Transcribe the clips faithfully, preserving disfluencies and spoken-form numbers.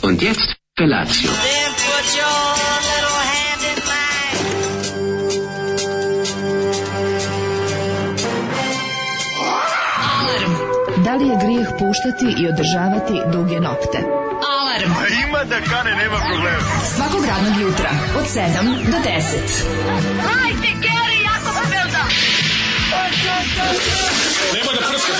Und jetzt Felatio. Then put your little hand in mine. Alarm. Da li je grijeh puštati i održavati duge nokte? Alarm. A ima da kane, nema problema. Svakog radnog jutra od sedam do deset. Hajde, Geri, jako se velda. Nema da prska,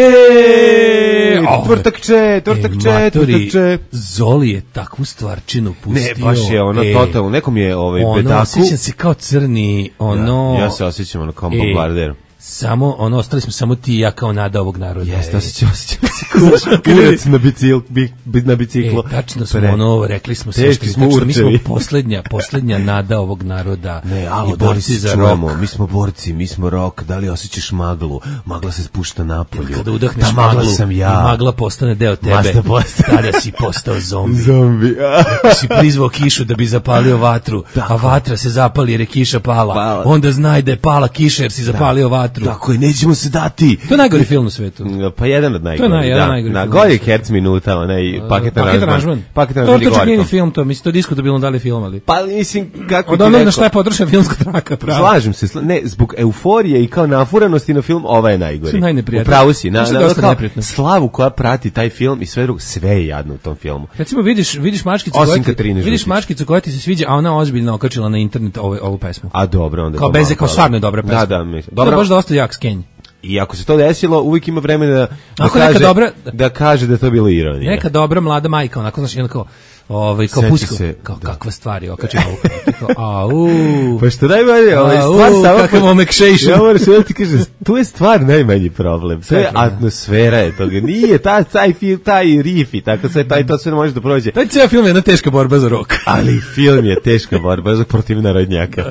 Jeee, tvrtakče, tvrtakče, tvrtakče. Zoli je takvu stvarčinu pustio. Ne, baš je ono e, totalno, nekom je ovaj ono, bedaku. osjećam se kao crni, ono... Ja, ja se osjećam ono kao e, bombarder. Samo, ono, ostali smo samo ti i ja kao nada ovog naroda. Jeste, e. osjećam, osjećam se kao kurac na, bicikl, bi, na biciklu. E, tačno smo, Pre. ono, rekli smo sve što Teški smo tačno, mi smo určevi. poslednja, poslednja nada ovog naroda. Ne, alo, i da li borci se za čujemo, rok. mi smo borci, mi smo rok, da li osjećaš maglu? Magla se spušta napolju. Kada udahneš Ta magla maglu sam i ja. magla postane deo tebe, Masta postane. tada si postao zombi. Zombi. Si prizvao kišu da bi zapalio vatru, a vatra se zapali jer je kiša pala. Pala. Onda znaj da je pala kiša jer si zapalio vatru. Tako je, nećemo se dati. To je najgori film u svetu. Pa jedan od najgorih. To je naj- jedan da. najgori Na film. Gori Herc minuta, onaj paket aranžman. Paket To aranžman je je čak nije ni Gorko. film, to mislim to diskutabilno da li je film, ali. Pa mislim, kako Od ti onog na rekao. šta je podršena filmska traka, pravo. Slažem se, sla- ne, zbog euforije i kao nafuranosti na film, ova je najgori. Što je najneprijatnije? Upravo si, na, Što je na, dosta kao neprijatno. slavu koja prati taj film i sve drugo, sve je jadno u tom filmu. Recimo vidiš vidiš mačkicu Osim koja ti, Katarine vidiš Žutić. mačkicu koja ti se sviđa, a ona ozbiljno okačila na internet ovu ovu pesmu. A dobro, onda je Kao to bez malo kao dobro. stvarno je dobra pesma. Da, da, mislim. To je Dobro. baš dosta jak skenj. I ako se to desilo, uvijek ima vremena da, da Ako neka kaže dobra- da kaže da je to bilo ironija. Neka dobra mlada majka, onako znaš, jedno kao ovaj kao Seti pusko, se, kao da. kakva stvar je okačila ovu. Kao, au. Pa što najmanje, ovaj Au, stvar samo... kakav omekšation. Ja moram se da ti kažem, tu je stvar najmanji problem. To je Tako, da. atmosfera je toga. Nije ta, taj film, taj riff i tako sve, taj, to sve ne može da prođe. Taj ceo film je jedna teška borba za rok. Ali film je teška borba za protiv narodnjaka.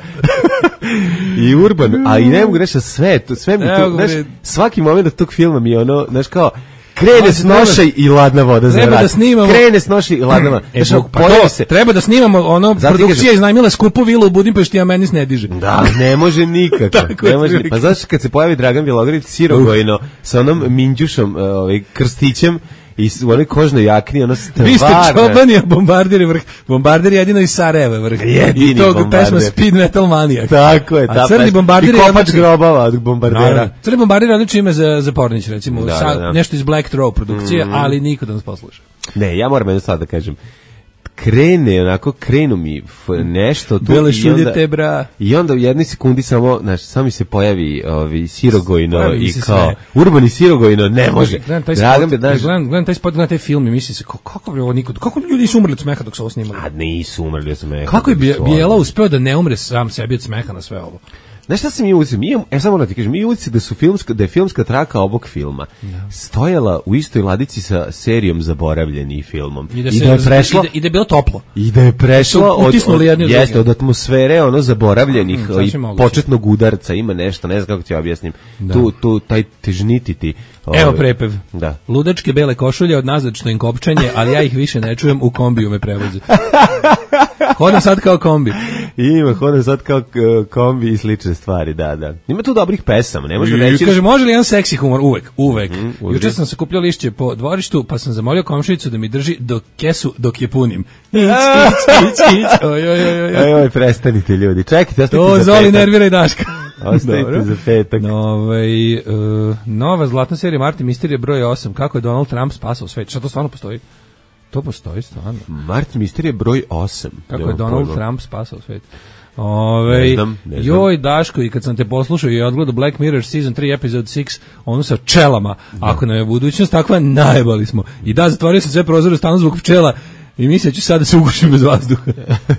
I urban, a i ne mogu reći sve, to, sve mi Ne to, mogu znaš, reći. svaki moment tog filma mi je ono, znaš kao, krene Ali s treba- nošaj i ladna voda za treba vrat. da snimamo- Krene s nošaj i ladna voda. E, Znaš, Bog, pa pojavi to, se, treba da snimamo ono, Zato ti produkcija kažem- iznajmila skupu vilu u Budimpešti, a meni se ne diže. da, ne može nikako. Tako ne je može. prilike. Pa znaš kad se pojavi Dragan Bjelogrlić sirogojno sa onom minđušom, uh, ovaj krstićem i s- u onoj kožnoj jakni, ono stvarno. Vi ste čobani, a bombardir je vrh. Bombardir je jedino iz Sarajeva je vrh. Jedini I tog bombardir. pesma Speed Metal Maniac. Tako je, A ta crni pesma. bombardir I je kopač odličan- grobava od bombardera. Naravno. Crni bombardir je odlično ime za, za Pornić, recimo. Da, Sa, da, da. Nešto iz Black Throw produkcije, ali niko da nas posluša. Ne, ja moram jedno sad da kažem. Krene, onako, krenu mi f- nešto tu Bele i šulje onda, te, bra. i onda u jednoj sekundi samo, znaš, samo mi se pojavi ovi sirogojno Pojavi mi i se kao, sve. urbani sirogojno, ne može. Gledam taj Dragan spot, bi, znaš, gledam, gledam taj spot, gledam taj film i mislim se, kako, kako bi ovo niko, kako bi ljudi su umrli od smeha dok su ovo snimali? a nisu umrli od smeha. Kako je nego Bje- su Bijela oni. uspeo da ne umre sam sebi od smeha na sve ovo? Znaš šta sam mi ulici? Mi imam, e samo da ti kažem, mi ulici da su filmska, da je filmska traka ovog filma stojala u istoj ladici sa serijom Zaboravljeni filmom. I da, I se, da je prešla, i da, i da je bilo toplo. I da je prešla Su od, utisnuli od, jedni od jeste, druge. od atmosfere ono zaboravljenih Mm, i sasvim moguće. početnog udarca, ima nešto, ne znam kako ti objasnim. Tu, tu, taj težnititi. Evo ovaj, prepev. Da. Ludačke bele košulje od nazad što im kopčanje, ali ja ih više ne čujem, u kombiju me prevoze. Hodam sad kao kombi. Ima, hodam sad kao k- kombi i slične stvari, da, da. Ima tu dobrih pesama, ne može reći. Kaže, može li jedan seksi humor? Uvek, uvek. Mhm, uvek. Juče sam sakupljao lišće po dvorištu, pa sam zamolio komšinicu da mi drži do kesu dok je punim. Ić, ić, ić, ić. Oj, oj, oj, oj. Aj, oj, prestanite ljudi. Čekajte, ostavite To za Zoli petak. nervira i Daška. Ostavite Dobro. za petak. No, ovaj, uh, nova zlatna serija Martin Misterije broj osam. Kako je Donald Trump spasao svet? Šta to stvarno postoji? To postoji stvarno. Martin Misterije broj osam. Kako je Nemam Donald pojma. Trump spasao svet? Ove, Ne znam, ne znam. Joj, Daško, i kad sam te poslušao i odgledao Black Mirror Season tri, Episode šest, ono sa pčelama. Ako nam je budućnost takva, najebali smo. I da, zatvorio sam sve prozore u stanu zbog pčela i mislim da ću sad da se ugušim bez vazduha.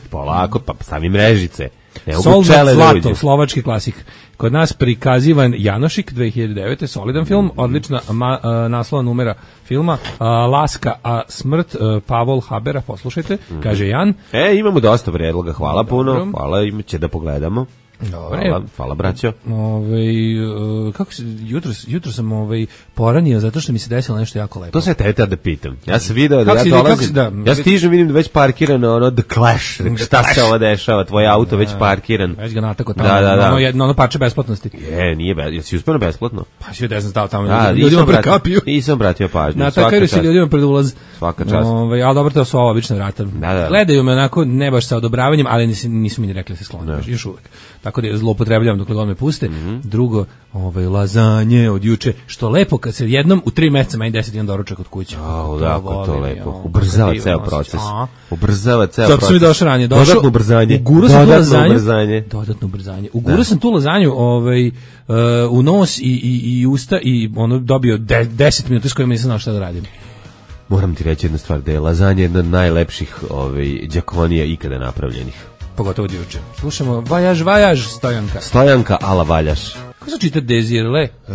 Polako, pa stavi mrežice. Ne mogu Soldat pčele da Zlato, uđe. slovački klasik. Kod nas prikazivan Janošik dve hiljade devete. solidan film, odlična ma, a, naslova numera filma, a, Laska, a smrt a, Pavol Habera, poslušajte, kaže Jan. E, imamo dosta predloga, hvala Dobro. puno, hvala, ima će da pogledamo. Dobre. Hvala, hvala braćo. Ovaj uh, kako se jutro jutro sam ovaj poranio zato što mi se desilo nešto jako lepo. To se tebe da pitam. Ja sam video da Kako ja si- dolazim, kako si- da, ja stižem, vidim da već parkirano ono The Clash. Šta se ovo dešava? Tvoj auto već parkiran. Već ga natako tamo. Da, da, da. Ono jedno ono parče besplatnosti. Je, nije bez, jesi uspeo na besplatno? Pa si ne znam stao tamo. Da, ljudima nisam vratio, prekapiju. nisam vratio pažnju. Na Svaka takaju se čast. ljudima pred ulaz. Svaka čast. Ovaj, ali dobro, to su ova obična vrata. Da, da. Gledaju me onako, ne baš sa odobravanjem, ali nisu, nisu mi ni rekli da se sklone, još, još uvek. Tako da je zloupotrebljavam dok god me puste. Mhm. Drugo, ovaj, lazanje od juče, što lepo kad se jednom u tri meseca meni deset jedan doručak od kuće. Au, da, kako to volim, lepo. jo, Ubrzava kako ceo divno proces. osjećaj. A? Ubrzava ceo Zato proces. sam i došao ranije. Došao, Dodatno ubrzanje. Uguro sam tu Dodatno lazanju. ubrzanje. Dodatno ubrzanje. Uguro sam tu lazanju ovaj, uh, u nos i, i, i usta i ono dobio de, deset minuta s kojima nisam znao šta da radim. Moram ti reći jednu stvar, da je lazanja jedna od najlepših ovaj, đakonija ikada napravljenih. Pogotovo od juče. Slušamo Vajaž, Vajaž, Stojanka. Stojanka ala valjaš. Kako se čita Dezirle? Uh,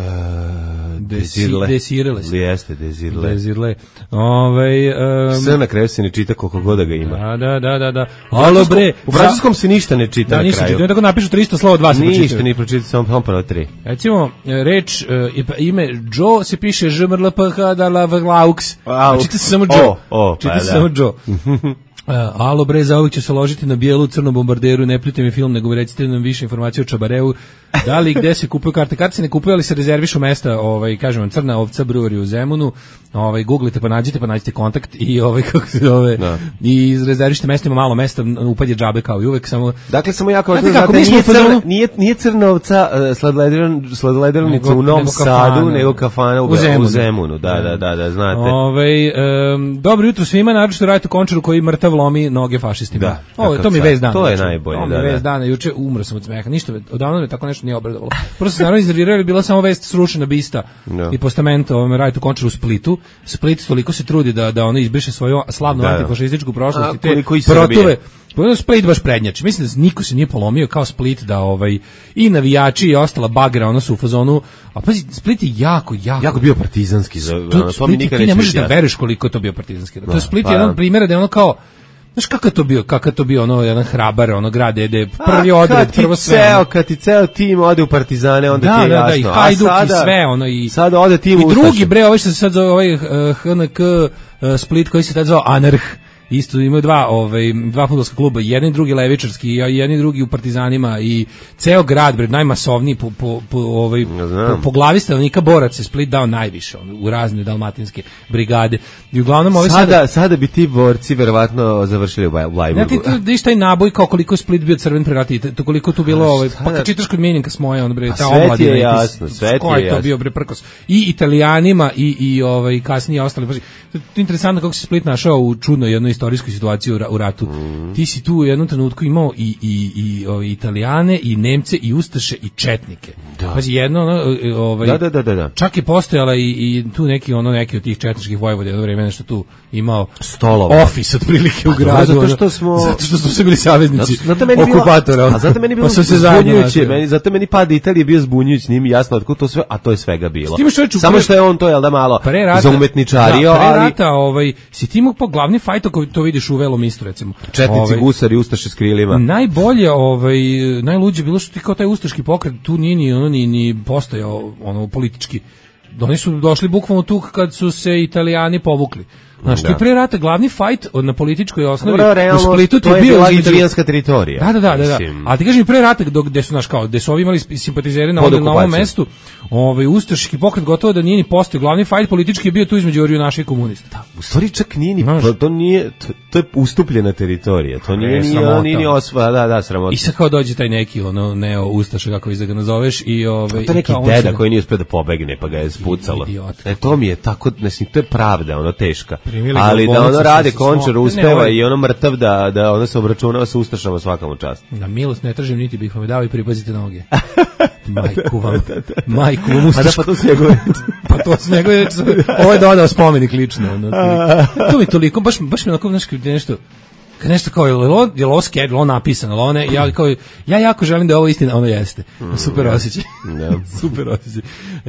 Desi- Desirele se. Jeste, Dezirle. Dezirle. Ovaj um, Sve na kraju se ne čita koliko god da ga ima. Da, da, da, da, da. U Alo francuskom- bre, U francuskom se ništa ne čita da, na nisu kraju. čitaju, tako napišu tristo slova, dva se Ništa pročitaju. ni pročitati, samo samo prvo tri. Recimo, reč, e, ime Joe se piše Ž M R L P H D L A V L A U X. Aux. Čita se samo Joe. O, o, Čita pa se da. samo Joe. Uh, alo bre, za ovih ću se ložiti na bijelu crnom bombarderu, ne pljujte mi film, nego mi recite nam više informacije o Čabareu, da li i gde se kupuju karte. Karte se ne kupuju, ali se rezervišu mesta, ovaj, kažem vam, Crna ovca brewery u Zemunu, ovaj, googlite pa nađite, pa nađite kontakt i ovaj, kako se zove, Da. i rezervište mesta, ima malo mesta, upad je džabe kao i uvek, samo... Dakle, samo jako važno Znate kako, znate, mi smo nije, u fazonu- crna, nije, nije Crnovca uh, sladledernica Nego- u Novom nego Sadu, kafana. nego kafana u, U Zemunu. u Zemunu. Da, da, da, da, znate. Ovaj um, dobro jutro svima, naročito Rajtu Končaru koji mrtav lomi noge fašistima. Da, Ovo, takav to mi je car. vez dana. To je juče. najbolje, To mi da, je da. vez dana, juče umro sam od smeha. Ništa, me- odavno me tako nešto nije obradovalo. Prvo sam se naravno iznervirao, jer je bila samo vest srušena bista Da. i postamento ovome Rajtu Končaru u Splitu. Split toliko se trudi da da ono izbriše svoju slavnu Da, da. antifašističku prošlost A, i te koliko i protove. Srbije. Pogledaj, Split baš prednjači. Mislim da niko se nije polomio kao Split, da ovaj i navijači i ostala bagra, ono su u fazonu. A pazi, Split je jako, jako, Jako bio partizanski, za, ono, to, to mi Split, nikad ti ne neće možeš biti da jasno. veruješ koliko je to bio partizanski. To Da, je Split pa je jedan da. od primjera da je ono kao, znaš kakav je to bio, kakav je to bio ono jedan hrabar, ono grad gde je prvi A, odred, kad ti prvo sve. Ceo, ono. kad ti ceo tim ode u Partizane, onda Da, ti je da, jasno. da, i A Hajduk sada- i sve, ono, i... Sada ode tim I Ustaša. drugi, bre, ovaj što se sad zove, ovaj uh, H N K uh, Split, koji se tad zvao Anarh, isto imaju dva, ovaj, dva fudbalska kluba, jedan i drugi levičarski, i jedan i drugi u Partizanima, i ceo grad, bre, najmasovniji po, po, po, ovaj, Ja znam. po, po glavi stanovnika borac je Split dao najviše, ono, u razne dalmatinske brigade. I uglavnom, ovaj Sada, sada bi ti borci verovatno završili u Baj- u Znate, Lajburgu. tu vidiš taj naboj kao koliko je Split bio crven pre rata i to koliko tu bilo, ovaj, pa kad čitaš kod Minjenka s moje, on bre, A ta sve ti omladina. je i ti- jasno, sve ti ko je je to jasno. bio bre prkos. I Italijanima i i ovaj kasnije ostali. Pazi, to je interesantno kako se Split našao u čudnoj jednoj istorijskoj situaciji u, ra- u ratu. Mm. Ti si tu u jednom trenutku imao i i i ovaj Italijane i Nemce i ustaše i četnike. Pazi, jedno ono, ovaj Da, da, da, da, da. Čak je postojala i, i tu neki ono neki od tih četničkih vojvoda jedno vreme nešto tu imao Stolova. office otprilike u dobro, gradu. zato ono, što smo- zato što smo sve bili saveznici Zato, zato meni je bilo- okupatora. ono. A zato meni je bilo Pa su se zajedno zbunjujuće, našli. meni, zato meni pad Italije bio zbunjujući, nije mi jasno otkud to sve, a to je svega bilo. Ti imaš čovječe u Samo pre- što je on to, jel da, malo Pre rata, zaumetničario, da, pre ali rata, ovaj, si ti imao po glavni fajt ako to vidiš u Velom istu, recimo. četnici, Ovaj, gusari, ustaše s krilima. Najbolje, ovaj, najluđe bilo što ti kao taj ustaški pokret tu nije ni, ono, ni, ni postojao ono, politički. Oni su došli bukvalno tu kad su se Italijani povukli. Znaš, Da. ti pre rata glavni fajt na političkoj osnovi Dobro, u realno, Splitu ti to je bio bila između- italijanska teritorija. Da, da, da, da, da. Mislim, A ti kažem pre rata dok gde su znaš kao, gde su ovi imali sp- simpatizere na, Pod ovom- na ovom okupacijom. mestu, ovaj ustaški pokret gotovo da nije ni postao. Glavni fajt politički je bio tu između orjunaša i komunista. u stvari čak nije ni, Znaš. to, to nije, to, to je ustupljena teritorija, to nije, E, nije, sramota. nije ni osvoja, da, da, sramota. I sad kao dođe taj neki ono neo ustaša kako vi da ga nazoveš i ovaj To je neki i kao on deda se- koji nije uspio da pobegne, pa ga je spucalo. Idiot. E, to mi je tako, mislim, to je pravda, ono, teška. Primili ga Ali u da bolnicu ono rade, sa- sa- Končar ne, uspeva ovaj- i ono mrtav da, da ono se obračunava sa ustašama svakom čast. Na milost ne tražim, niti bih vam dao i pripazite noge. Majku vam. Majku vam A da, ustašku. pa to su njegove. Pa to s nego je, ovo je dodao spomenik lično. Ono, to mi toliko, baš, baš mi onako, znaš, kad je nešto, kad nešto kao, je li ovo, je li ovo sked, je li ovo napisano, je li ovo ne, ja, kao, ja jako želim da je ovo istina, ono jeste. Super osjećaj. Da. Super osjećaj.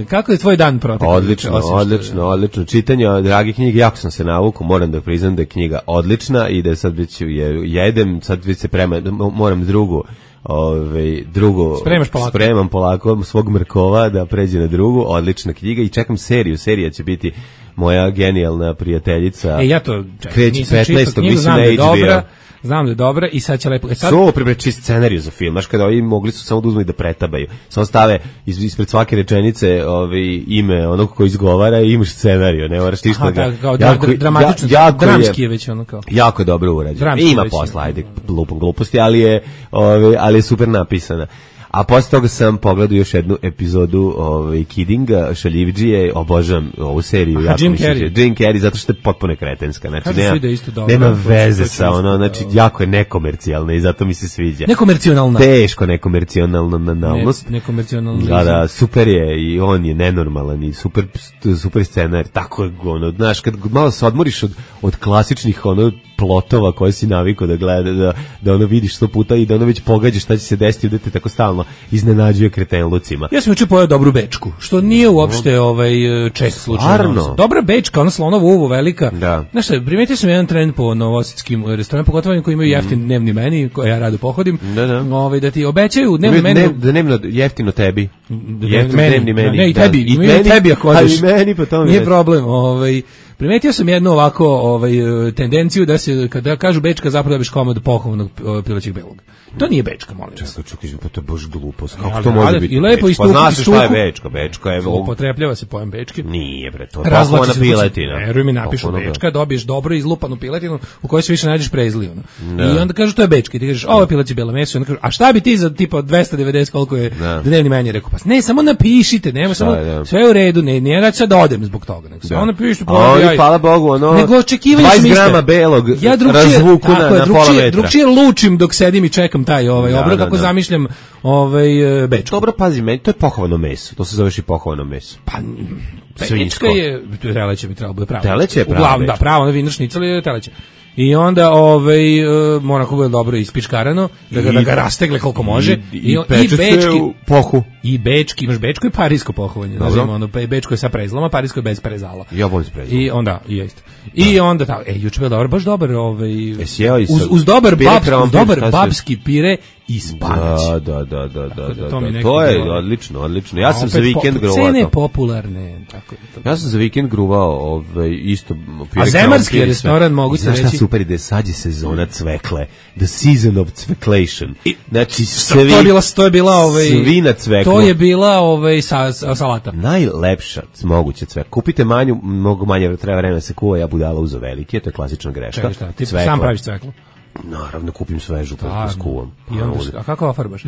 Kako je tvoj dan protekao? Odlično, Osim što- odlično, odlično. Čitanje dragi knjige, jako sam se navukao, moram da priznam da je knjiga odlična i da sad već je jedem, sad već se prema, moram drugu Ove, drugo, Spremaš polako. spremam polako svog mrkova da pređe na drugu, odlična knjiga i čekam seriju, serija će biti moja genijalna prijateljica. E, ja to čekam, kreće nisam petnaestog čitao knjigu, mislim znam na da je H B O. dobra, znam da je dobra i sad će lepo... E, sad... Svo pribre čist scenariju za film, znaš, kada ovi mogli su samo da uzmu i da pretabaju. Samo stave iz, ispred svake rečenice ovaj, ime onog ko izgovara i imaš scenariju, ne moraš ništa Aha, ga... da, kao jako, dramatično, ja, jako dramski je već ono kao. Jako je dobro urađeno. Dramski Ima već, posla, ja. ajde, lupom gluposti, ali je, ovaj, ali je super napisana. A posle toga sam pogledao još jednu epizodu ovaj, Kiddinga, Šaljivdžije, obožavam ovu seriju. Aha, jako Jim mi se Carrey. sviđa. Jim Carrey, zato što je potpuno kretenska. Znači, Kažu nema, svi da je isto dobro. nema To- to veze ću sa isto, ono, znači, da. jako je nekomercijalna i zato mi se sviđa. Nekomercionalna. Teško nekomercijalna nalnost. Ne, nekomercionalna. Da, da, super je i on je nenormalan i super, super scenar, tako je, ono, znaš, kad malo se odmoriš od, od klasičnih, ono, plotova koje si navikao da gleda, da, da ono vidiš sto puta i da ono već pogađaš šta će se desiti, da te tako stalno iznenađuje kretenlucima. Ja sam juče pojeo dobru bečku, što nije uopšte ovaj čest slučaj. Stvarno? Dobra bečka, ona slonovo uvo velika. Da. Znaš šta, primetio sam jedan trend po novosadskim restoranima, pogotovo oni koji imaju jeftin dnevni meni, koje ja rado pohodim, Da, da. ovaj, da ti obećaju dnevni Ne, meni. ne, da nemno jeftino tebi. Da Jeftino meni, dnevni meni. Ne, i da. tebi, I imaju meni, tebi ako a odeš. i meni, pa to mi Nije reći. problem, ovaj primetio sam jednu ovako ovaj tendenciju da se kada kažu bečka zapravo dobiš komad pohovanog ovaj, pilećeg belog. To nije bečka, molim vas. Čekaj, čekaj, pa to je baš glupost. Kako Ali- to može ali- biti? i lepo bečka? istuku- Pa znaš šta je istuku- bečka? Bečka je... Upotrebljava se pojam bečke. Nije, bre, to je Razvlači pohovana se kući. piletina. Veruj mi, napišu Pohovana- bečka, dobiješ dobro izlupanu piletinu u kojoj se više nađeš prezli. Ono. Da. I onda kažu to je bečka i ti kažeš ovo je pileće belo meso. I onda kažu, a šta bi ti za tipa dvesta devedeset koliko je Da. dnevni meni? Rekao, pa ne, samo napišite, nema samo, je, da. sve je u redu, ne, nije da ću sad odem zbog toga. Nego, samo napišite, A oni, ja- hvala Bogu, ono, Nego očekivanja su dvadeset iste. grama belog ja drugčije, razvuku na, tako je, na pola drugčije, metra. drugčije lučim dok sedim i čekam taj ovaj Da, obrok da, kako da. zamišljam ovaj e, bečku. Dobro, pazi, meni, to je pohovano meso. To se zoveš i pohovano meso. Pa Svinjsko. bečka je, teleće bi trebalo bude pravo. Teleće je prava Uglavnom, da, bečka. pravo, na vinašnicu ali je teleće. I onda ovaj uh, mora kako bude dobro ispičkarano, da ga, I- da ga rastegle koliko može. I, i, on- peče se bečki, u pohu. i bečki, imaš bečko i parijsko pohovanje. Dobro. Znači, ono, pe- bečko je sa prezlama, parijsko je bez prezala. Ja volim s prezlom. I onda, i jeste. I onda, ta, e, juče bio dobar, baš dobar, ovaj, Jesi jeo i sa- uz, uz dobar, pire babski, uz krompir, dobar šta si- babski pire i spanać. Da, da, da, da, da, da da, to mi da. nekako To je bilo- odlično, odlično. Ja A sam za opet vikend po- gruvao Cene to. popularne, tako je to. Ja sam za vikend gruvao ovaj, isto pire A zemarski krompir i sve. restoran, mogu I ti znaš šta reći- super ide, sad je sezona cvekle. The season of cveklation. Znači, To, svi, to je bila, to je bila ovaj, svi na cveklu. to je bila ovaj, sa, sa- salata. Najlepša moguća cvekla. Kupite manju, mnogo manje treba vremena da se kuva, ja budala uzo velike, to je klasična greška. Čekaj šta, ti Cvekla. sam praviš cveklu. Naravno, kupim svežu pa A, skuvam. I onda, a kako farbaš?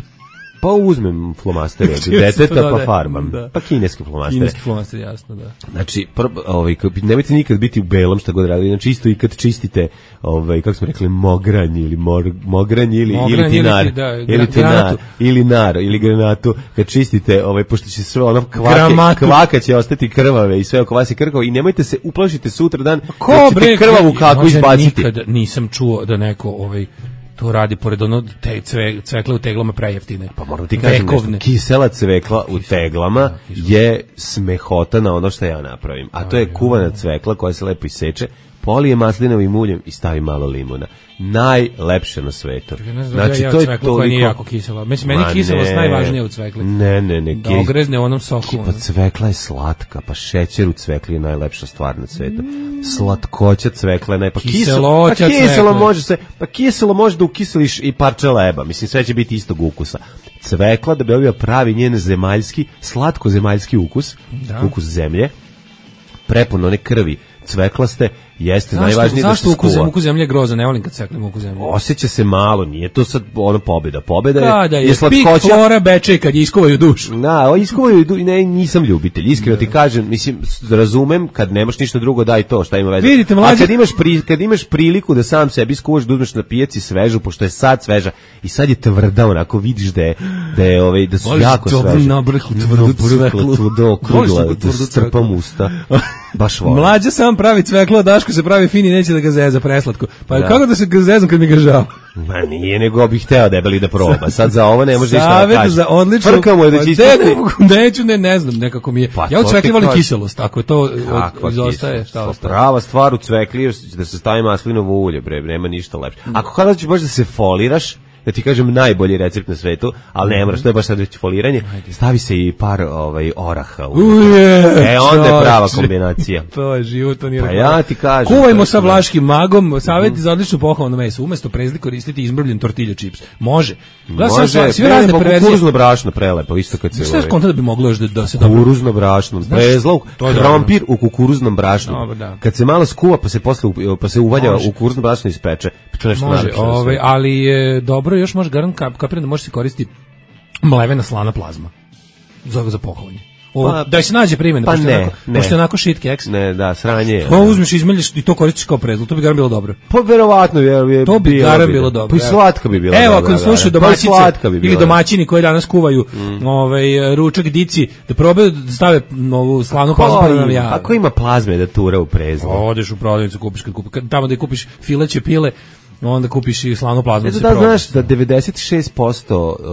Pa uzmem flomastere od Čim se to deteta pa dodaje. farbam. Da. Pa kineske flomastere. Kineski flomaster, jasno, da. Znači, prvo, ovaj, kad- nemojte nikad biti u belom šta god radili, znači isto i kad čistite, ovaj, kako smo rekli, mogranj ili mor, mogranj ili, Mogranj ili tinar, ili ti- da, ili gra- tinar, granatu. ili nar, ili granatu, kad čistite, ovaj, pošto će sve ono kvake, Gramatu. kvaka će ostati krvave i sve oko vas je krkavo i nemojte se uplašiti sutra dan Ko da ćete bre, krvavu kaku možda izbaciti. Nikad nisam čuo da neko ovaj to radi pored ono te cve, cvekle u teglama prejeftine. Pa moram ti kažem Vekovne. nešto, kisela cvekla u teglama je smehota na ono što ja napravim, a to je kuvana cvekla koja se lepo iseče, polije maslinovim uljem i stavi malo limuna. Najlepše na svetu. Ja ne znam da ja jeo cveklu koja nije jako kisela. Mislim, meni Ma kiselost ne. najvažnija u cvekli. Ne, ne, ne. Da ogrezne u onom soku. Pa ono. cvekla je slatka, pa šećer u cvekli je najlepša stvar na svetu. Slatkoća cvekla je naj... Pa Kiseloća kiselo, pa kiselo cvekle. može se, pa kiselo može da ukiseliš i parče leba. Mislim, sve će biti istog ukusa. Cvekla, da bi dobio pravi njen zemaljski, slatko-zemaljski ukus, Da. ukus zemlje, prepun one krvi cveklaste, jeste Zašto, najvažnije da se zašto ukus, skuva. ukus zemlje je grozan, ne volim kad cveklim ukus zemlje. Osjeća se malo, nije to sad ono pobjeda. Pobjeda je, Kada je, je pik slatkoća. flora beče kad je iskuvaju dušu. Da, o iskuvaju, du- ne, nisam ljubitelj, iskreno ti kažem, mislim, s- razumem, kad nemaš ništa drugo, daj to, šta ima veze. Vidite, A mlađe- kad imaš, pri, kad imaš priliku da sam sebi skuvaš, da uzmeš na pijaci svežu, pošto je sad sveža, i sad je tvrda, onako vidiš da je, da je, ovaj, da su Voliš jako dobru sveže. nabrhlu, tvrdu cveklu. Tvrdo, Voliš okrugla, neku da tvrdu strpam cveklu? usta. Baš volim. Mlađa sam pravi cveklo, a Daško se pravi fin i neće da ga zeza preslatko. Pa Da. kako da se ga zezam kad mi ga žao? Ma nije, nego bih hteo debeli da proba. Sad za ovo ne može ništa da Savjet kaže. za odlično. Frkamo je da Pa će ne, ispati. ne mogu, neću, ne, ne znam, nekako mi je. Pa ja u to cvekli ti volim kažem. kiselost, ako je to od- Kakva izostaje, kiselost? šta Pa ostaje? prava stvar u cvekli je da se stavi maslinovo ulje, bre, nema ništa lepše. Ako kada ćeš baš da se foliraš, da ti kažem najbolji recept na svetu, ali ne moraš, to je baš sad već foliranje. Stavi se i par ovaj oraha. Uje, e, onda je prava čoče. kombinacija. To je život, to nije Pa reklama. ja ti kažem. Kuvajmo sa vlaškim magom, savjeti za odlično pohvalno meso. Umesto prezli koristiti izmrbljen tortilja čips. Može. Gledam Može, sve, sve ne, razne mogu perverzije. kukuruzno brašno prelepo, isto kad se... Šta je ovaj- konta da bi moglo još da, da se dobro... Kukuruzno brašno, prezlog, to je krompir u kukuruznom brašnu. Dobro, da. Kad se malo skuva pa se posle u- pa se uvalja Može. u kukuruzno brašno ispeče. Pa to nešto Može, nalepše na ovaj, sve. ali je dobro, još može garant kap, kapiram da može se koristiti mlevena slana plazma. Za, za pohvalanje. O, Pa- da se nađe primjena, pa pošto, je ne, onako, ne. pošto je onako shit keks. Ne, da, sranje je. To uzmeš, izmeljiš i to koristiš kao prezlog, to bi garant bilo dobro. Pa verovatno je, je To bi bilo garant bi, bilo da. dobro. Pa i evo. slatka bi bila Evo, dobra, ako slušaju da. Pa i domaćice slatka bi bila, ili da. domaćini koji danas kuvaju ovaj, ručak dici, da probaju da stave ovu slanu plazmu pa da nam jave. Ako ima plazme da tura u prezlo. Odeš u prodavnicu, kupiš, kad kupi, kad, tamo da kupiš fileće pile, onda kupiš i slanu plazmu. Eto se da proba. znaš da devedeset šest posto, uh,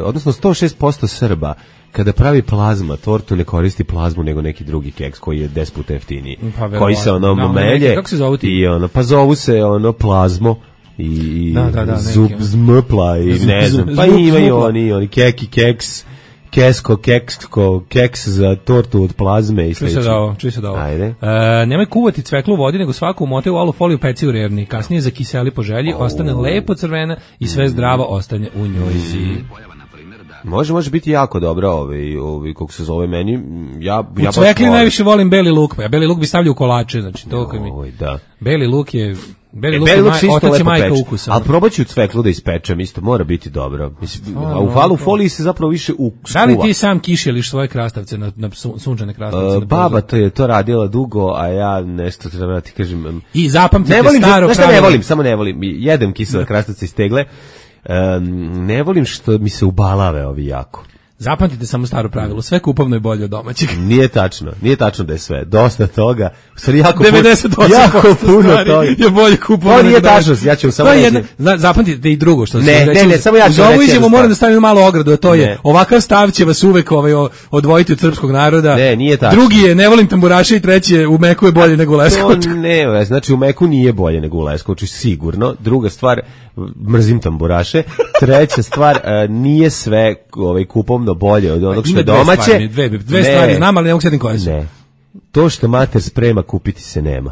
odnosno sto šest posto Srba kada pravi plazma tortu ne koristi plazmu nego neki drugi keks koji je deset puta jeftiniji. Pa, verovatno. koji se ono Da, melje. neki- kako se zovu ti? I ono, pa zovu se ono plazmo i, i Da, da, da, zub neki. zmpla i Zub- ne znam. zub- Pa zub- imaju zmupla. oni, oni keki keks, kesko, keksko, keks za tortu od plazme i Čuj se slično. da ovo, čuj se da ovo. Ajde. E, nemoj kuvati cveklu u vodi, nego svaku umote u alu foliju, peci u rerni. Kasnije zakiseli po želji, ostane lepo crvena i sve zdravo ostane u njojzi. Može, može biti jako dobro, ovaj, ovaj, kako se zove meni, ja, U ja baš cvekli volim. najviše volim beli luk, pa ja beli luk bi stavljao u kolače, znači to kad mi... Oj, da. Beli luk je... Beli E, luk beli je luk maj, se isto otac i lepo majka peče. ukusa. Ali probat ću cveklu da ispečem, isto mora biti dobro. Mislim, A, a u falu foliji se zapravo više u Da li skuva. ti sam kišeliš svoje krastavce na, na sun- sunčane krastavce? E, na baba prozor? to je to radila dugo, a ja nešto treba da ti kažem. em, I zapamtite Ne volim, staro znaš šta ne pravilo. volim, samo ne volim. Jedem kisele krastavce iz tegle. Em, ne volim što mi se ubalave ovi jako. Zapamtite samo staro pravilo, sve kupovno je bolje od domaćeg. Nije tačno, nije tačno da je sve. Dosta toga. U stvari jako puno, devedeset osam jako posto puno stvari toga. je bolje kupovno. To nije nego domaće. tačno, ja ću samo To je reći. jedna, zna- zapamtite i drugo što Ne, sam ne, reći. ne, samo ja ću Uz ovu reći izjavu jednu moram stvar. da stavim malu ogradu, a to je Ne. ovakav stav će vas uvek ovaj, o- odvojiti od srpskog naroda. Ne, nije tačno. Drugi je ne volim tamburaše i treći je u Meku je bolje nego u To Leskovču. ne, znači u Meku nije bolje nego u Leskovču, sigurno. Druga stvar, mrzim tamburaše. Treća stvar, e, nije sve ovaj, kupovno bolje od onog što Ima je dve domaće. stvari, dve, dve Ne, stvari znam, ali ne mogu sjetim koje su. Ne. To što mater sprema, kupiti se nema.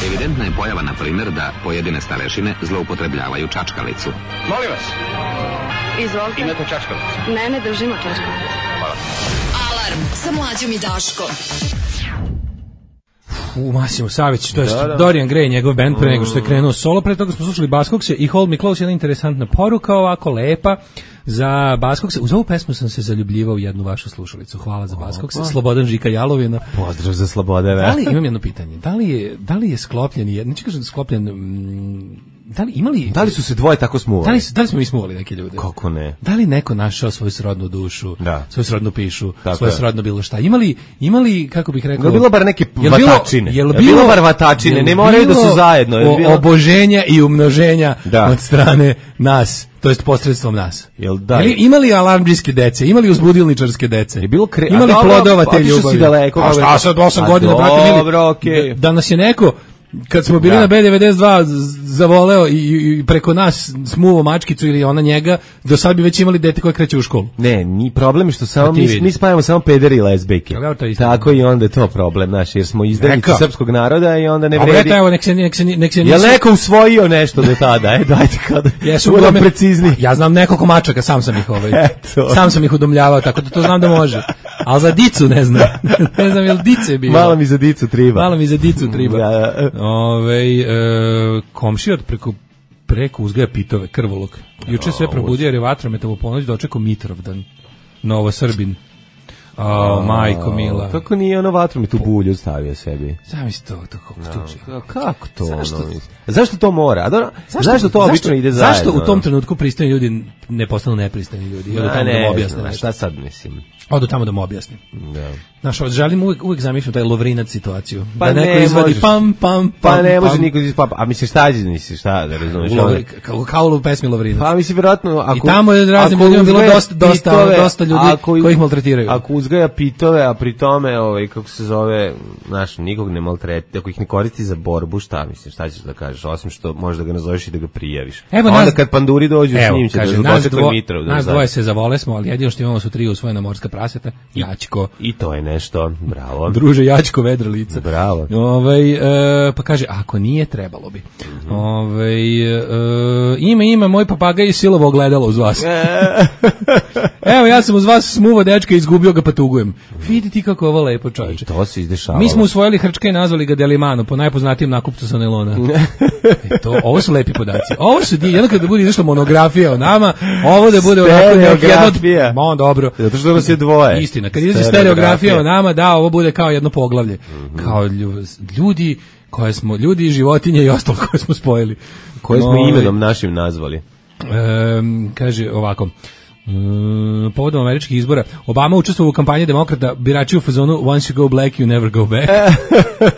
Evidentna je pojava, na primjer, da pojedine starešine zloupotrebljavaju čačkalicu. Molim vas, Izvolite. imate čačkalicu? Ne, ne držimo čačkalicu. Alarm sa mlađom i Daškom. U Masimo Savić, to je Da, da. Dorian Gray, njegov band pre nego što je krenuo solo, pre toga smo slušali Baskokse i Hold Me Close, jedna interesantna poruka, ovako lepa za Baskokse. Uz ovu pesmu sam se zaljubljivao u jednu vašu slušalicu. Hvala za Baskokse. Slobodan Žika Jalovina. Pozdrav za slobodeve. Da li, imam jedno pitanje, da li je, da li je sklopljen, jed- neću kažem da je sklopljen, mm, da li, imali, Da li su se dvoje tako smuvali? da li, su- da li smo mi smuvali neke ljude? Kako ne? Da li neko našao svoju srodnu dušu, Da. svoju srodnu pišu, Tako svoje je. srodno bilo šta? Imali, imali kako bih rekao... Jel bilo bar neke Jel bilo- vatačine? Jel Jel bilo, bilo bar vatačine? jel Ne moraju da su bilo zajedno, jel o- bilo- oboženja i umnoženja Da. od strane nas, to jest posredstvom nas. Jel da? Jel imali alarmdžijske dece, imali uzbudilničarske dece? Je bilo kre- imali a dobro, plodova te otišao si ljubavi? daleko, A kako šta je- sad osam A godina, brate mili? dobro, okej. Da, da nas je neko kad smo bili Da. na B devedeset dva z- zavoleo i, i preko nas smuvo mačkicu ili ona njega, do sad bi već imali dete koje kreće u školu. Ne, ni problem je što samo Pa ti mi, vidi. mi spajamo samo pederi i lezbijke. Ali evo to je istina. Tako i onda je to problem, znaš, jer smo izdajnici Neka. srpskog naroda i onda ne A vredi. eto, evo, nek se, nek se, nek se Jel nisu- neko usvojio nešto do tada? E, dajte kada. Jesu budem uglavnom- precizni. Ja znam nekoliko mačaka, sam sam ih ovaj. Eto. Sam sam ih udomljavao, tako da to znam da može. Ali za dicu ne znam. Ne znam jel dice bilo. Malo mi za dicu triba. Malo mi za dicu triba. Da. Ovaj e, komšija od preko preko uzgaja pitove, krvolok. Juče sve probudio jer je vatrometom u ponoć dočekao Mitrovdan. Novo Srbin. O, majko mila. Kako nije ono vatromet u bulju stavio sebi? Zamisli to, to kako tuče. Ka- Kako to? Zašto? Ono, zašto to mora? A dobro, zašto, to obično ide zajedno? Zašto u tom trenutku pristojni ljudi ne postanu nepristojni ljudi? I odu A tamo da ne, mu objasne znam, nešto. šta sad mislim? Odu tamo da mu objasnim. Da. Znaš, želim uvijek, uvijek zamišljam taj Lovrinac situaciju. Pa da neko ne izvadi možeš. pam, pam, pam, Pa ne može pam. niko iz papa. A misliš šta je, misliš šta, da razumeš? U Lovri- kao, kao u pesmi Lovrinac. Pa mislim vjerojatno ako I tamo je raznim ako ljudima bilo uzgaja dosta- dosta- pitove, dosta ljudi ako- koji ih maltretiraju. Ako uzgaja pitove, a pri tome, ovaj, kako se zove, znaš, nikog ne maltreti, ako ih ne koristi za borbu, šta misliš, šta ćeš da kažeš, osim što možeš da ga nazoveš i da ga prijaviš. Evo onda nas, kad panduri dođu evo, s njim će kaže, da nas, dođe dvo, Mitrov. Da nas da. dvoje se zavole smo, ali jedino što imamo su tri usvojena morska praseta, Jačko. I to je nešto, bravo. Druže Jačko, vedro lice. Bravo. Ovaj e, pa kaže, ako nije, trebalo bi. Mm-hmm. Ovaj e, ima, ima, moj papagaj je silovo ogledalo uz vas. Evo, ja sam uz vas smuvo dečka i izgubio ga pa tugujem. Vidi ti kako je ovo lepo, čovječe. I to se izdešavalo. Mi smo usvojili hrčka i nazvali ga Delimano, po najpoznatijem nakupcu sa nelona. E to, ovo su lepi podaci. Ovo su, jedno kada bude izašla monografija o nama, ovo da bude onako stereografija. Ma, dobro. Zato što nas je dvoje. Istina, kad izađe stereografija o nama, da, ovo bude kao jedno poglavlje. Mm-hmm. Kao ljudi koje smo, ljudi i životinje i ostalo koje smo spojili. Koje smo no, imenom našim nazvali. Um, kaže ovako, um, povodom američkih izbora, Obama učestvovao u kampanji demokrata, birači u fazonu once you go black you never go back.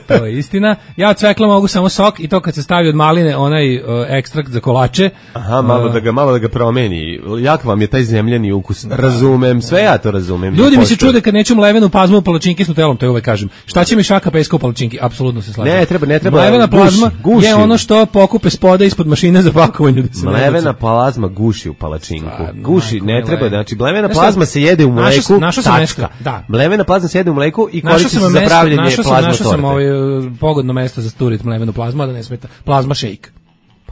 To je istina. Ja od cvekla mogu samo sok i to kad se stavi od maline onaj uh, ekstrakt za kolače. Aha, malo uh, da ga malo da ga promeni. Jak vam je taj zemljani ukus. Razumem, sve ja to razumem. Ljudi mi se čude kad neću mlevenu plazmu u palačinki s nutelom, to je uvek kažem. Šta će mi šaka peska u palačinki? Apsolutno se slažem. Ne, treba, ne treba. Mlevena plazma guši, guši. je ono što pokupe spoda ispod mašine za pakovanje da se mlevena plazma guši u palačinku. Stvarno, guši, ne majko, treba, znači mlevena Nešto, plazma se jede u mleku. Našao, našao sam nešto, nešto, da. Mlevena plazma se jede u mleku i koristi se za pravljenje našao plazma sam, našao torte. sam ovaj pogodno mesto za sturit mlevenu plazmu, a da ne smeta. Plazma shake.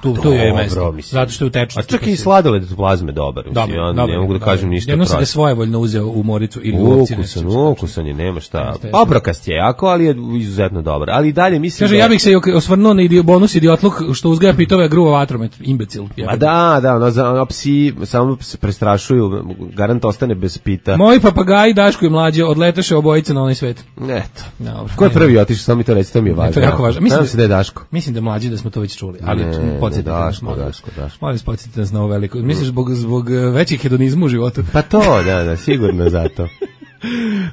Tu, tu je mesto. Mislim. Zato što je u tečnosti. A čak i sladoled od plazme dobar. Mislim, dobar, ja dobar, ne mogu da kažem ništa. Jedno sam ga svojevoljno uzeo u Moricu ili u Ovci. Ukusan, ukusan je, nema šta. Oprokast je jako, ali je izuzetno dobar. Ali i dalje mislim Kaže, da... ja bih se osvrnuo na idio, bonus idiotluk što uzgaja pitove, gruva vatromet, imbecil. A da, da, ono, za, ono, psi samo se prestrašuju, garant ostane bez pita. Moji papagaji, Daško i mlađe, odletaše obojice na onaj svet. Eto. Dobro. Ko je prvi otišao, samo mi to reći, to mi je važno. To je jako važno. Mislim se da je Daško. Mislim da je mlađi da smo to već čuli, ali podsjetite nas, Daško, Daško. Molim vas, podsjetite nas na ovo veliko. Misliš zbog, zbog većih hedonizma u životu? Pa to, da, da, sigurno zato.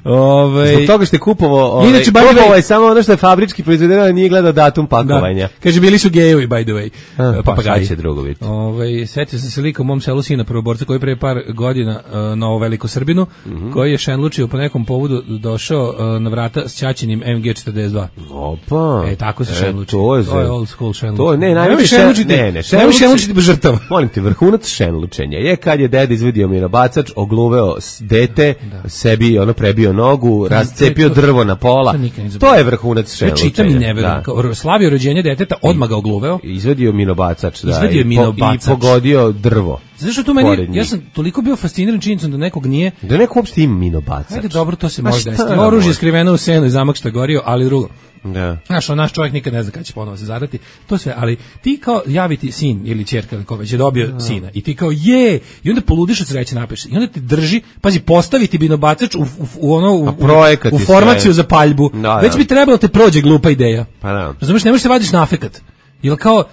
Ove... Zbog toga što je kupovao, ovaj, Inače, kupovao je samo ono što je fabrički proizvedeno, ali nije gledao datum pakovanja. Da. Kaže, bili su gejevi, by the way. A, papagaji. Pa će drugo biti. Ove, setio sam se lika u mom selu sina prvoborca koji pre par godina uh, na ovo veliko Srbinu, mm-hmm. koji je šenlučio po nekom povodu došao uh, na vrata s ćaćinim em ge četrdeset dva. Opa. E, tako se e, šenluči. To je, to je old school šenluči. To je, ne, najveći šenlučiti. Ne, ne, šenluči. šenlučiti bez žrtava. Molim ti, vrhunac šenlučenja je kad je deda izvedio minobacač, ogluveo dete, da. Sebi ono prebio nogu, razcepio to, drvo na pola. To, to je vrhunac šenlučenja. Ja čitam i ne verujem. Slavio rođenje deteta, odmah ga ogluveo. Izvedio minobacač, da. Izvedio i, minobacač. I pogodio drvo. Zato što tu meni, ja sam toliko bio fasciniran činjenicom da nekog nije... Da neko uopšte ima minobacač. Ajde, dobro, to se može desiti. Oružje skriveno u senu i zamak što je gorio, ali drugo. Da. Znaš, on naš čovjek nikad ne zna kada će ponovo se zadati, to sve, ali ti kao javiti sin ili ćerka ili ko već je dobio da. Sina i ti kao je, i onda poludiš od sreće napiš, i onda ti drži, pazi, postaviti binobacač u, u, u ono, u, u formaciju sve. Za paljbu, da, već da. Bi trebalo te prođe glupa ideja. Pa da. Razumeš, ne možeš se vadiš na afekat, jer kao...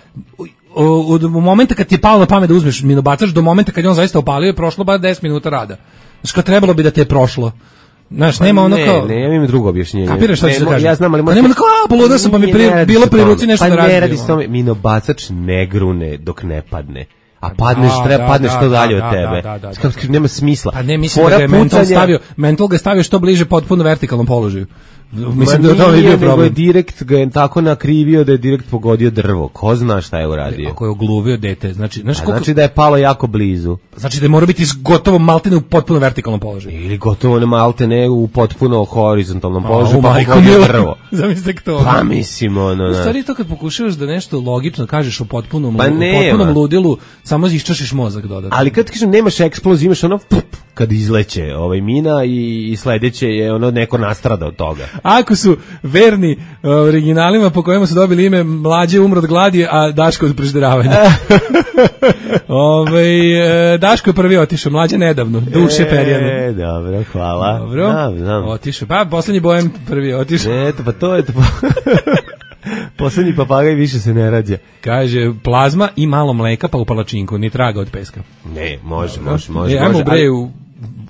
od momenta kad ti je palo na pamet da uzmeš minobacač do momenta kad je on zaista opalio je prošlo bar deset minuta rada. Znači kao trebalo bi da te je prošlo. Znaš, nema ono kao... Ne, ne, ja imam drugo objašnjenje. Kapiraš šta ću da kažem? Ja znam, ali... Pa nema ono kao, a, poluda sam, pa mi pri, bilo pri ruci nešto pa da radim. Pa ne radi s tome, minobacač ne grune dok ne padne. A padneš, da, treba da, padneš da, što dalje da, od tebe. Da, da, da, da, da. Nema smisla. Pa ne, mislim Fora da ga je mental stavio, mental ga stavio što bliže potpuno vertikalnom položaju. Mislim da to je bio problem. Je direkt ga je tako nakrivio da je direkt pogodio drvo. Ko zna šta je uradio? Ako je ogluvio dete, znači, znaš koliko... znači da je palo jako blizu. Znači da je mora biti gotovo maltene u potpuno vertikalnom položaju. Ili gotovo ne maltene u potpuno horizontalnom položaju, pa pogodio drvo. Zamislite to. Pa mislim, ono... U stvari to kad pokušavaš da nešto logično kažeš o potpunom, pa potpunom ludilu, samo iščašiš mozak dodatno. Ali kad kažem nemaš eksploziju, imaš ono... kad izleće ovaj mina i, i sledeće je ono neko nastrada od toga. Ako su verni uh, originalima po kojima su dobili ime Mlađe umro od gladi, a Daško od prežderavanja. Ove, uh, Daško je prvi otišao, Mlađe nedavno, duše e, perjane. Dobro, hvala. Dobro, znam, znam. Otišao, pa poslednji bojem prvi otišao. Eto, pa to je to. Poslednji papagaj više se ne rađa. Kaže, plazma i malo mleka pa u palačinku, ni traga od peska. Ne, može, može, može. E, ajmo bre u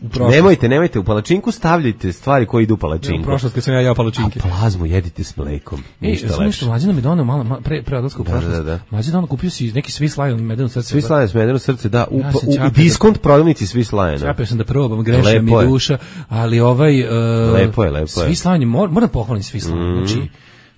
u prošlost. Nemojte, nemojte, u palačinku stavljajte stvari koje idu u palačinku. Nemojte, nemojte, u palačinku stavljajte stvari koje idu u palačinku. U prošlost kad sam ja jeo palačinke. A plazmu jedite s mlekom. Ej, samo nešto, Mlađana mi donao malo, malo pre, pre odlaska u prošlost. Da, da, da. Mlađana kupio si neki Swiss Lion medeno srce. Swiss Lion medeno srce, da, u, Ja u, se u diskont prodavnici Swiss Liona. Čapio sam da probam, grešio mi duša, ali ovaj... Uh, lepo je, lepo je. Swiss Lion, mor, moram pohvalim Swiss Lion, mm. znači...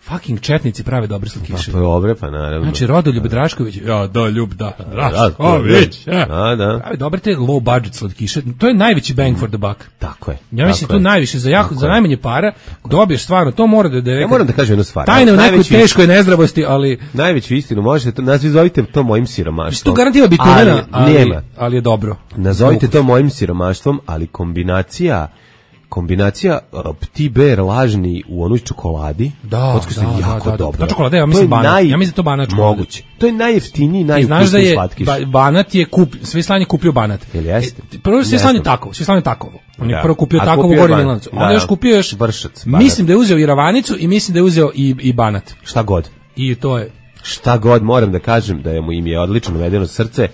Fucking četnici prave dobre slatkiše. Pa dobre, pa naravno. Znači Rodoljub Drašković, ja da ljub da Drašković, ja. Da, da. Pravi dobre te low budget slatkiše. To je najveći bang for the buck. Tako je. Ja mislim tu najviše za jako, za najmanje para dobiješ stvarno, to mora da da. Ja moram da kažem jednu stvar. Tajne u nekoj teškoj nezdravosti, ali najveću istinu možete to nazovite to mojim siromaštvom. To garantira bitunena, ali, nema. ali je dobro. Nazovite to mojim siromaštvom, ali kombinacija kombinacija uh, Petit Bear lažni u onoj čokoladi, da, da, jako da, da, dobro. Da, čokolada, ja mislim banat. Naj... Ja mislim to banat čokolada. Moguće. To je najjeftiniji, najukusniji znaš da je slatkiš. Ba, banat je kup, Swiss Lion je kupio banat. Jel jeste? E, prvo Swiss Lion je tako, Swiss Lion je takovo. On je da. prvo kupio takovo u Gornjem Milanovcu. Onda još kupio još vršac. Mislim da je uzeo i ravanicu i mislim da je uzeo i i banat. Šta god. I to je šta god moram da kažem da je mu im je odlično navedeno srce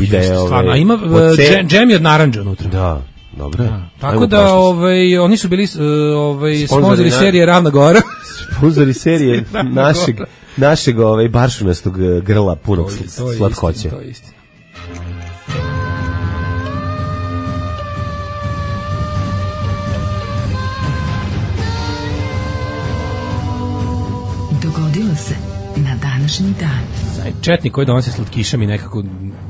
i da je stvarno, ovaj, ima džem je od narandža unutra. Da. Dobro. Da. Tako da ovaj oni su bili ovaj sponzori na... serije Ravna Gora. Sponzori serije našeg našeg ovaj baršunastog grla punog slatkoće. To je istina. Dogodilo se na današnji dan. Četnik koji donosi slatkiše mi nekako...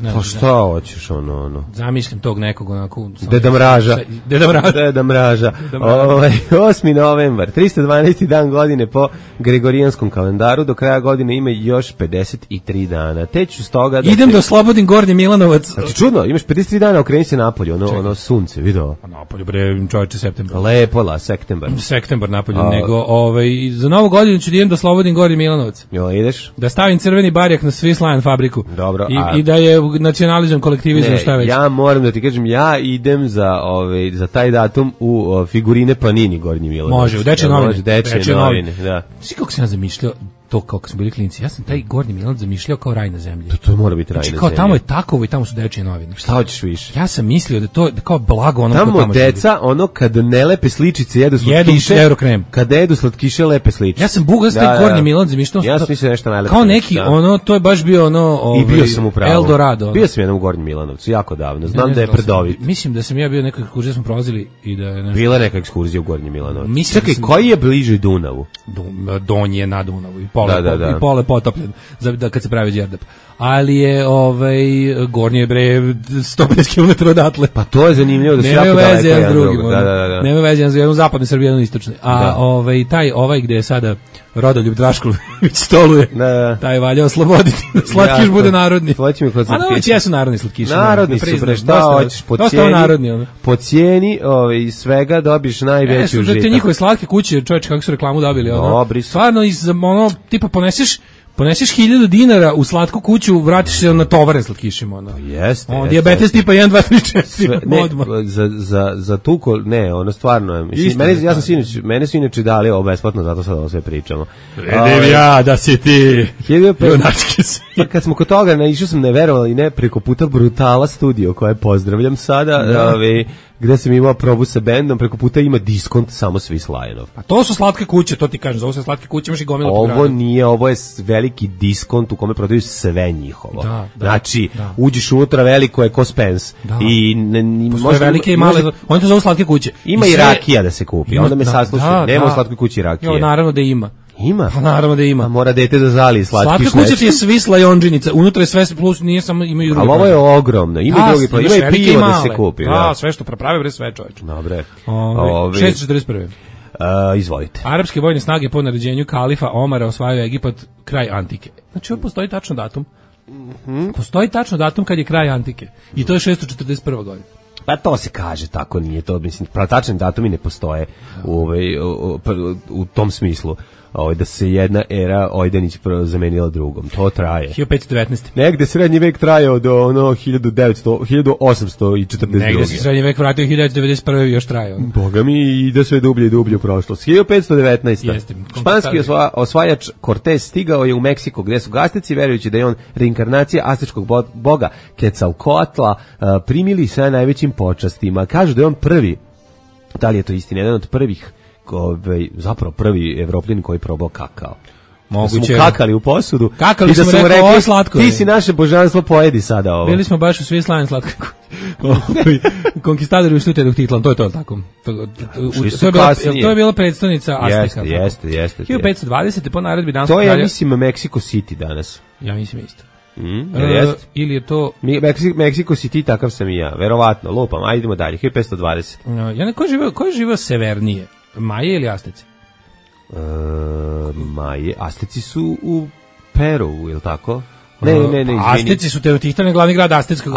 Ne, pa šta hoćeš ono, ono? Zamišljam tog nekog onako... Deda Mraža. Deda Mraža. Deda Mraža. Ovaj osmi novembar, tristo dvanaesti dan godine po Gregorijanskom kalendaru, do kraja godine ima još pedeset tri dana. Te ću stoga... Da idem te... do Slobodin Gornji Milanovac. Znači čudno, imaš pedeset tri dana, okreni se napolju, ono, ono sunce, vidio? A napolju, bre, čovječe, septembar. Lepo, la, septembar. Septembar napolju, A... nego, ovaj, za novu godinu ću da idem do Slobodin Gornji Milanovac. Jo, ideš? Da stavim crveni barjak na Swiss Lion fabriku. Dobro, I, a... i da je nacionalizam, kolektivizam, šta već. Ja moram da ti kažem, ja idem za ovaj za taj datum u o, figurine Panini Gornji Milanovac. Može, u Dečje novine. Može, Dečje novine, da. Svi kako se ja zamišljao to kako smo bili klinci. Ja sam taj Gornji Milanovac zamišljao kao raj na zemlji. To, to mora biti raj znači, na kao zemlji. tamo je takovo i tamo su Dečje novine. Šta hoćeš više? Ja sam mislio da to da kao blago ono tamo, tamo deca, ono kad ne lepe sličice jedu slatkiše. Jedu Eurokrem. Kad jedu slatkiše lepe sličice. Ja sam bugast taj Gornji Milanovac zamišljao. Ja sam mislio nešto najlepše. Kao neki da. Ono to je baš bio ono ovaj, i bio sam u pravu. Eldorado. Ono. Bio sam jednom u Gornjem Milanovcu jako davno. Znam ne, ne, da je predovit. Mislim da sam ja bio nekoj ekskurziji smo prolazili i da je nešto... Bila neka ekskurzija u Gornjem Milanovcu. Čekaj, sam... koji je bliže Dunavu? Donji je na Dunavu i pole, da, da, da. i pole potopljen. Za da kad se pravi đerdap. Ali je ovaj Gornji je bre sto pedeset kilometara odatle. Pa to je zanimljivo da se jako daleko jedan drugim. Da, da, da. Nema veze jedan u zapadnoj Srbiji, jedan u istočnoj. A da. ovaj taj ovaj gde je sada Rodoljub Drašković stoluje. Da, da. Taj valja osloboditi. Slatkiš ja, bude narodni. Hoće mi kod slatkiša. A no, jesu narodni slatkiši. Narodni su bre, šta hoćeš po cijeni? Po cijeni, ovaj svega dobiš najveću užitak. Da te njihove slatke kuće, čoveče kako su reklamu dobili, ono. Dobri. Stvarno iz ono tipa poneseš Poneseš hiljadu dinara u slatku kuću, vratiš se na tovare slatkišima. Ono. Jeste. On, dijabetes tipa jedan, dva, tri, četiri. Ne, za, za, za tuko, ne, ono stvarno je. Mislim, mene, ja sam sinoć, mene su inače dali ovo besplatno, zato sad ovo sve pričamo. Vidim ja da si ti junački si. Pa kad smo kod toga, ne, išao sam neverovali, ne, preko puta Brutala studio, koje pozdravljam sada, da. Ove, gde sam imao probu sa bendom, preko puta ima diskont samo Swiss Lionov. A to su slatke kuće, to ti kažem, za ovo su slatke kuće, imaš i gomilu. Ovo nije, ovo je veliki diskont u kome prodaju sve njihovo. Da, da, znači, da. uđeš unutra, veliko je ko Spence. Da. I ne, ne, postoje velike i male, može, oni to zovu slatke kuće. Ima i, sve, i rakija da se kupi, ima, onda me da, saslušaj, da, nema da. u slatkoj kući rakije. Jo, naravno da ima. Ima? Pa naravno da ima. A mora dete da zali slatki slatka kuća ti je Swiss Lionđinica, unutra je sve plus, nije samo, imaju drugi. Ali ovo je ogromno, ima da, i drugi, pa ima i pivo da se kupi. Da, da, sve što praprave bre sve čoveče. Dobre. Ove, šesto četrdeset prve. Uh, izvolite. Arapske vojne snage po naređenju kalifa Omara osvajaju Egipat kraj antike. Znači, ovo postoji tačno datum. Mm-hmm. Postoji tačno datum kad je kraj antike. I to je šesto četrdeset prva godina. Pa to se kaže, tako nije to, mislim, tačni datumi ne postoje u, u, u, u tom smislu. ovaj, da se jedna era Ojdanić zamenila drugom. To traje. hiljadu petsto devetnaeste. Negde srednji vek trajao do ono hiljadu devetsto, hiljadu osamsto četrdeset druge. Negde se srednji vek vratio hiljadu devetsto devedeset prve još trajao. Boga mi ide sve dublje i dublje u prošlost. hiljadu petsto devetnaeste. Jeste. Španski osva, osvajač Cortez stigao je u Meksiko gde su gastici, verujući da je on reinkarnacija aztečkog boga Quetzalcoatla, primili sa najvećim počastima. Kažu da je on prvi, da li je to istina, jedan od prvih, ovaj, zapravo prvi Evropljan koji je probao kakao. Moguće. Da su mu kakali u posudu. Kakali i da smo su mu rekli, ovo slatko je. Ti si naše božanstvo, pojedi sada ovo. Bili smo baš u svi slavim slatko. Konkistadori ušli u Titlan, to je to, tako. To, to, to, je bila, to je bila predstavnica Azteka. Jeste, jeste, jeste. hiljadu petsto dvadesete po naredbi danskog kralja. To je, kralja. mislim, Mexico City danas. Ja mislim isto. Mm, uh, ili je to... Meksiko, Meksiko City, takav sam i ja, verovatno, lupam, ajde idemo dalje, hiljadu petsto dvadeset. Uh, ja ne, ko je živao, ko je živao severnije? Maje ili Asteci? Uh, Maje, Asteci su u Peru, je li tako? Ne, ne, ne, izvini. Asteci su Teotihtane, glavni grad Astetskog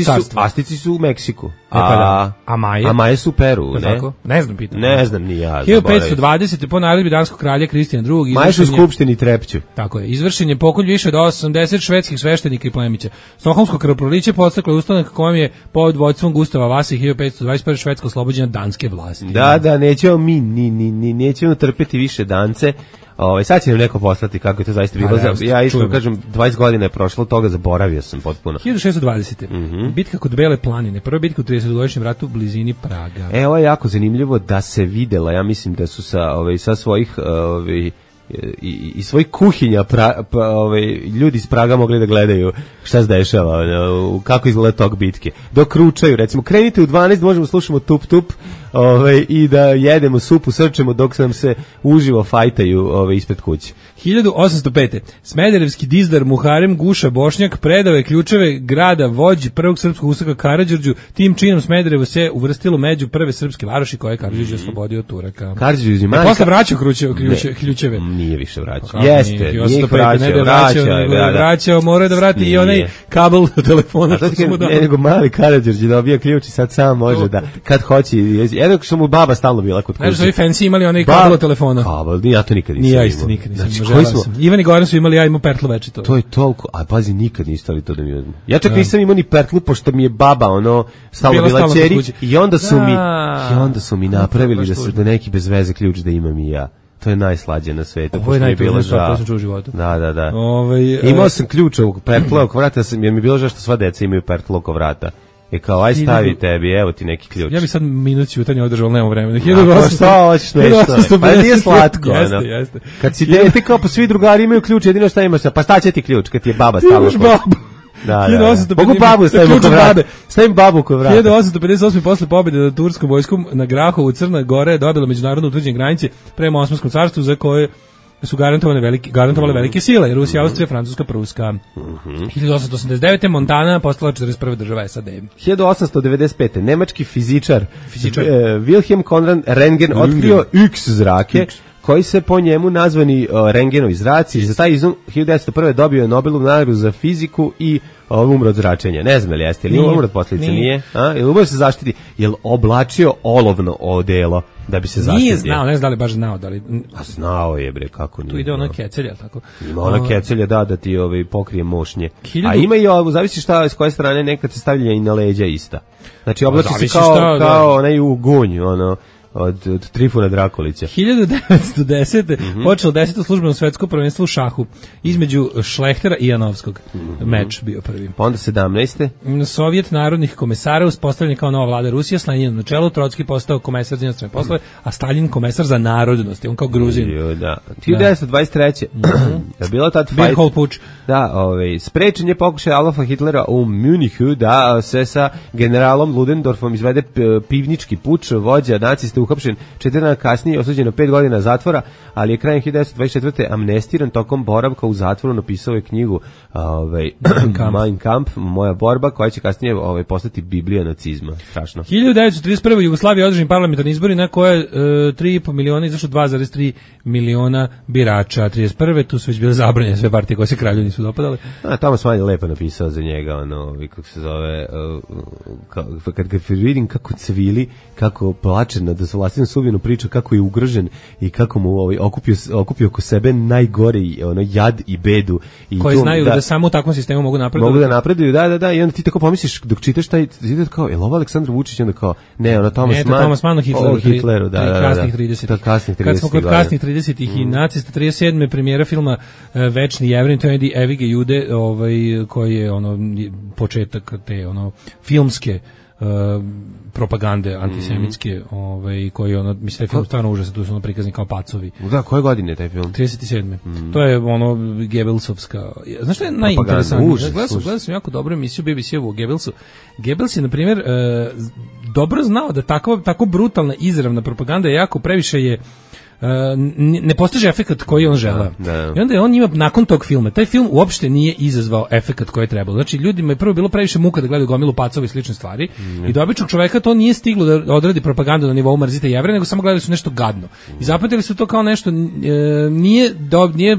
carstva. Asteci su u Meksiku. A, e, pa da. a Maje? A Maje su u Peru, ne? Tako? Ne znam, pitam. Ne znam ni ja. hiljadu petsto dvadesete po naredbi danskog kralja Kristijan drugi. Maje su u Skupštini Trepću. Tako je. Izvršen je pokolj više od osamdeset švedskih sveštenika i plemića. Stokholmsko krvoproliće podstaklo je ustanak kojem je pod vođstvom Gustava Vase hiljadu petsto dvadeset prve Švedska oslobođena danske vlasti. Da, da, nećemo mi, ni, ni, ni, nećemo trpeti više dance. Ovaj sad će nam neko poslati kako je to zaista bilo. Za, ja isto kažem dvadeset godina je prošlo, toga zaboravio sam potpuno. hiljadu šessto dvadesete. Mm-hmm. Bitka kod Bele planine, prva bitka u tridesetogodišnjem ratu u blizini Praga. E, ovo je jako zanimljivo da se videla, ja mislim da su sa ovaj sa svojih ovaj i, i svojih kuhinja pra, pa, ovaj, ljudi iz Praga mogli da gledaju šta se dešava, kako izgleda tog bitke. Dok ručaju, recimo, krenite u dvanaest, možemo slušamo tup tup ovaj, i da jedemo supu, srčemo dok nam se uživo fajtaju ovaj, ispred kuće. hiljadu osamsto pete. Smederevski dizdar Muharem Guša Bošnjak predao je ključeve grada vođi prvog srpskog usaka Karađorđu. Tim činom Smederevo se uvrstilo među prve srpske varoši koje je Karađorđe oslobodio od Turaka. Karađorđe je posle vraćao ključeve. Nije više vraćao. Jeste, nije vraćao, vraćao, vraćao, mora da vrati i onaj kabel telefona što su mu dali. Ne, nego mali Karađorđe dobija ključ i sad sam može da, kad hoće, jedno što mu baba stalno bila kod kuće. Znaš, ovi fancy imali onaj kabel telefona. Kabel, ja to nikad nisam imao. Nije isto, nikad nisam imao. Ivan i Goran su imali, ja imao pertlu večito. To je toliko, a pazi, nikad niste ali to da mi uzme. Ja čak nisam imao ni pertlu, pošto mi je baba, ono, stalno bila čeri, i onda su mi, i onda su mi napravili da se da neki bez veze ključ da imam i ja. To je najslađe na svetu. Ovo je najtužnije stvar koju sam čuo u životu. Da, da, da. Ove, imao sam ključ ovog pertla oko vrata, jer mi je bilo žao što sva deca imaju pertlo oko vrata. I kao, aj stavi tebi, evo ti neki ključ. Ja bi sad minut ćutanja održao, ali nemamo vremena. A šta hoćeš nešto? Pa nije slatko. Jeste, jeste. Kad si dete, kao pa svi drugari imaju ključ, jedino šta imaš, pa staće ti ključ, kad ti je baba stavila. Imaš babu. Da, da. Mogu babu stavim oko vrata. Stavim babu oko vrata. hiljadu osamsto pedeset osme posle pobjede nad turskom vojskom na Grahovu Crna Gora je dobila međunarodno utvrđene granice prema Osmanskom carstvu za koje su garantovane velike, garantovale velike sile, Rusija, Austrija, Francuska, Pruska. Mm-hmm. hiljadu osamsto osamdeset devete Montana postala četrdeset prva država S A D. hiljadu osamsto devedeset pete Nemački fizičar, fizičar. Uh, Wilhelm Conrad Röntgen otkrio X zrake, X. koji se po njemu nazvani uh, Röntgenovi zraci. Za taj izum hiljadu devetsto prve dobio je Nobelovu nagradu za fiziku i uh, umro od zračenja. Ne znam li jeste, ili umro od posljedica, nije? nije? A? Ili umro se zaštiti? Jel oblačio olovno odelo da bi se zaštitio? Nije znao, ne znam da li baš znao. Da li... A znao je, bre, kako nije. Tu ide ono kecelja, tako? Ima ono kecelja, da, da ti ovaj, pokrije mošnje. Hiljadu... A ima i ovo, zavisi šta, s koje strane nekad se stavlja i na leđa ista. Znači, oblači se kao, šta, kao onaj u gunj, ono, od, od Trifuna Drakulića. hiljadu devetsto desete Mm-hmm. počelo deseto službeno svetsko prvenstvo u šahu između Šlehtera i Janovskog. Mm-hmm. Meč bio prvi. Pa onda sedamnaeste Sovjet narodnih komesara uspostavljen kao nova vlada Rusije, s Leninom na čelu, Trotski postao komesar za inostrane poslove, a Stalin komesar za narodnosti, on kao Gruzin. Jo, da. hiljadu devetsto dvadeset treće Mm-hmm. Da bilo tad fight. Puč. Da, ovaj sprečen je pokušaj Adolfa Hitlera u Munichu da se sa generalom Ludendorfom izvede pivnički puč, vođa nacista uhapšen četiri dana kasnije, osuđen na pet godina zatvora, ali je krajem hiljadu devetsto dvadeset četvrte amnestiran tokom boravka u zatvoru, napisao je knjigu ovaj, Mein Kampf, moja borba, koja će kasnije ovaj, postati Biblija nacizma. Strašno. hiljadu devetsto trideset prve Jugoslavija održani parlamentarni izbori na koje e, tri i po miliona izašlo dva zarez tri miliona birača. trideset prve tu su već bile zabranjene sve partije koje se kralju nisu dopadale. A tamo sam manje lepo napisao za njega, ono, kako se zove, uh, kad ga vidim kako cvili, kako plače nad sa vlastitom sudbinom priča kako je ugrožen i kako mu ovaj okupio okupio oko sebe najgori ono jad i bedu i koji to, znaju da, da samo u takvom sistemu mogu napredovati. Mogu da napreduju, da, da, da, i onda ti tako pomisliš dok čitaš taj zid kao je ovo Aleksandar Vučić, onda kao ne, ono Thomas ne, Mann. Thomas Mann o Hitleru, o Hitleru, da, da, da. Kasnih tridesetih. Da, kasnih tridesetih. Kad smo kod kasnih tridesetih mm. i nacista trideset sedme premijera filma uh, Večni Jevrin, to je Evige Jude, ovaj koji je ono početak te ono filmske uh, propagande antisemitske, mm. ovaj koji ono mislim taj film stvarno užasan, tu su ono prikazani kao pacovi. Da, koje godine je taj film? trideset sedme. Mm. To je ono Goebbelsovska. Znaš šta je najinteresantnije? Gledao sam, gledao sam jako dobru emisiju B B C-ovu o Goebbelsu. Goebbels je na primjer uh, dobro znao da tako tako brutalna izravna propaganda je jako previše je Uh, ne postiže efekat koji on želeo. Da, da. I onda je on njima nakon tog filma, taj film uopšte nije izazvao efekat koji je trebalo. Znači ljudima je prvo bilo previše muka da gledaju gomilu pacova i slične stvari mm. i do običnog čoveka to nije stiglo da odradi propagandu na nivou mrzite Jevreje, nego samo gledali su nešto gadno. I zapamtili su to kao nešto e, nije, do, nije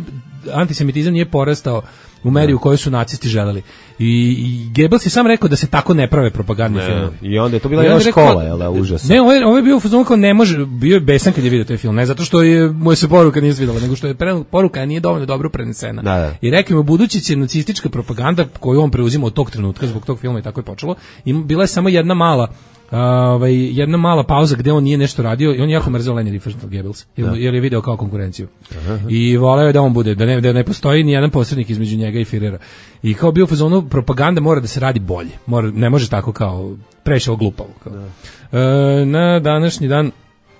antisemitizam nije porastao u meri u kojoj su nacisti želeli. I, i Goebbels je sam rekao da se tako ne prave propagandne filme. I onda je to bila jedna škola, je da, užasno. Ne, ovo je, ovo je bio fazon kao ne može, bio je besan kad je vidio taj film, ne zato što je mu se poruka nije svidela, nego što je pre, poruka nije dovoljno dobro prenesena. Da, da. I rekao mu budući će nacistička propaganda koju on preuzima od tog trenutka, zbog tog filma i tako je počelo, i bila je samo jedna mala Uh, ovaj, jedna mala pauza gde on nije nešto radio i on je jako mrzeo Leni Riefenstahl Goebbels, jer, jer je video kao konkurenciju. Aha. I voleo je da on bude, da ne, da ne postoji ni jedan posrednik između njega i Firera. I kao bio u fazonu, propaganda mora da se radi bolje. Mora, ne može tako kao prešao glupavo. Kao. Uh, na današnji dan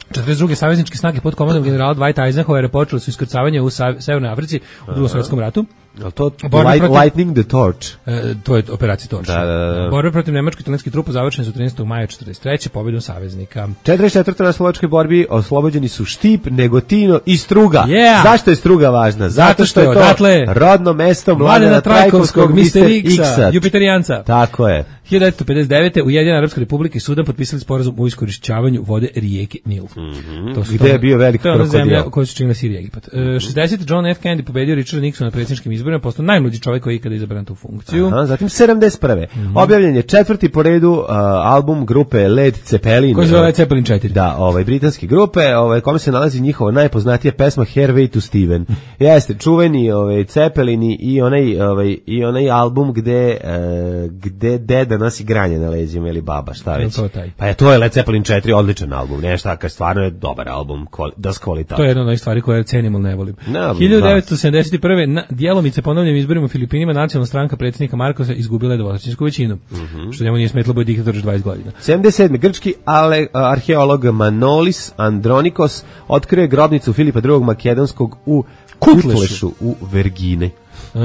četrdeset druge savezničke snage pod komandom generala Dwighta Eisenhowera počeli su iskrcavanje u Severnoj Africi u Drugom svjetskom ratu. Al to light, protiv, Lightning the Torch. E, to je operacija Torch. Da, da, da. Borbe protiv nemačko-italijanskih trupa završene su trinaestog maja četrdeset treće pobedom saveznika. četrdeset četvrte na slovačkoj borbi oslobođeni su Štip, Negotino i Struga. Yeah. Zašto je Struga važna? Zato, Zato što je to odatle, rodno mesto Mladena Trajkovskog, mister X-a, Jupiterijanca. Tako je. hiljadu devetsto pedeset devete Ujedinjena Arapska Republika i Sudan potpisali sporazum o iskorišćavanju vode rijeke Nil. Mm -hmm. To su gde je bio veliki krokodil. To je zemlja koju su činili Sirija i Egipat. Mm -hmm. šezdesete John F. Kennedy pobedio Richarda Nixona na predsjedničkim izborima, postao najmlađi čovjek koji je ikada izabran tu funkciju. Aha, zatim sedamdeset prve Mm -hmm. objavljen je četvrti po redu uh, album grupe Led Zeppelin. Koji se zove Led Zeppelin četiri. Da, ovaj britanske grupe, ovaj kome se nalazi njihova najpoznatija pesma Hairway to Steven. Jeste čuveni ovaj Zeppelini i onaj ovaj i onaj album gde uh, gde deda nosi granje na leđima ili baba, šta već. Pa je to je Led Zeppelin četiri, odličan album. Nešto kao stvarno je dobar album, das kvalitet. To je jedna od stvari koje cenim, ali ne volim. No, hiljadu devetsto sedamdeset prve na djelomice ponovljenim izborima u Filipinima nacionalna stranka predsjednika Markosa izgubila je dvotrećinsku većinu. Mm -hmm. Što njemu nije smetlo bude diktator još dvadeset godina. sedamdeset sedme grčki ale, arheolog Manolis Andronikos otkrio grobnicu Filipa drugog Makedonskog u Kutlešu u Vergine. Uh,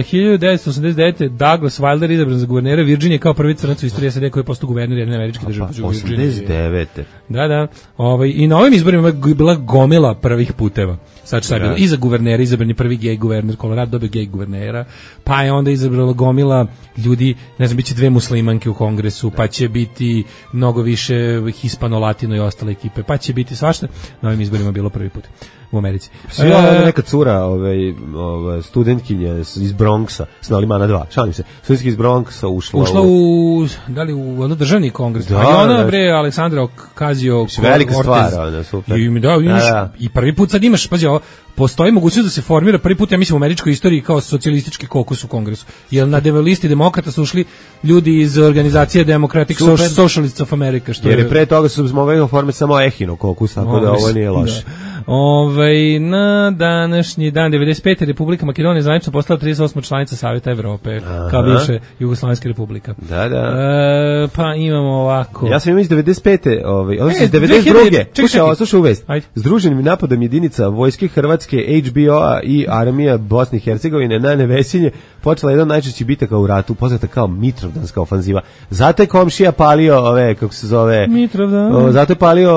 hiljadu devetsto osamdeset devete Douglas Wilder izabran za guvernera Virginije kao prvi crnac u istoriji S A D koji je postao guverner jedne američke države. Pa, osamdeset devete Da, da. Ovaj, i na ovim izborima je bila gomila prvih puteva. Sad šta je bilo? I za guvernera izabran je prvi gej guverner, Colorado dobio gej guvernera, pa je onda izabrala gomila ljudi, ne znam, biće dve muslimanke u kongresu, pa će biti mnogo više hispano-latino i ostale ekipe, pa će biti svašta. Na ovim izborima bilo prvi put u Americi. Svi ova neka cura, ovaj, ovaj studentkinja iz Bronxa, s Nalimana dva, šalim se, studentkinja iz Bronxa ušla, ušla u, da li u ono državni kongres, da, a i ona, bre, Aleksandra Ocasio velika stvar, ona, super. I, da, imaš, da, da. I prvi put sad imaš, pazi, ovo, postoji mogućnost da se formira prvi put, ja mislim, u američkoj istoriji kao socijalistički kokus u kongresu. Jer na listi demokrata su ušli ljudi iz organizacije Democratic Super. Socialists of America. Što jer je pre toga su mogli formiti samo Ehino kokus, tako da ovo nije loše. Da. Ove, na današnji dan devedeset pete Republika Makedonija zvanično postala trideset osma članica Saveta Evrope. Aha. Kao bivše Jugoslovenska republika. Da, da. E, pa imamo ovako. Ja sam imao iz devedeset pete ovaj, odnosno iz devedeset druge Slušaj, slušaj uvest. Združenim napadom jedinica vojske Hrvatske, H B O-a i armija Bosne i Hercegovine na Nevesinje počela jedan od najčešćih bitaka u ratu, poznata kao Mitrovdanska ofanziva. Zato je komšija palio ove, kako se zove, Mitrovdan. O, zato je palio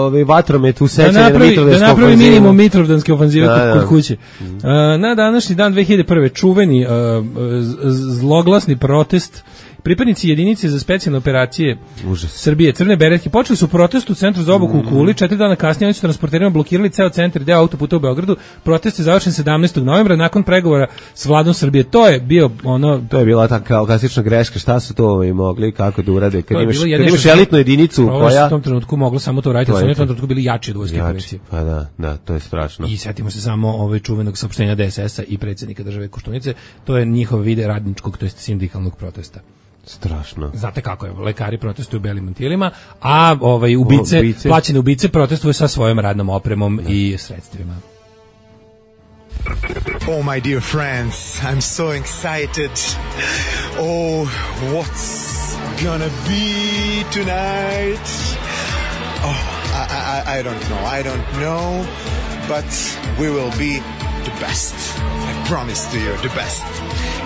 ove vatromet u sećanje da napravi, na Mitrovdansku da napravi ofanzivu. minimum Mitrovdanske ofanzive da, kod, da. kod kuće. Mm. Uh, na današnji dan dve hiljade prve čuveni uh, zloglasni protest Pripadnici jedinice za specijalne operacije Užas. Srbije, Crne beretke, počeli su protest u centru za obuku u Kuli. Četiri dana kasnije oni su transporterima blokirali ceo centar i deo autoputa u Beogradu. Protest je završen sedamnaestog novembra nakon pregovora s vladom Srbije. To je bio ono... To je bila ta kao klasična greška, šta su to ovaj mogli, kako da urade, kad To je imaš, bilo kad jedino imaš što se- elitnu jedinicu Ovo je koja... u tom trenutku moglo samo to raditi, To ali su je oni u tom to. trenutku bili jači od vojske Jači. policije. Pa da, da, to je strašno. I setimo se samo ovaj čuvenog saopštenja D S S-a i predsjednika države Koštunice, to je njihov vide radničkog, to jest sindikalnog protesta. Strašno. Znate kako je, lekari protestuju u belim mantilima, a ovaj ubice, O, ubice. plaćene ubice protestuju sa svojom radnom opremom i sredstvima. Oh, my dear friends, I'm so excited. Oh, what's gonna be tonight? Oh, I, I, I don't know, I don't know, but we will be the best. I promise to you, the best.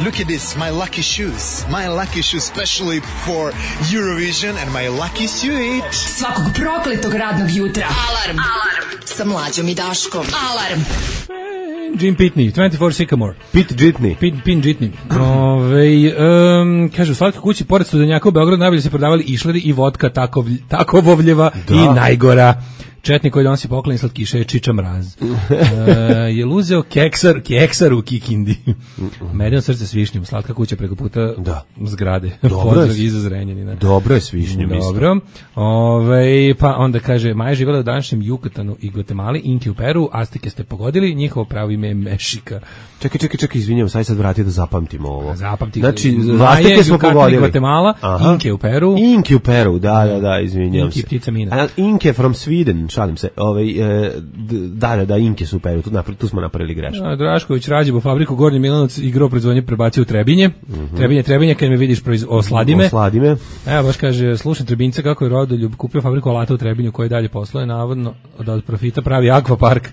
Look at this, my lucky shoes. My lucky shoes, especially for Eurovision, and my lucky suit. Svakog prokletog radnog jutra. Alarm. Alarm. Sa Mlađom i Daškom. Alarm. Jim Pitney, dvadesет četiri Sycamore. Pit Jitney. Pin, pin Jitney. Ove, um, kaže, u Slatkoj kući, pored studenjaka u Beogradu, najbolje se prodavali išleri i vodka takov, takovovljeva i najgora. Četnik koji donosi poklon slatkiša je Čiča Mraz. e, je luzeo keksar, keksar u Kikindi. Medeno srce s višnjom, slatka kuća preko puta Da. zgrade. Dobro je. Pozdrav iza Zrenjanina. Dobro je s višnjom isto. Dobro. Ove, pa onda kaže, Maja živjela u današnjem Jukatanu i Gvatemali, Inki u Peru, Azteke ste pogodili, njihovo pravo ime je Mešika. Čekaj, čekaj, čekaj, izvinjam, sad sad vrati da zapamtimo ovo. Zapamti. Znači, Maja, Azteke smo Yucatan i pogodili. Gvatemala, Aha. Inke u Peru. Inke u Peru, da, da, da, izvinjam Inke se. ptica mina. A, Inke from Sweden, šalim se. Ovaj, e, d- da, da, da, Inke su u Peru, tu, napra- tu smo napravili grešno. A, Drašković Rađevo fabriku Gornji Milanovac igrao proizvodnje prebacio u Trebinje. Mhm. Trebinje, Trebinje, kad me vidiš proiz... osladi me. Osladi me. Evo baš kaže, slušam Trebinca kako je Rodoljub kupio fabriku alata u Trebinju koji dalje posluje, navodno da od profita pravi akvapark.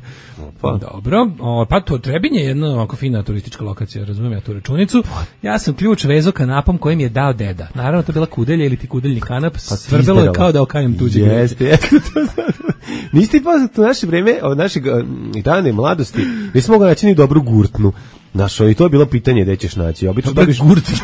Pa. Dobro, o, pa to Trebinje je jedna ovako fina turistička lokacija, razumijem ja tu računicu. Ja sam ključ vezao kanapom kojim je dao deda. Naravno to je bila kudelja ili ti kudeljni kanap, svrbelo je izderala. kao da okajem tuđe. Jeste, jeste. Niste i poznat u naše vreme, od našeg um, dane mladosti, nismo mogli naći ni dobru gurtnu. Znaš, i to je bilo pitanje gde ćeš naći. Obično Dobra dobiš, gurtna.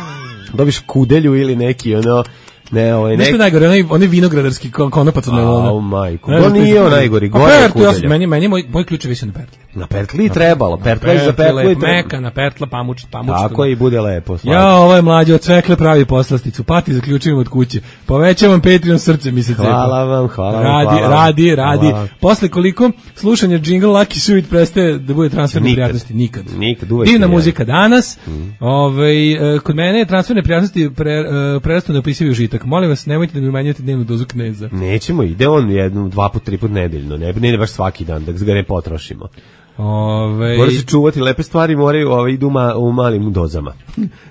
dobiš kudelju ili neki, ono, ne, ovaj, Nešto neki... je najgore, onaj, onaj vinogradarski kon- konopac od najlona. Au, majko. Ne To znam, nije to je- on najgori, A gore je pertlu, ja sam- kudelja. meni, meni moj, moj ključ je više na pertli. Na pertli i trebalo, pertla je za pertlu i lepo, treba. meka, na pertla, pamuč, pamuč. Tako i bude lepo. slađe. Ja, ovaj mlađi od cvekle pravi poslasticu, pati zaključujem od kuće. Povećavam Patreon, srce mi se cepa. Hvala vam, hvala vam, Radi, hvala vam. radi, radi. Hvala vam. Posle koliko slušanja jingle Lucky Suite prestaje da bude transferne Nikad. prijatnosti? Nikad. Nikad, uvek Divna je. muzika danas. Ovaj, e, kod mene je transferne prijatnosti pre, e, prestao neopisivi užitak. Molim vas, nemojte da mi umanjujete dnevnu dozu kneza. Nećemo, ide on jednom, dva put, tri put nedeljno, ne, ne, ne baš svaki dan, da ga ne potrošimo. Ovaj, Mora se čuvati, lepe stvari moraju ovaj, idu ma, u malim dozama.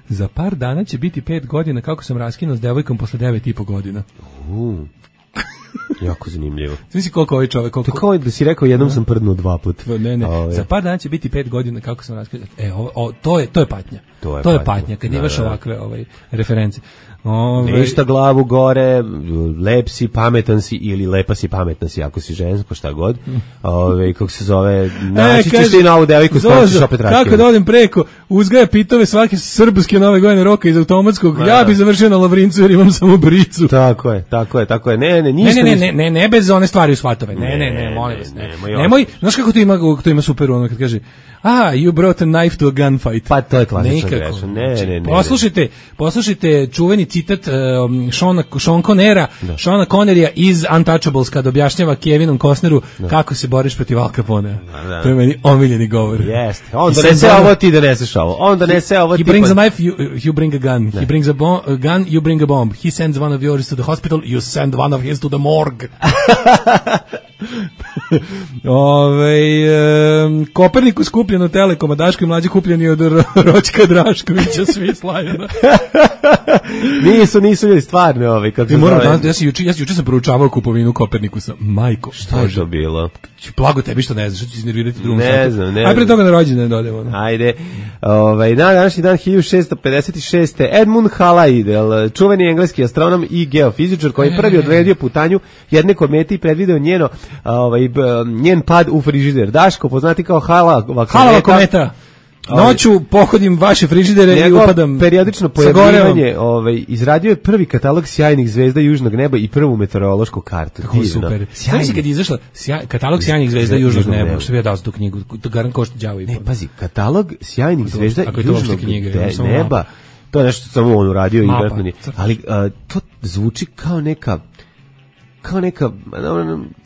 za par dana će biti pet godina kako sam raskinuo s devojkom posle devet i po godina. Uh, jako zanimljivo. Znači koliko ovaj čovjek, To koliko... kao da si rekao jednom sam prdnuo dva put. Ne, ne, Ove, za par dana će biti pet godina kako sam raskinuo. E, ovo, o, to je to je patnja. To je to je patnja. patnja kad Da, imaš da. ovakve ovaj reference. Ove, Ništa glavu gore, lep si, pametan si ili lepa si, pametna si ako si žensko, šta god. Ove, kako se zove, naći ćeš ti novu devojku s kojom ćeš opet kako da raskinuti. odem preko, uzgaja pitove svake srpske nove godine roka iz automatskog, ja bi završio na Lavrincu jer imam samo bricu. Tako je, tako je, tako je. Ne, ne, Ne, ništa. ne, ne, ništa. ne, ne, ne bez one stvari u svatove. Ne, ne, Ne, ne, molim ne, vas, ne. nemoj Nemoj, znaš kako to ima, to ima super ono kad kaže, ah, you brought a knife to a gunfight. Pa to je klasična Nikako. greška. Ne, ne, ne, ne. Poslušajte, poslušajte čuveni citat um, Seana, Sean Conera, Seana Connerija iz Untouchables kad objašnjava Kevinom Costneru kako se boriš protiv Al Caponea. da. To je meni omiljeni govor. Jeste. On He donese sends ovo, one- ti doneseš ovo. On donese ovo, He ti brings pa- a knife, you, you bring a gun. He brings a, bo- a gun, you bring a bomb. He sends one of yours to the hospital, you send one of his to the morgue. Ove, um, Kopernikus kupljen od Telekoma, Daško i mlađi kupljeni od Ro- Ročka Draškovića, svi slavljena. Nisu, nisu ljudi stvarno ovi, kako I se moram zove. da, ja sam juče, ja sam juče sam proučavao kupovinu Kopernikusa. Majko, Šta je to bilo? Blago tebi što ne znaš, što ću iznervirati drugom Ne satu. znam, ne Aj pre znam. toga na rođendan dodemo. ono. Ajde, ovaj, na današnji dan hiljadu šessto pedeset šeste. Edmund Halley, čuveni engleski astronom i geofizičar koji je prvi odredio putanju jedne komete i predvideo njeno, ovaj, b- njen pad u frižider. Daško, poznati kao Halava kometa. Halava kometa. Noću pohodim vaše frižidere i Njegov upadam periodično pojavljivanje, ovaj, izradio je prvi katalog sjajnih zvezda južnog neba i prvu meteorološku kartu. Kako super. Sjajno kad je izašla sjaj, katalog sjajnih zvezda južnog neba, što bi ja dao za tu knjigu, to garant košta đavo i po. Ne, pazi, katalog sjajnih zvezda ako je to južnog uopšte knjiga, de- samo neba. mapa. To je nešto samo on uradio i Mapa. vjerojatno nije. Ali a, to zvuči kao neka kao neka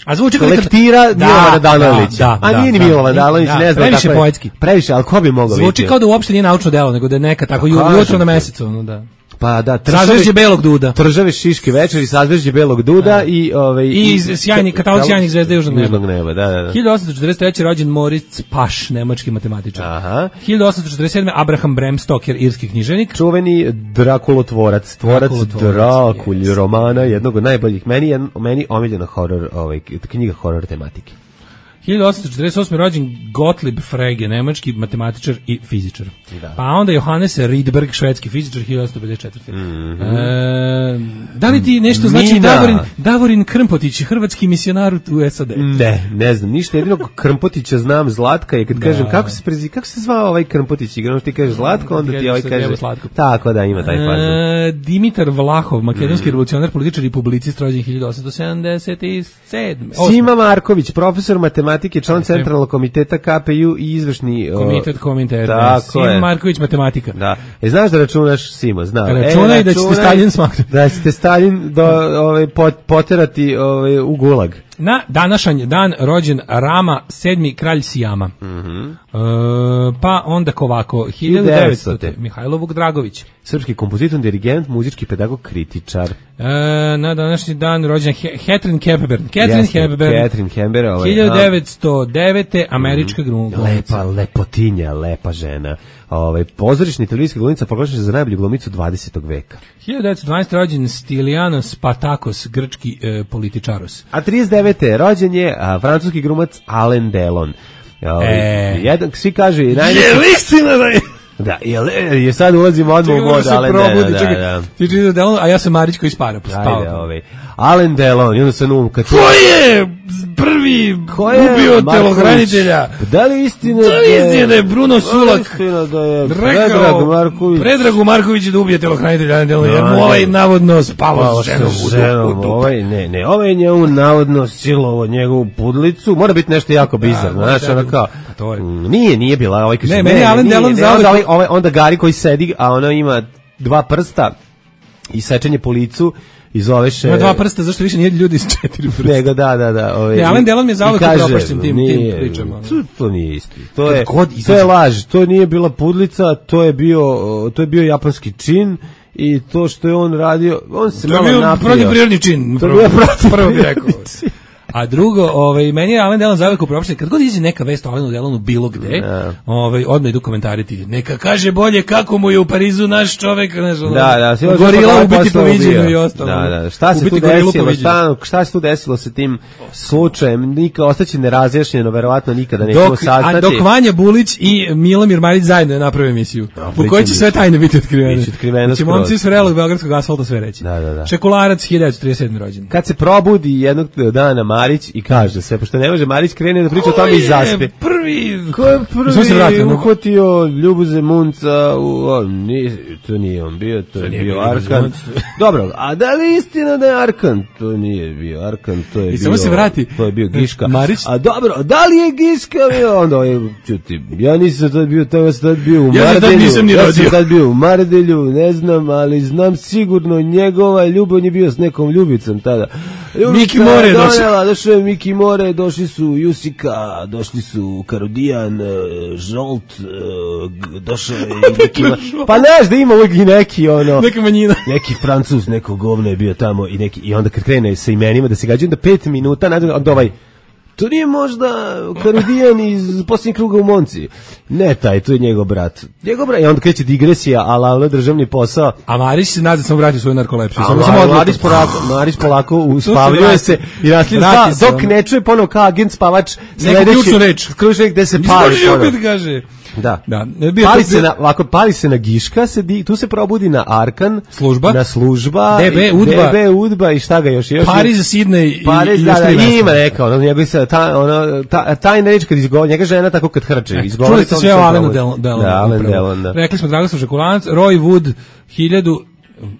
A zvuči kao neka- lektira Da, Milovana Danalića. da, da, A nije ni da, Milovan da, Danalić, da, ne znam previše kako je. poetski. Previše, ali ko bi mogao Zvuči vidjeti? kao da uopšte nije naučno delo, nego da je neka tako ju- kažem jutro na ti. mesecu, ono da. Pa da, Sazvežđe belog duda. Tržave šiške večeri, sazvežđe belog duda i ovaj I sjajni katalog sjajnih zvezda južnog neba. Južnog neba, da, da, da. hiljadu osamsto četrdeset treće rođen Moritz Paš, nemački matematičar. Aha. hiljadu osamsto četrdeset sedme Abraham Bremstoker, irski književnik. Čuveni Drakulotvorac, tvorac Drakulotvorac, Drakulj yes. romana, jednog od najboljih. Meni je meni omiljena horor, ovaj knjiga horor tematike. hiljadu osamsto četrdeset osme rođen Gottlieb Frege, nemački matematičar i fizičar. Da. Pa onda Johannes Rydberg, švedski fizičar, hiljadu osamsto pedeset četvrte. Mhm. E, da li ti nešto znači Mina. Davorin, Davorin Krmpotić, hrvatski misionar u S A D? Ne, ne znam, ništa, jedino Krmpotića znam, Zlatka je kad kažem kako se prezi, kako se zvao ovaj Krmpotić, igrano ti kažeš Zlatko, onda ti ovaj kaže Slatko. tako da ima taj fazon. E, Dimitar Vlahov, makedonski revolucionar, političar i publicist, rođen hiljadu osamsto sedamdeset sedme. Sima Marković, profesor matematike, član centralnog komiteta K P U i izvršni o, Komitet Kominterne. Tako Sim je. Marković, matematika. Da. E, znaš da računaš, Simo, znam. Računaj e, da ćete računaj Stalin smaknuti. Da ćete Stalin do, ovaj, pot, poterati ovaj, u gulag. Na današanj dan rođen Rama, sedmi kralj Sijama. Mhm. E, pa onda ovako, hiljadu devetstote. Mihajlo Vukdragović. Srpski kompozitor, dirigent, muzički pedagog, kritičar. E, na današnji dan rođen He Catherine Hepburn. Catherine Jeste, Hepburn. Catherine Hepburn. Ovaj, hiljadu devetsto devete. američka glumica. Lepa, lepotinja, lepa žena. Ovaj, pozorišna televizijska glumica proglašena za najbolju glumicu dvadesetog veka. hiljadu devetsto dvanaeste. rođen Stilianos Patakos, grčki e, političaros. A trideset devete rođen je a, francuski glumac Alain Delon. Ovaj, E. jedan, svi kažu i najveći... Je li istina da je? Da, je, je sad ulazimo odmah u Čekaj, mod se Alain probudi, Delon. Da, čekaj. da. Ti čitaš Delon, a ja sam Marić koji spara, Ajde, spava. ovaj. Alain Delon, i onda sam um, kad... Ko je prvi Ko je ubio Marković? telohranitelja? Da li istina Da li istina da je Bruno Sulak istina da je rekao Predrag Marković Predragu Markoviću da ubije telohranitelja Alain Delon, jer mu Da, ovaj ne. navodno spavao Pao s ženom sa u ženom, dupu. ovaj, ne, ne, ovaj je njemu navodno silovo njegovu pudlicu, mora biti nešto jako bizarno, mora znaš, ono biti- kao, pa to je. mm, nije, nije bila, ovaj kaže, Ne, meni je Alain nije, Delon ne, zauvek- onda, ovaj, ovaj, onda Gari koji sedi, a ona ima dva prsta i sečenje po licu i zoveš... Ima dva prsta, zašto više nije ljudi s četiri prsta? Nego, da, da, da. Ovaj, Ne, Alain Delon mi je zauvek i kaže, upropašćen tim- tim nije, pričama. To, to nije isto. To Kad je, god to izađe- je laž, to nije bila pudlica, to je bio, to je bio japanski čin i to što je on radio, on se To je malo bio napio. protivprirodni čin. To je prvo- bio protivprirodni Prvo bih rekao. čin. A drugo, ovaj, meni je Alain Delon zauvek upropašten. Kad god izađe neka vest o Alainu Delonu bilo gde, ovaj, odmah idu komentariti. Neka kaže bolje kako mu je u Parizu naš čovek, znaš, ono, Da, da, sve gorila ovo ubiti posle po viđenju ubio. i ostalo. Da, da, šta se Ubiti tu gorilu po desilo, viđenju. šta, šta se tu desilo sa tim slučajem, nikad ostaće nerazjašnjeno, verovatno nikada nećemo Dok, saznati. a dok Vanja Bulić i Milomir Marić zajedno naprave emisiju, u kojoj će sve tajne biti otkrivene. Biće otkriveno Znači, skroz. momci s vrelog beogradskog asfalta sve reći. Da, da, da. Šekularac, hiljadu devetsto trideset sedme. rođen. Kad se probudi jednog dana Marić i kaže sve, pošto ne može Marić krene da priča o tome i zaspe. prvi? Ko je Smo se prvi vratili, no? uhvatio Ljuboze Munca? U, o, nije, to nije on bio, to je nije bio bio Ljuboze Arkan. Munc. Dobro, a da li je istina da je Arkan? To nije bio Arkan, to je I bio... samo se vrati. To je bio Giška. Marić? A dobro, da li je Giška bio? Onda je, čuti, ja nisam tad bio, tamo sam tad bio u Ja se tad Mardelju. nisam ni ja rodio. sam tad bio u Mardelju, ne znam, ali znam sigurno njegova ljubav, on je bio s nekom ljubicom tada. Ljubica Miki More je došao. donela, došao je Miki More, došli su Jusika, došli su Karodijan, e, Žolt, e, g- došao je i neki... ma- Pa znaš da ima uvijek i neki, ono... Neka manjina. Neki Francuz, neko govno je bio tamo i neki i onda kad krene sa imenima da se gađaju, onda pet minuta nakon onda ovaj to nije možda Karodijan iz posljednjeg kruga u Monci. Ne taj, to je njegov brat. Njegov brat, i onda kreće digresija, ala ala državni posao. A Marić se nada sam vratio svoju narkolepsiju. A Samo sam Mar- odlučio. Marić polako, Marić polako uspavljuje vrati. se i naslije Vrati spa, se, dok ono. ne čuje ponovo kao agent spavač Neku ključnu reč. ključnu reč gde se pali Izgovorio ponovo. kad kaže. Da. Da. Bio Pali to- se na, ovako, pali se na Giška, se di, tu se probudi na Arkan. Služba. Na služba. D B Udba. D B Udba i šta ga još? još Pariz, Sidney i, Pariz, i da, još da, tri mesta. ima neka, ono, njegov se, ta, ono, ta, tajna reč kad izgovori, njega žena tako kad hrče, E, izgovori. čuli ste to sve o se Alenu probudi. Delonu. Da, Alen Delon, da. Rekli smo Dragoslav Žakulanac, Roy Wood, hiljadu...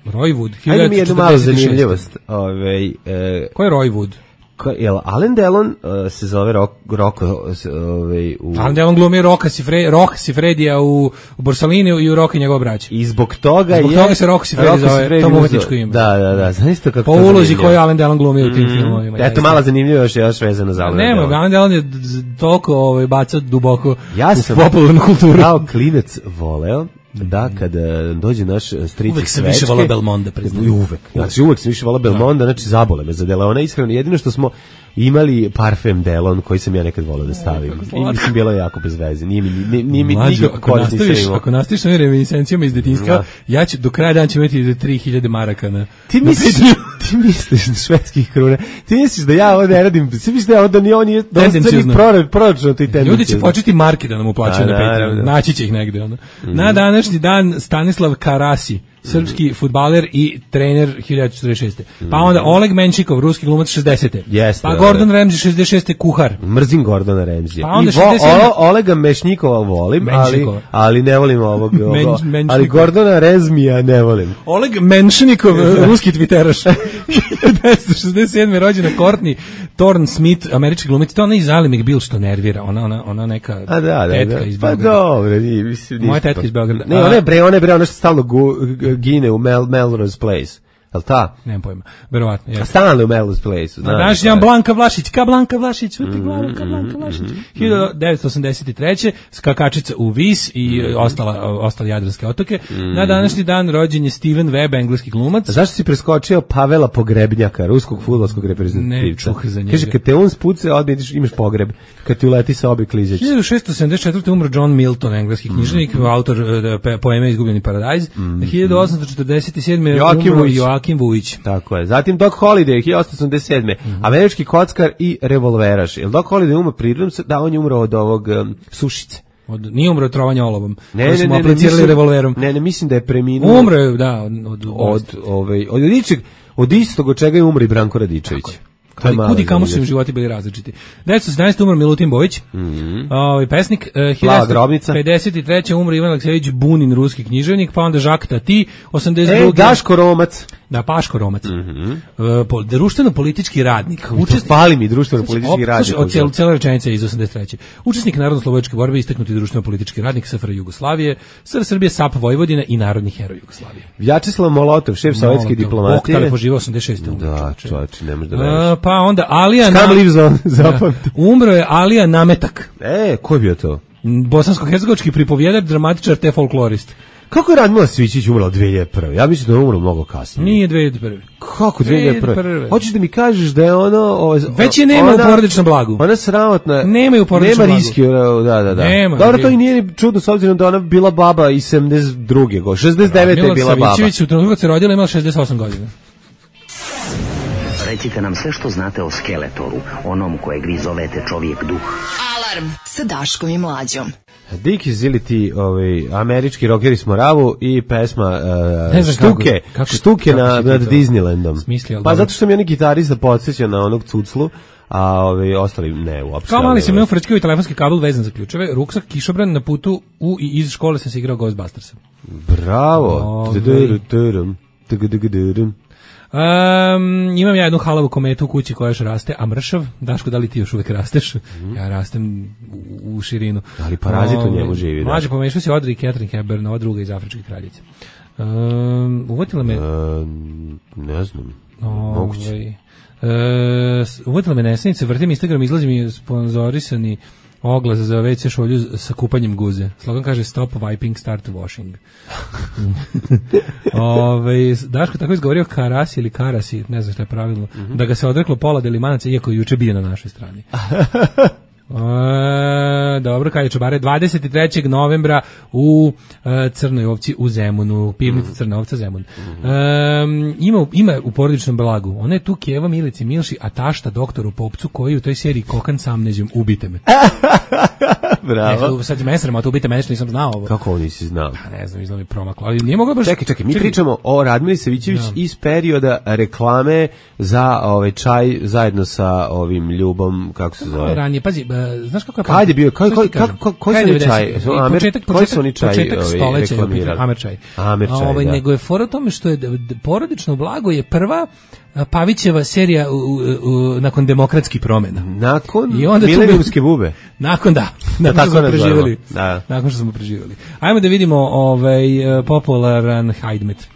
Roy Wood, Ajde mi jednu malu hiljadu četrdeset šeste. zanimljivost. Ove, e, Ko je Roy Wood? ko, jel, Alen Delon uh, se zove Rok, Roko, s- ovaj, u... Alan Delon glumi Roka Sifre, Rok Sifredija u, u Borsalini i u Roka i njegov brać. I zbog toga Zbog je... toga se Rocco Siffredi Rocco zove, Siffredi to mu uzeo- umetničko ime. Da, da, da, znaš to kako Po to ulozi zanimljivo. koju Alan Delon glumi u tim filmovima. Eto, jeste. mala zanimljiva još, još vezano za Alena Nema, Delona. Alan Delon je d- z- toliko ovaj, baca duboko Ja u sam popularnu kulturu. kao klinac voleo da kada dođe naš stric Uvek iz sam više Svečke- voleo Belmonda, priznajem. I uvek. Znači uvek sam više voleo Belmonda, znači zabole me za Delona. Iskreno, jedino što smo imali parfem Delon koji sam ja nekad voleo da stavim. I mislim, bilo je jako bez veze. Nije mi, nije, nije mi Mlađo, nikako ako korist nisam nastaviš, imao. ako nastaviš sa ovim reminiscencijama iz detinjstva, Da. ja ću do kraja dana ću imati do tri hiljade maraka na... Ti na misliš, Patreonu. ti misliš na švedskih kruna. Ti misliš da ja ovo ne radim. Ti misliš da ja ovo da ni on je Tendencijozno. proračun ti tendencijozno. Ljudi će početi marke da nam uplaćaju Da, na Patreon. naravno. Naći će ih negde. Ono. Na današnji dan Stanislav Karasi, srpski fudbaler i trener hiljadu četrdeset šeste. Pa onda Oleg Menšikov, ruski glumac šezdesete. Jeste, Pa da, Gordon da. Ramsay šezdeset šeste kuhar. Mrzim Gordona Ramsija. Pa onda I vo, šezdeset sedam. o, Olega Mešnikova volim, ali, Menšikova. ali ne volim ovog. ovog Men- ali Menšnikova. Gordona Ramsija ne volim. Oleg Menšnikov, ruski twitteraš. hiljadu devetsto šezdeset sedme. rođena Courtney Thorne Smith, američki glumica. To ona iz Ali McBeal što nervira. Ona, ona, ona neka A da, da, tetka da. iz Pa Beograda. dobro, nije, mislim, Moja ništa. tetka iz Beograda. Ne, A- ona je bre, ona je bre, ona što stalno gu, g- gine u Mel, Melrose Place. Jel ta? Nemam pojma. Verovatno. A je. stalno u Melrose Place. Na današnji dan Blanka Vlašić, ka Blanka Vlašić, vrti glavu, ka Blanka Vlašić. hiljadu devetsto osamdeset treće. skakačica u Vis i ostala, ostale Jadranske otoke. Na današnji dan rođen je Steven Webb, engleski glumac. A zašto si preskočio Pavela Pogrebnjaka, ruskog fudbalskog reprezentativca? Ne, čuh za njega. Kaže, kad te on spuce, odmah ideš, imaš pogreb. Kad ti uleti sa obi klizeći. hiljadu šessto sedamdeset četvrte. umro John Milton, engleski književnik, autor e, pe- poeme Izgubljeni paradajz. hiljadu osamsto četrdeset sedme. Joakim umro Vujić. Joakim Vujić. Tako je. Zatim Doc Holliday, hiljadu osamsto osamdeset sedme. Američki kockar i revolveraš. Jel Doc Holliday umro prirodom? Da, on je umro od ovog um, sušice. Od, nije umro od trovanja olovom. Ne, koji ne, su mu ne, ne, aplicirali mislim- revolverom. Ne, ne, mislim da je preminuo. Umro je, da, od, od, od, ovaj, od, ičeg, od istog od čega je umro i Branko Radičević. To je Ali mala kudi kamo su im zanimljivost. životi bili različiti. devetsto sedamnaeste. umro Milutin Bojić, ovaj pesnik. eh, Plava grobnica. hiljadu devetsto pedeset treće. umro Ivan Aleksejević Bunin, ruski književnik, pa onda Jacques Tati, osamdeset druge. E, Daško Romac. Da, Paško Romac. Eh, po, društveno-politički radnik. To fali mi društveno politički Op- radnik. slušaj, od cijel, cijela rečenica je iz osamdeset treće. Učesnik narodno-slobodačke borbe, istaknuti društveno-politički radnik S F R Jugoslavije, S R Srbije, S A P Vojvodina i narodni heroj Jugoslavije. Vjačeslav Molotov, šef sovjetske Molotov. diplomatije. Bog, poživao osamdeset šeste. umro, Da, čoveče. čovječe, ne možeš da A, veriš. pa onda Alija Scum Na- lives on, zapamti. Da. Umro je Alija Nametak, E, ko je bio to? bosansko-hercegovački pripovjedar, dramatičar te folklorist. Kako je Radmila Svićić umrla od dve hiljade prve? Ja mislim da je umrla mnogo kasnije. Nije dve hiljade prve. Kako dve hiljade prve? dve hiljade prve. Hoćeš da mi kažeš da je ono... Ovo, Već je nema u porodičnom blagu. Ona sramotna... Nema je u porodičnom Nema blagu. riski, da, da, da. Nema, Dobro, to nema. i nije ni čudno s obzirom da ona bila baba i sedamdeset druge go. šezdeset devete je Mila bila baba. Savićević u trenutku kad se rodila imala šezdeset osam godina. Recite nam sve što znate o Skeletoru, onom kojeg vi zovete čovjek duh. Alarm sa Daškom i Mlađom. Dik izili ti ovaj, američki rockeri s Moravu i pesma uh, Ne znam Štuke, kako- kako- Štuke kako na, si ti nad to Disneylandom. smislio, ali Pa dobro. zato što mi oni gitarista podsjeća na onog cuclu, a ovaj, ostali ne uopšte. Kao mali ali, sam imao frčkio i telefonski kabel vezan za ključeve, ruksak, kišobran, na putu u i iz škole sam se igrao Ghostbustersa. Bravo. Ovaj. Tudududurum, tudududurum. Um, imam ja jednu halavu kometu u kući koja još raste, a mršav, Daško, da li ti još uvek rasteš? Ja rastem u, u širinu. Ali parazit u njemu živi, Mlađe, Daško. pomešao si Audrey i Catherine Hepburn, ova druga iz Afričke kraljice. Um, uvotila me... E, ne znam. Ovaj, Moguće. E, s- uvodila me nesenice, vrtim Instagram, izlazi mi sponzorisani oglas za ve ce šolju sa kupanjem guze. Slogan kaže stop wiping, start washing. Ove, Daško tako izgovorio Karasi ili Karasi, ne znam šta je pravilno, Mhm. da ga se odreklo pola delimanaca, iako je juče bio na našoj strani. E, dobro, kad je čobare, dvadeset trećeg novembra u e, Crnoj Ovci u Zemunu, pivnica Crna Ovca Zemun. E, ima, ima u porodičnom blagu, ona je tu Keva Milici Milši, a tašta doktoru Popcu koji u toj seriji Kokan sa amnezijom, ubite me. Bravo. Ne, sad je mesrem, a to ubite mene što nisam znao ovo. Kako ovo nisi znao? Pa ne znam, izgleda mi promaklo, ali nije mogao baš... Čekaj, čekaj, mi čekaj. pričamo o Radmili Savićević da. iz perioda reklame za ovaj čaj zajedno sa ovim Ljubom, kako se zove? Ranije, pazi, znaš kako je... Kad je bio, kako, kako, koji su oni čaj? Početak, koji su oni čaj početak stoleća je Amer čaj. Amer čaj, ovaj, da. Nego je fora u tome što je porodično blago je prva Pavićeva serija u, u, u, nakon demokratskih promjena. Nakon milenijumske bube. Nakon da, nakon da, što smo preživjeli. Da. Nakon što smo preživjeli. Ajmo da vidimo ovaj popularan hajdmet.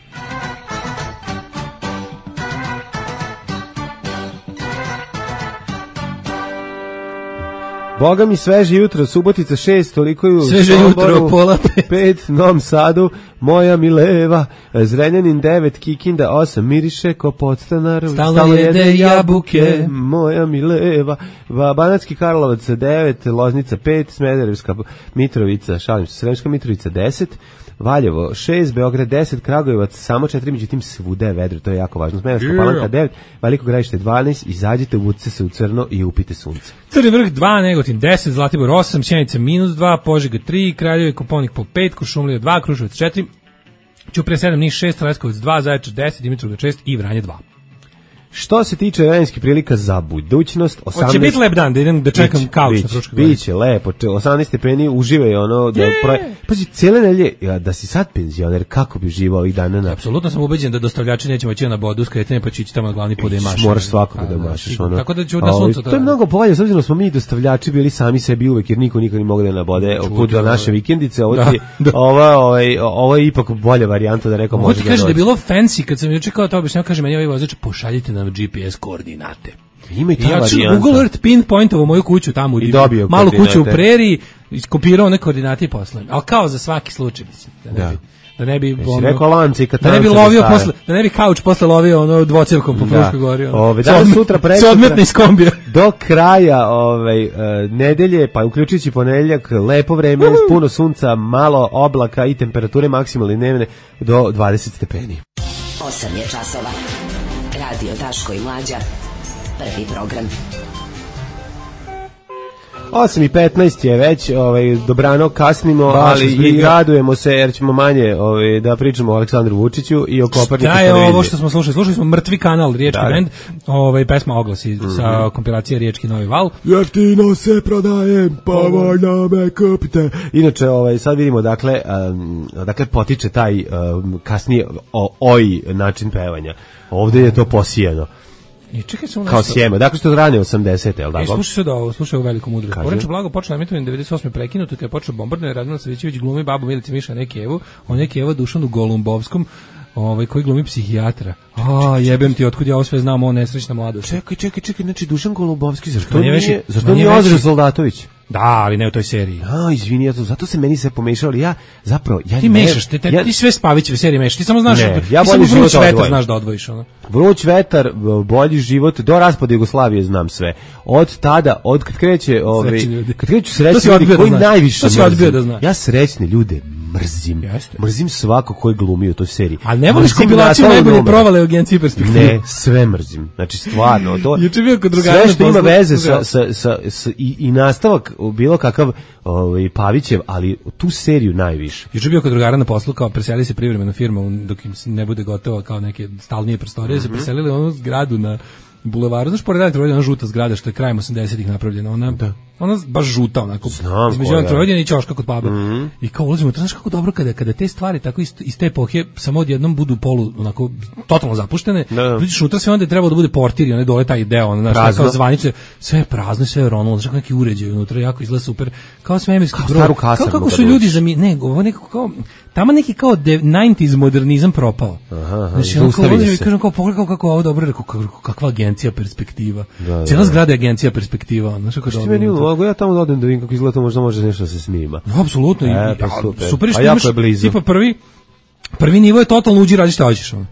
Boga mi sveže jutro, Subotica šest, toliko je u sveže jutro, pola pet. pet, Novom Sadu, moja mileva, Zrenjanin devet, Kikinda osam, miriše ko podstanar, stalno jede jabuke, moja mileva, Banatski Karlovac devet, Loznica pet, Smederevska Mitrovica, šalim se, Sremska Mitrovica deset, Valjevo šest, Beograd deset, Kragujevac samo četiri, međutim svuda je vedro, to je jako važno. Smederevska yeah. Palanka devet, Veliko Gradište dvanaest, izađite, uvucite se u crno i upite sunce. Crni vrh dva, Negotin deset, Zlatibor osam, Sjenica minus dva, Požega tri, Kraljevo i Koponik po pet, Kuršumlija dva, Kruševac četiri, Ćuprija sedam, Niš šest, Leskovac dva, Zaječar deset, Dimitrovgrad šest i Vranje dva. Što se tiče vremenskih prilika za budućnost, osamnaest... Hoće biti lep dan, da idem da čekam bić, kauč na Fruškoj gori. Biće lepo, osamnaest stepeni, uživaj ono... Da pro... Pazi, cijele nelje, da si sad penzioner, kako bi živao ovih dana na... Apsolutno sam ubeđen da dostavljači nećemo ići na bodu, skretanje pa će ići tamo na glavni put da imaš. Moraš svakog da mašeš. Ono. Tako da ću na suncu... To je mnogo bolje, s obzirom smo mi dostavljači bili sami sebi uvek, jer niko nikad ne mogu da nabode put do naše vikendice. Ovo, ti, da, da. Ova, ovaj, ovo je ipak bolja varijanta da rekao može da kaže da je bilo fancy, kad sam juče kao to objašnjavao, kaže meni ovaj vozač, pošaljite nam G P S koordinate. Ima i ta ja ću varijanta. Google Earth pinpointovo moju kuću tamo, I dobio malu kuću u preriji, iskopirao one koordinate i poslao. Ali kao za svaki slučaj, mislim, da ne da. bi... Da ne bi ono, rekao lanci i da ne bi lovio posle, da ne bi kauč posle lovio ono dvocevkom po Fruškoj gori. Ono. Ove, danas sutra presutra iz kombija. Do kraja ovaj uh, nedelje, pa uključujući ponedjeljak, lepo vreme, uh. puno sunca, malo oblaka i temperature maksimalne dnevne do dvadeset stepeni. osam je časova. Radio Daško i Mlađa. Prvi program. osam i petnaest je već, ovaj, dobrano kasnimo, baš ali i radujemo se jer ćemo manje ovaj, da pričamo o Aleksandru Vučiću i o Koperniku. Šta je ovo što smo slušali? Slušali smo Mrtvi kanal, Riječki da. Bend, ovaj, pesma Oglasi mm-hmm. sa kompilacije Riječki Novi val. Jeftino se prodajem, pa voljno me kupite. Inače, ovaj, sad vidimo, dakle, um, dakle potiče taj um, kasnije o, oj način pevanja. Ovdje je to posijeno. I čekaj samo kao sjeme, dakle što rane osamdesete, je li tako? E, slušaj se da ovo, slušaj ovo veliku mudrost. Porečno blago počeo emitovanje devedeset osme prekinuto, kada je počeo bombardovanje, Radmila Savićević glumi babu Milici Miša Nekijevu, on Nekijevu Dušanu Golumbovskom, ovaj koji glumi psihijatra. A, jebem ti, otkud ja ovo sve znam, o nesrećna mladost. Čekaj, čekaj, čekaj, znači Dušan Golumbovski, zašto nije, zašto nije Ozren Soldatović? Da, ali ne u toj seriji. A, izvini, ja to, zato se meni sve pomešalo, ali ja zapravo ja ti ne, mešaš, te, te, ja, ti sve Spavićeve serije mešaš, ti samo znaš, ne, ti ja samo Vruć vetar znaš da odvojiš, ono. Vruć vetar, bolji život, do raspada Jugoslavije znam sve. Od tada, od kad kreće, ovaj, kad kreću srećni ljudi koji najviše mrzim. Ja srećne ljude mrzim. Jeste. Mrzim svako koji glumi u toj seriji. A ne voliš kompilaciju najbolje provale u Agenciji Perspektive? Ne, sve mrzim. Znači stvarno, to juče bio kod drugara, sve što ima veze sa, sa, sa, sa i, i nastavak bilo kakav ovaj Pavićev, ali tu seriju najviše. Juče bio kod drugara na poslu, kao preseli se privremeno firma dok im ne bude gotovo kao neke stalnije prostorije, mm-hmm. se preselili onu zgradu na bulevaru, znaš, pored Elektrovode, ona žuta zgrada što je krajem osamdesetih napravljena, ona, da. Ona baš žuta, onako, znam, između Elektrovode i ćoška kod Pabe. Mm-hmm. I kao ulazimo, to znaš kako dobro kada, kada te stvari tako iz, iz te epohe samo odjednom budu polu, onako, totalno zapuštene, vidiš unutra sve onda je trebalo da bude portir i one dole taj deo, ono, znaš, kao zvanice, sve je prazno, sve je ronulo, znaš, neki uređaj unutra, jako izgleda super, kao svemirski brod, kao kako su ljudi zami, ne, ovo nekako kao, tamo neki kao devedesetih modernizam propao. Aha, znači, on kao ulazim i kažem kao, pogledaj kako ovo dobro, rekao, kakva agencija Perspektiva. Da, cijela da, zgrada je Agencija Perspektiva. Znaš kako dobro. Meni ulogo, ja tamo odem da vidim kako izgleda, možda može nešto da se snima. No, apsolutno. E, pa super. Super što a imaš, jako je blizu. Tipa prvi, prvi nivo je totalno uđi, radi šta hoćeš. Ono.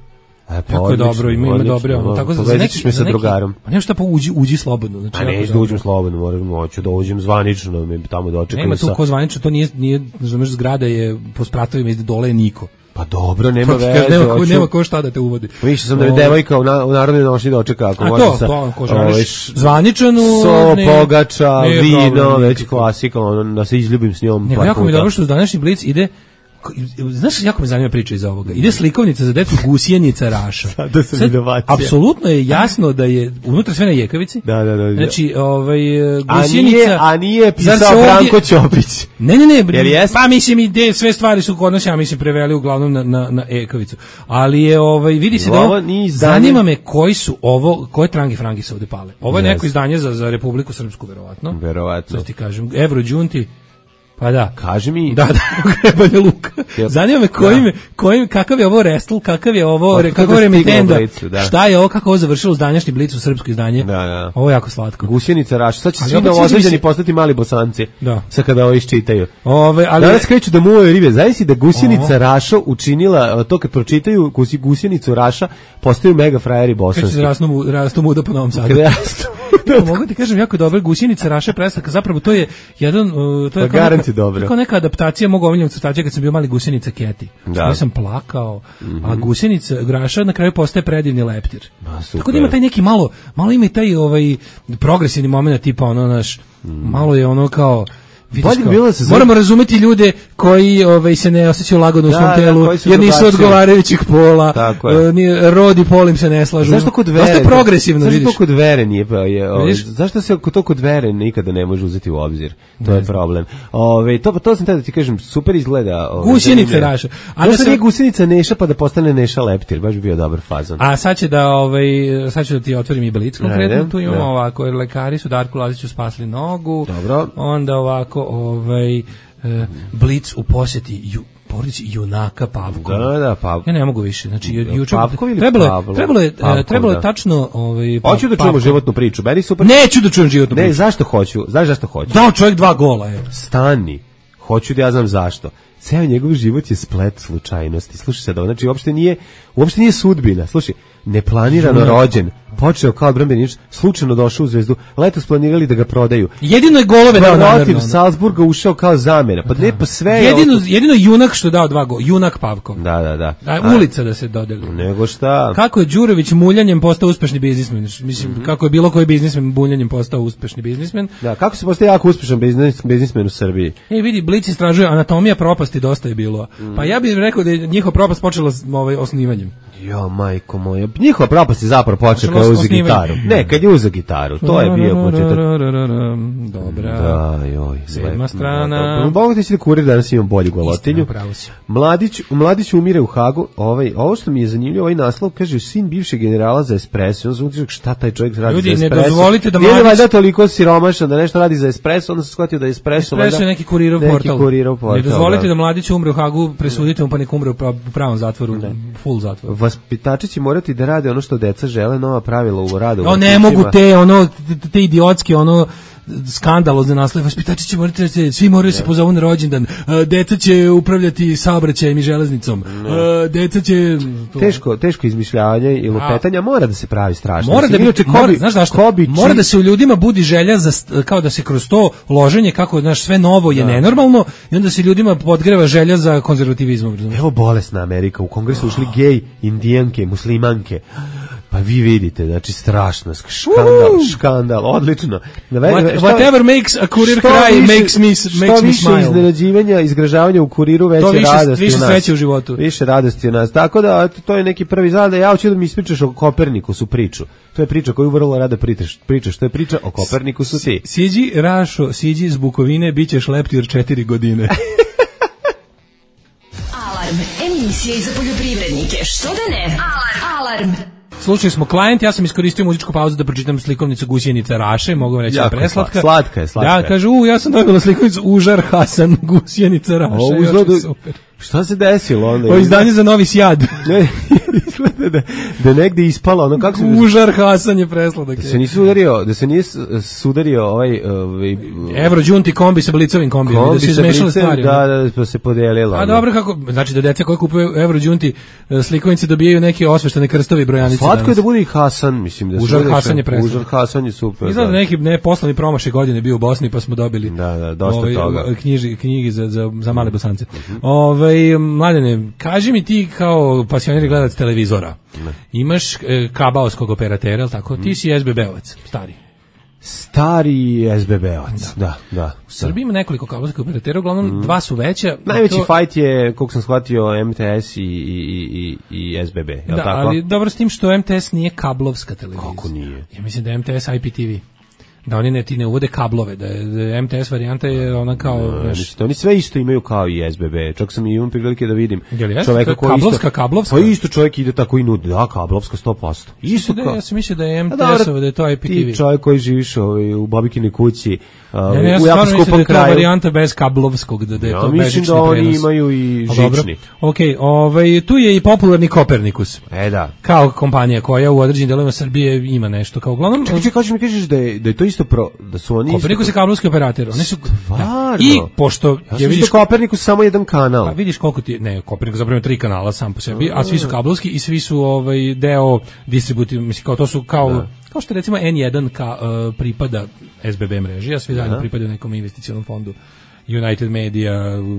E, pa jako je dobro, ima, ima dobre. Ono. Tako za neki, me sa drugarom. A nema šta pa uđi, uđi slobodno. Znači, a ne, da uđem slobodno, moram, hoću da uđem zvanično, me tamo dočekaju. Nema tu ko zvanično, to nije, nije, znaš, zgrada je po spratovima iz dole je niko. Pa dobro, nema Kaže, veze. nema, ko, hoću- nema ko šta da te uvodi. Više sam da je Ovaj, devojka u, na, u narodnoj nošnji dočeka. Ako A može to, sa, to, ko ovaj, želiš zvaničanu... So, ne- pogača, nije vino, problem, već nikako. klasika, ono, da se izljubim s njom. Nego par jako mi je puta. dobro što uz današnji Blic ide, znaš, jako me zanima priča iz ovoga. Ide slikovnica za decu Gusjenica Raša. Sada sam Sad, inovacija. apsolutno je jasno da je unutra sve na jekavici. Da, da, da. Znači, ovaj, A Gusjenica... nije, a nije Zar se pisao ovdje- Branko Ćopić. Ne, ne, ne, Jel jeste? pa mislim i de, sve stvari su kod nas, ja mislim, preveli uglavnom na, na, na ekavicu. Ali je, ovaj, vidi se da Ovo ovo, nije izdanje- zanima me koji su ovo, koje trangi frangi se ovde pale. Ovo je Yes. neko izdanje za, za Republiku Srpsku, verovatno. Verovatno. Sad ti kažem, Eurođunti, pa da. Kaži mi... Da, da, Banja Luka. Jel- Zanima me kojim, kojim, kakav je ovo Restel, kakav je ovo, Otkud kako je je stiglo Remitenda, u Blicu, da. šta je ovo, kako ovo završilo uz današnji Blic u srpsko izdanje. Da, da. Ovo je jako slatko. Gusjenica Raša. Sad će Ali svi opet sviđa mi novozađeni se- postati mali Bosanci. Da. Sad kada ovo iščitaju. Ove, ali Danas kreću da muvaju ribe. Zavisli da Gusjenica Ovo. Raša učinila, to kad pročitaju gusi- Gusjenicu Raša, postaju mega frajeri kreće bosanski. se rastu, mu- rastu muda po Novom Sadu. Kada rastu. Ja, mogu ti kažem jako dobro, Gusjenica Raša predstavka, zapravo to je jedan, uh, to je Pa kao garanti neka, dobro. kao neka adaptacija mog omiljenog crtača kad sam bio mali Gusjenica Keti. Da. Ja sam plakao, a Gusjenica Raša na kraju postaje predivni leptir. Ma, super. Tako da ima taj neki malo, malo ima i taj ovaj progresivni moment tipa ono naš, malo je ono kao vidiš Bolje bi kao, bilo da se zove- moramo razumeti ljude koji ovaj se ne osjećaju lagodno u Da, svom da, telu, koji su jer nisu drugačiji. odgovarajućih pola, Tako je. e, ni rod i pol im se ne slažu. Zašto kod Dosta vere? je progresivno, zašto vidiš. to kod vere nije pa je, ovaj, Vidiš? zašto se to kod vere nikada ne može uzeti u obzir? To je problem. Ove, to to sam tada da ti kažem, super izgleda. Ove, Gusjenica zanimljivo. Raša. A A da da se- nije Gusjenica Neša pa da postane Neša Leptir, baš bi bio dobar fazon. A sad će da ovaj sad ću da ti otvorim i Blic konkretno, Ajde, tu imamo da. ovako, jer lekari su Darku Laziću spasli nogu. Dobro. Onda ovako ovaj e, Blic u posjeti ju, porodici junaka Pavkova. Da, da, pa. Ja ne mogu više. Znači ju- juče Pavkov ili trebalo je Pavlov? trebalo je e, Pavkov, trebalo je da. tačno ovaj Hoću da čujemo Pavkov. životnu priču. Meni super. Neću da čujem životnu Ne, priču. zašto hoću? Znaš zašto hoću? Dao čovjek dva gola, je. Stani. Hoću da ja znam zašto. Ceo njegov život je splet slučajnosti. Slušaj sad, ovo, znači uopšte nije, uopšte nije sudbina. Slušaj, neplanirano Junak. rođen, počeo kao odbrambeni igrač, slučajno došao u Zvezdu, letos planirali da ga prodaju. Jedino je golove dao Protiv namerno. Salzburga ušao kao zamena. Pa ne, pa sve je Jedino ovo- jedino junak što je dao dva gola, junak Pavkov. Da, da, da. A, A, ulica da se dodeli. Nego šta? Kako je Đurović muljanjem postao uspešni biznismen? Mislim, kako je bilo koji biznismen muljanjem postao uspešni biznismen. Da, kako se postaje jako uspešan biznis, biznismen u Srbiji? E, vidi, Blic istražuje anatomija propasti, dosta je bilo. Pa ja bih rekao da je njihova propast počela s ovaj, osnivanjem. Jo, majko moja. Njihova propast je zapravo počela Počelo kad je s uzeo osnivanjem. gitaru. Ne, kad je uzeo gitaru. To je bio početak. Dobra. Da, joj, Sedma sve. strana. Mogu ti si da kurir danas imam bolju golotinju. Istina, pravo si. Mladić, Mladić umire u Hagu. Ovaj, ovo što mi je zanimljivo, ovaj naslov kaže sin bivšeg generala za espresso. On se šta taj čovjek radi Ljudi, za ne espresso. dozvolite da Nije Mladić- valjda toliko siromašan da nešto radi za espresso, onda se shvatio da je espresso. Espresso je valjda neki kurirov neki portal. kurirov portal, Ne dozvolite da. da mladić umre u Hagu, presudite mu pa nek umre u pra- u pravom zatvoru, full zatvoru. Vaspitači će morati da rade ono što deca žele, nova pravila u radu. u O, ne vrtićima. mogu te, ono, te, te idiotske, ono, skandalozne naslove. Vaspitači će morati da se, svi moraju se pozovu na rođendan. E, Deca će upravljati saobraćajem i železnicom. E, Deca će... to- Teško, teško izmišljavanje i lupetanja mora da se pravi strašno. Mora da bi, Inače, ko mora, bi- znaš zašto? ko bi Mora či- da se u ljudima budi želja za st- kao da se kroz to loženje kako znaš sve novo je nenormalno i onda se ljudima podgreva želja za konzervativizmom, razumeš? Evo bolesna Amerika, u kongresu ušli gej, indijanke, muslimanke. Pa vi vidite, znači strašno, škandal, škandal, odlično. What- whatever makes a kurir što cry više- makes me- što makes me više smile. iznenađivanja, izgražavanja u kuriru, veće To više- radosti više u nas. sreće u životu. Više radosti u nas. Tako da, eto, to je neki prvi zada. Ja hoću da mi ispričaš o Kopernikusu priču. To je priča koju vrlo rada pričaš. Pričaš, to je priča o Kopernikusu ti. Siđi, Rašo, siđi iz Bukovine, bit ćeš leptir četiri godine. Alarm, emisija i za poljoprivrednike. Što da ne? Alarm. Alarm. Slušali smo Klijent, ja sam iskoristio muzičku pauzu da pročitam slikovnicu Gusjenica Raše, mogu vam reći da je Jako je preslatka. sla- slatka je, slatka Ja, je. kaže, u, ja sam dobila slikovnicu Užar Hasan Gusjenica Raše. Ovo još izgleda- je super. Šta se desilo onda? O izdanje za Novi Sjad. Ne, izgleda da, da je negde ispala, ono kako se... Užar Hasan je presladak. Da se nisi udario, da se nije s- sudario ovaj... ovaj Evrođunti kombi sa blicovim kombijem, da su sa izmešale blicem, stvari. Da, da, pa se podijelilo. A ono. dobro, kako, znači da deca koje kupuju Evrođunti slikovnice dobijaju neke osveštene krstove i brojanice. Slatko je danas. da bude i Hasan, mislim da se Užar bude- Hasan je presladak. Užar Hasan je super. Izgleda da. neki ne poslovni promašaj godine bio u Bosni pa smo dobili Da, da, dosta toga. knjiži, knjigi za, za, za male Bosance. Ove, ovaj, Mladene, kaži mi ti kao pasionirani gledalac televizora, ne. imaš e, kabaoskog operatera, tako? Ti si es be be-ovac, stari. Stari es be be-ovac, da, da. da U Srbiji ima nekoliko kabelskih operatera, uglavnom mm. dva su veća. Najveći to... fight je, koliko sam shvatio, em te es i, i, i, i es be be, je li da, tako? Ali dobro s tim što em te es nije kablovska televizija. Kako nije? Ja mislim da je em te es i pe te ve. Da oni ne ti ne uvode kablove, da je, da je em te es varijanta je ona kao... No, neš... Oni sve isto imaju kao i es be be. Čak sam i imam prilike da vidim čoveka koji kablovska, isto... kablovska? Pa isto čovjek ide tako i nudi. Da, kablovska sto posto. Isto da, kao... Ja sam mislio da je em te es-ova, da je to i pe te ve. Ti čovjek koji živiš ovaj, u babikinoj kući, uh, ne, ne, ja u jako skupom kraju. Da je to varijanta bez kablovskog, da, da je ja, to bežični prenos. Ja mislim da oni imaju i žični. Ok, ovaj, tu je i popularni Kopernikus. E da. Kao kompanija koja u određenim delovima Srbije ima nešto. Kao uglavnom... Čekaj, čekaj, mi kažeš da je, da je to isto pro... Da su oni Kopernikus je kablovski operator. Oni su stvarno. I pošto ja je vidiš Kopernikus samo jedan kanal. Pa vidiš koliko ti ne Kopernikus zapravo tri kanala sam po sebi, a svi su kablovski i svi su ovaj deo distributiv, mislim kao to su kao da. Kao što recimo en jedan ka, uh, pripada es be be mreži, a svi zajedno pripadaju nekom investicionom fondu. United Media,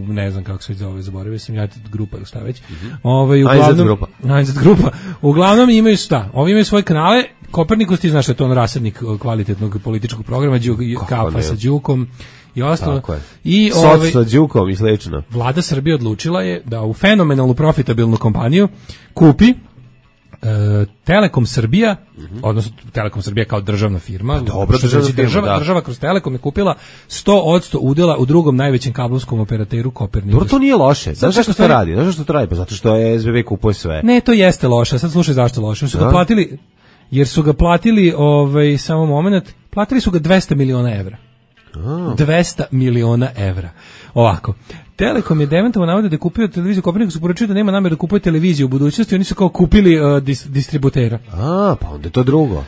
ne znam kako se zove, zaboravio sam, United Grupa ili šta već. Mm-hmm. Ovaj uglavnom Grupa. United Grupa. Uglavnom imaju šta? Ovi imaju svoje kanale. Kopernikus, ti znaš da je to on rasadnik kvalitetnog političkog programa, Đuk, kafa sa Đukom i ostalo. I ovaj sa Đukom i slično. Vlada Srbije odlučila je da u fenomenalnu profitabilnu kompaniju kupi Uh, Telekom Srbija, mm-hmm. odnosno Telekom Srbija kao državna firma, dobro, državna, firma, država, da. država kroz Telekom je kupila sto posto udela u drugom najvećem kablovskom operateru Kopernikus. Dobro, to nije loše. Znaš zašto to radi? Znaš zašto to radi? Pa zato što je es be be kupuje sve. Ne, to jeste loše. Sad slušaj zašto loše. Su ga platili, jer su ga platili, ovaj, samo moment, platili su ga dvesta miliona evra. A. dvesta miliona evra. Ovako. Telekom je demantovo navode da je kupio televiziju Kopernikus, poručio da nema namjeru da kupuje televiziju u budućnosti, oni su kao kupili uh, dis, distributera. A, pa onda je to drugo.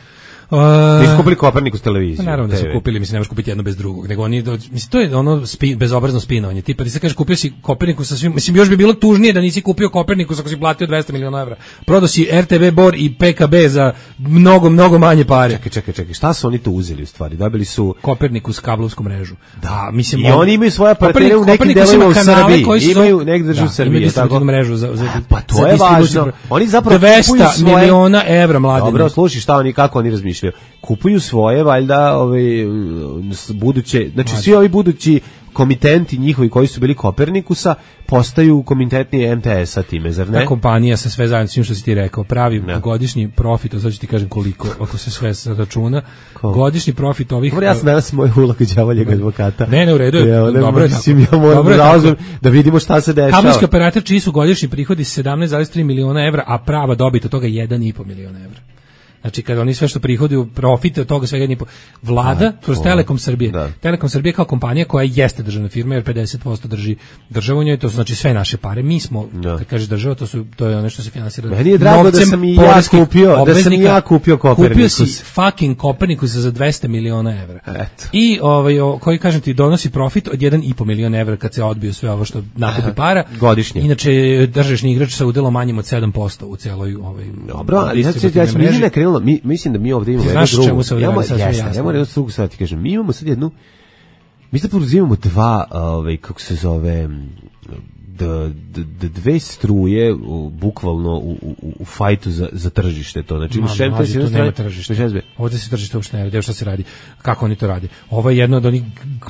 Uh, Nisu kupili Kopernikus televiziju. Pa naravno da su kupili, mislim, ne možeš kupiti jedno bez drugog, nego oni, mislim, to je ono spi, bezobrazno spinovanje, tipa ti se kažeš kupio si Kopernikus sa svim, mislim, još bi bilo tužnije da nisi kupio Kopernikus ako si platio dvesta miliona evra. Prodao si er te ve Bor i pe ka be za mnogo, mnogo manje pare. Čekaj, čekaj, čekaj, šta su oni to uzeli u stvari? Dobili su Kopernikus kablovsku mrežu. Da, mislim, i oni imaju svoje partnere u nekim delovima u Srbiji, imaju negde držu Srbije, tako mrežu za, za, pa to je važno. Oni zapravo dvesta miliona evra, mladine. Dobro, slušaj, šta oni, kako oni razmišljaju? Kupuju svoje, valjda, ove, buduće, znači svi ovi budući komitenti njihovi koji su bili Kopernikusa postaju komitentni em te es-a time, zar ne? Ta kompanija sa sve zajedno, svim što si ti rekao, pravi ne. godišnji profit, a sad ću ti kažem koliko, ako se sve računa, Ko? godišnji profit ovih... Dobro, ja sam danas moj uloga đavoljeg advokata. Ne, ne, u redu je, ja, dobro je tako. Ja moram da razum da vidimo šta se dešava. Kabelski operator čiji su godišnji prihodi sedamnaest zarez tri miliona evra, a prava dobit od toga jedan i po miliona evra. Znači kada oni sve što prihoduju profite od toga svega jedni vlada kroz Telekom Srbije. Da. Telekom Srbije kao kompanija koja jeste državna firma jer pedeset posto drži državu u njoj, to su znači sve naše pare. Mi smo, da. Kad kažeš država, to su to je ono što se finansira. Meni je drago da sam i ja kupio, da sam i ja kupio Kopernikus. Kupio si fucking Kopernikus za dvesta miliona evra. Eto. I ovaj o, koji kažem ti donosi profit od jedan i po milion evra kad se odbiju sve ovo što nakupi para godišnje. Inače tržišni igrač sa udelom manjim od sedam posto u celoj ovaj. Dobro, ali sad se ja sam mi mislim da mi ovdje imamo jednu drugu. Znaš čemu imamo, jeste, ja moram jednu drugu sad ti kažem. Mi imamo sad jednu, mi sad imamo dva, ovaj, kako se zove, d, d, d, dve struje u, bukvalno u, u, u fajtu za, za tržište to. Znači imaš em te es tu nema tržište. Ovdje se tržište uopšte ne radi. Evo šta se radi. Kako oni to radi? Ovo je jedno od onih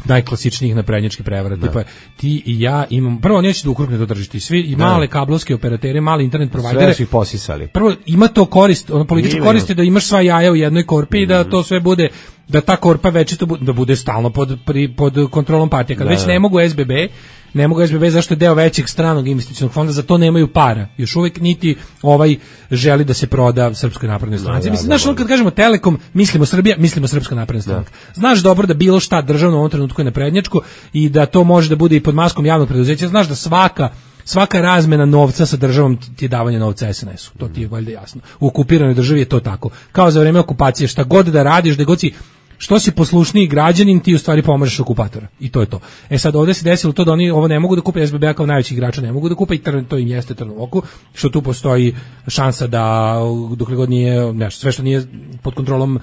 najklasičnijih naprednjačkih prevara. Tipa ti i ja imam, prvo neće da ukrupne to tržište. Svi i male kablovske operatere, mali internet provajdere. Sve su ih posisali. Prvo ima to korist, ono političko korist je da imaš sva jaja u jednoj korpi i da to sve bude, da ta korpa večito bude, da bude stalno pod, pri, pod kontrolom partije. Kad već ne mogu es be be, ne mogu es be be zašto je deo većeg stranog investicionog fonda, za to nemaju para. Još uvijek niti ovaj želi da se proda Srpskoj naprednoj stranci. Mislim, znaš, kad kažemo Telekom, mislimo Srbija, mislimo Srpska napredna stranka. Znaš dobro da bilo šta državno u ovom trenutku je naprednjačko i da to može da bude i pod maskom javnog preduzeća. Znaš da svaka svaka razmena novca sa državom ti je davanje novca es en esu. To ti je valjda jasno. U okupiranoj državi je to tako. Kao za vreme okupacije, šta god da radiš, da god si što si poslušniji građanin, ti u stvari pomažeš okupatora. I to je to. E sad ovdje se desilo to da oni ovo ne mogu da kupe, es be be kao najveći igrača ne mogu da kupe i trn, to im jeste trn u oku, što tu postoji šansa da dokle god nije, nešto, sve što nije pod kontrolom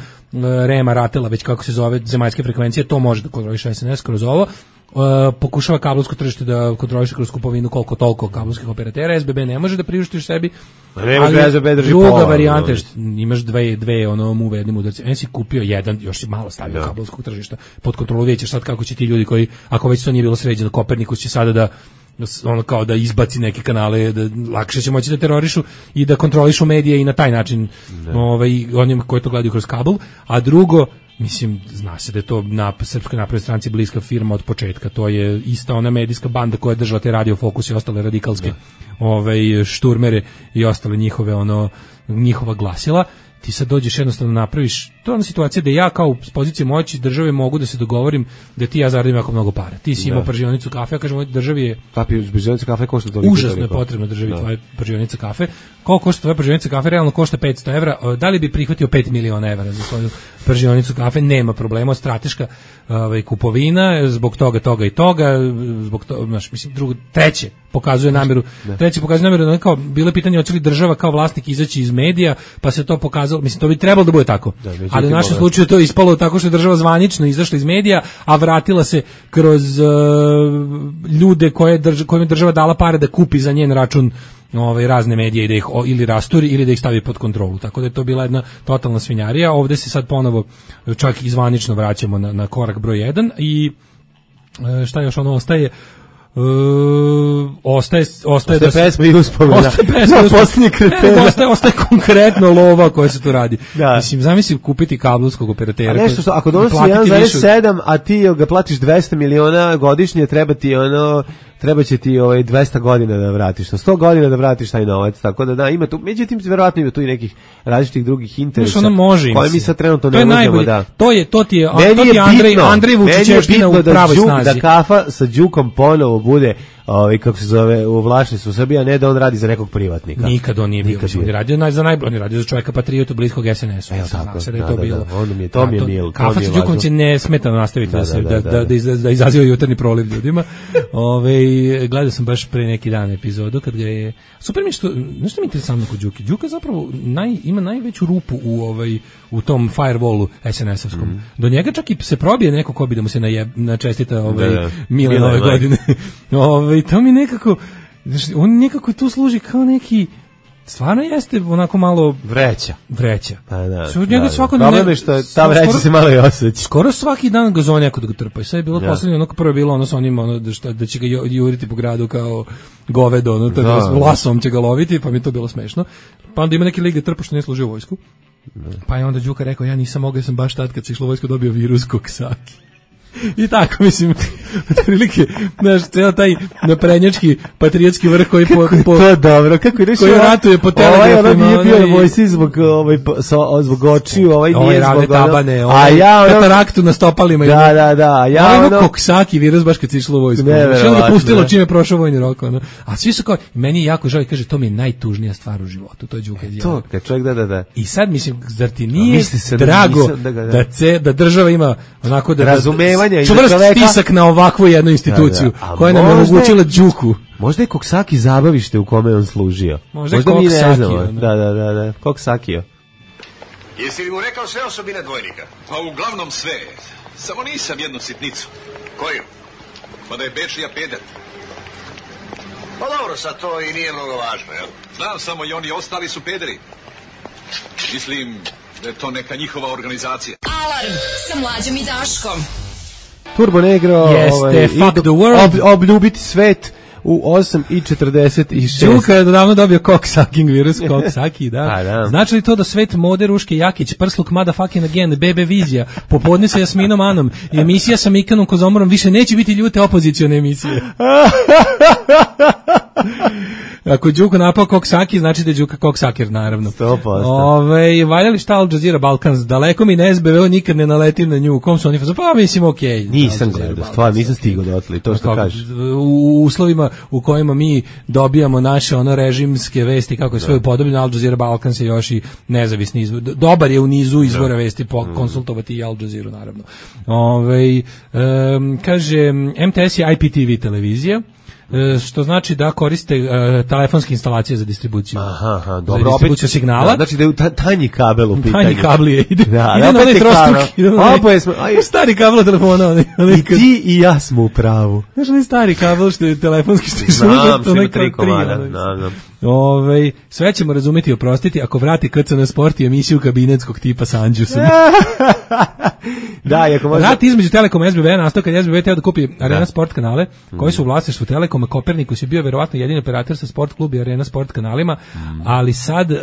Rema, Ratela, već kako se zove, zemaljske frekvencije, to može da kontroliše es en es kroz ovo. Uh, pokušava kablovsko tržište da kontroliše kroz kupovinu koliko toliko kablovskih operatera. S B B ne može da priuštiš sebi. Ali S B B drži druga pola, varijanta je imaš dve dve ono mu vednim udarcima. En si kupio jedan, još si malo stavio da. kablovskog tržišta pod kontrolu, vidjet ćeš sad kako će ti ljudi koji, ako već to nije bilo sređeno, Kopernikus će sada da ono kao da izbaci neke kanale, da lakše će moći da terorišu i da kontrolišu medije i na taj način ovaj, onim koji to gledaju kroz kabel. A drugo, mislim, zna se da je to na Srpskoj naprednoj stranci bliska firma od početka. To je ista ona medijska banda koja je držala te Radio Fokus i ostale radikalske ovaj, šturmere i ostale njihove ono njihova glasila. Ti sad dođeš jednostavno napraviš, to je ona situacija da ja kao s pozicije moći države mogu da se dogovorim da ti ja zaradim jako mnogo para. Ti si imao pržionicu kafe, ja kažem ovoj državi je Papi, pržionica kafe košta toliko. Užasno je potrebno državi da. Tvoja pržionica kafe. Koliko košta tvoja pržionica kafe? Realno košta petsto evra. Da li bi prihvatio pet miliona evra za svoju pržionicu kafe? Nema problema, strateška ovaj, kupovina, zbog toga, toga i toga, zbog toga, znaš, mislim, drugo, treće pokazuje nameru, ne. treće pokazuje nameru da kao, bilo je pitanje hoće li država kao vlasnik izaći iz medija, pa se to pokazalo, mislim, to bi trebalo da bude tako. Da, ali u našem slučaju to je ispalo tako što je država zvanično izašla iz medija, a vratila se kroz uh, ljude koje drž, kojim je država dala pare da kupi za njen račun ovaj razne medije i da ih o, ili rasturi ili da ih stavi pod kontrolu. Tako da je to bila jedna totalna svinjarija. Ovde se sad ponovo čak i zvanično vraćamo na, na korak broj jedan i e, šta još ono ostaje? Uh, ostaje ostaje da pesma i uspomena. Ostaje pesma no, posljednji kriterij. Ostaje ostaje konkretno lova koja se tu radi. Da. Mislim, zamisli kupiti kablovskog operatera. A nešto što ako donosi jedan zarez sedam, a ti ga platiš dvesta miliona godišnje, treba ti ono treba će ti ovaj dvesta godina da vratiš, sto godina da vratiš taj novac, tako da da ima tu, međutim verovatno ima tu i nekih različitih drugih interesa. Ono može koje mi sad trenutno ne možemo da. To je to ti je, to ti je Andrej Andrej Vučićevština u pravoj snazi. Da kafa sa Đukom ponovo bude ovaj kako se zove u vlasništvu Srbija, ne da on radi za nekog privatnika. Nikad on nije bio, on radio naj za najbolji, on radio za čovjeka patriotu bliskog S N S-u. Ja znam se da je to bilo. On mi je to mi je mil. Kafa sa Đukom će nesmetano nastaviti da se da da da izaziva jutarnji proliv ljudima. Ovaj gledao sam baš pre neki dan epizodu kad ga je super mi što nešto mi je interesantno kod Đuke. Đuka zapravo naj ima najveću rupu u ovaj u tom firewallu S N S-ovskom. Mm. Do njega čak i se probije neko ko bi da mu se najeb, načestita ovaj da, da. Mile nove godine. Ovaj to mi nekako on nekako tu služi kao neki stvarno jeste onako malo vreća. Vreća. Pa da. Sve od njega da, svako da. Problem je što ta vreća skoro, se malo i osjeća. Skoro svaki dan ga zove neko da ga trpa. I sve je bilo ja. Poslednje, ono prvo je bilo ono sa onim ono da, šta, da će ga juriti po gradu kao govedo, ono to je bilo lasom će ga loviti, pa mi je to bilo smešno. Pa onda ima neki lik da trpa što ne služi u vojsku. Ne. Pa je onda Đuka rekao ja nisam mogao, sam baš tad kad se išlo u vojsku dobio virus koksaki. I tako, mislim, otprilike, znaš, ceo taj naprednjački patriotski vrh koji po, po to je dobro, kako je koji ratuje po telegrafima. Ovaj ono nije bio na vojsci zbog, ovaj, so, zbog očiju, ovaj nije ovaj zbog tabane, ovaj, a ja ono, kataraktu na stopalima. Da, da, da, a ja ovaj ono... koksaki virus baš kad si išlo u vojsku. Što ga pustilo čime je prošao vojni rok, ono. A svi su kao, meni je jako žao, kaže, to mi je najtužnija stvar u životu, to je Đuka izjavio. To, kad čovjek da, da, da. I sad, mislim, zar ti nije drago da država ima onako da čvrst stisak na ovakvu jednu instituciju da, da. koja nam je omogućila Đuku. Možda je Koksaki zabavište u kome on služio. Možda, možda mi ne znamo. Da, da, da, da. Koksakio. Jesi li mu rekao sve osobine dvojnika? Pa uglavnom sve. Samo nisam jednu sitnicu. Koju? Pa da je Bečija peder. Pa dobro, sad to i nije mnogo važno, jel? Znam samo i oni ostali su pederi. Mislim da je to neka njihova organizacija. Alarm sa Mlađom i Daškom. Turbo Negro, jeste, ovaj, fuck the world. Ob, obljubiti svet u osam i četrdeset šest. Đuka je davno dobio cocksucking virus, cocksaki, da. da. Znači li to da svet mode Ruške Jakić, prsluk motherfucking again, bebe vizija, popodne sa Jasminom Anom i emisija sa Mikanom Kozomorom više neće biti ljute opozicione emisije. Ako Đuko napao koksaki, znači da je Đuka koksaker, naravno. sto posto. Ove, valja li šta Al Jazeera Balkans? Daleko mi ne S B V, nikad ne naletim na nju. U kom su oni? Pa mislim, okej. Okay, nisam gledao, stvarno, nisam stigao dotle, to što kažeš. U uslovima u kojima mi dobijamo naše ono režimske vesti, kako je sve upodobljeno, Al Jazeera Balkans je još i nezavisni izvor. Dobar je u nizu izvora vesti, po, konsultovati i Al Jazeera, naravno. Ove, um, kaže, M T S je I P T V televizija. e, što znači da koriste e, telefonske instalacije za distribuciju. Aha, aha, za dobro, distribuciju opet, signala. Da, znači da je ta, tanji kabel u pitanju. Tanji kablije ide. Da, ide na onaj trostuk. Oboje smo, aj, stari kabel telefona. Onaj, onaj, I ti i ja smo u pravu. Znaš onaj stari kabel što je telefonski što je Znam, što ima tri komada. Znam, znam. Ove, sve ćemo razumeti i oprostiti ako vrati K C N Sport i emisiju kabinetskog tipa sa Anđusom. Da, ako možda... Rat između Telekoma i S B B nastao kad S B B teo da kupi Arena da. Sport kanale, koji su u vlasništvu Telekoma. Kopernikus je bio verovatno jedini operator sa Sport klub i Arena Sport kanalima, mm. ali sad uh,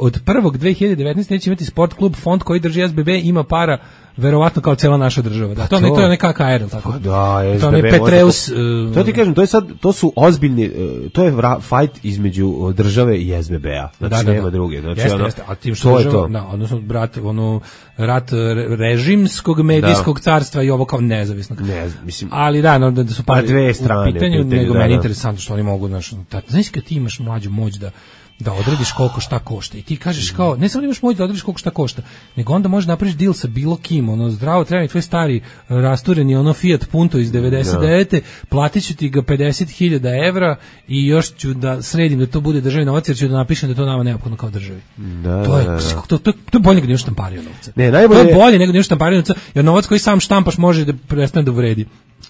od prvog dve hiljade devetnaeste neće imati Sport klub, fond koji drži S B B, ima para verovatno kao cela naša država. Da, to, to, ne, to je neka K R, tako. Da, S B B. To je Petreus. To, uh, to ti kažem, to je sad, to su ozbiljni, uh, to je fight između države i S B B-a. Znači, da, da, nema da. druge. Znači, jeste, ono, jeste. A tim što država, to. Da, odnosno, brat, ono, rat režimskog medijskog da. carstva i ovo kao nezavisnog. Ne, mislim. Ali da, no, da su pa dve strane u pitanju, pitanju nego da, meni da. interesantno što oni mogu, znaš, znaš kad ti imaš mlađu moć da da odrediš koliko šta košta i ti kažeš kao, ne samo imaš moć da odrediš koliko šta košta, nego onda možeš napraviš deal sa bilo kim, ono zdravo treba mi tvoj stari rastureni ono Fiat Punto iz devedeset devete, platit ću ti ga pedeset hiljada evra i još ću da sredim da to bude državni novac jer ću da napišem da to nama neophodno kao državi. Da, to je, da, da. to, to, to je bolje nego da imaš štampariju novca. Ne, najbolje... To je bolje nego da imaš štampariju novca, jer novac koji sam štampaš može da prestane da vredi.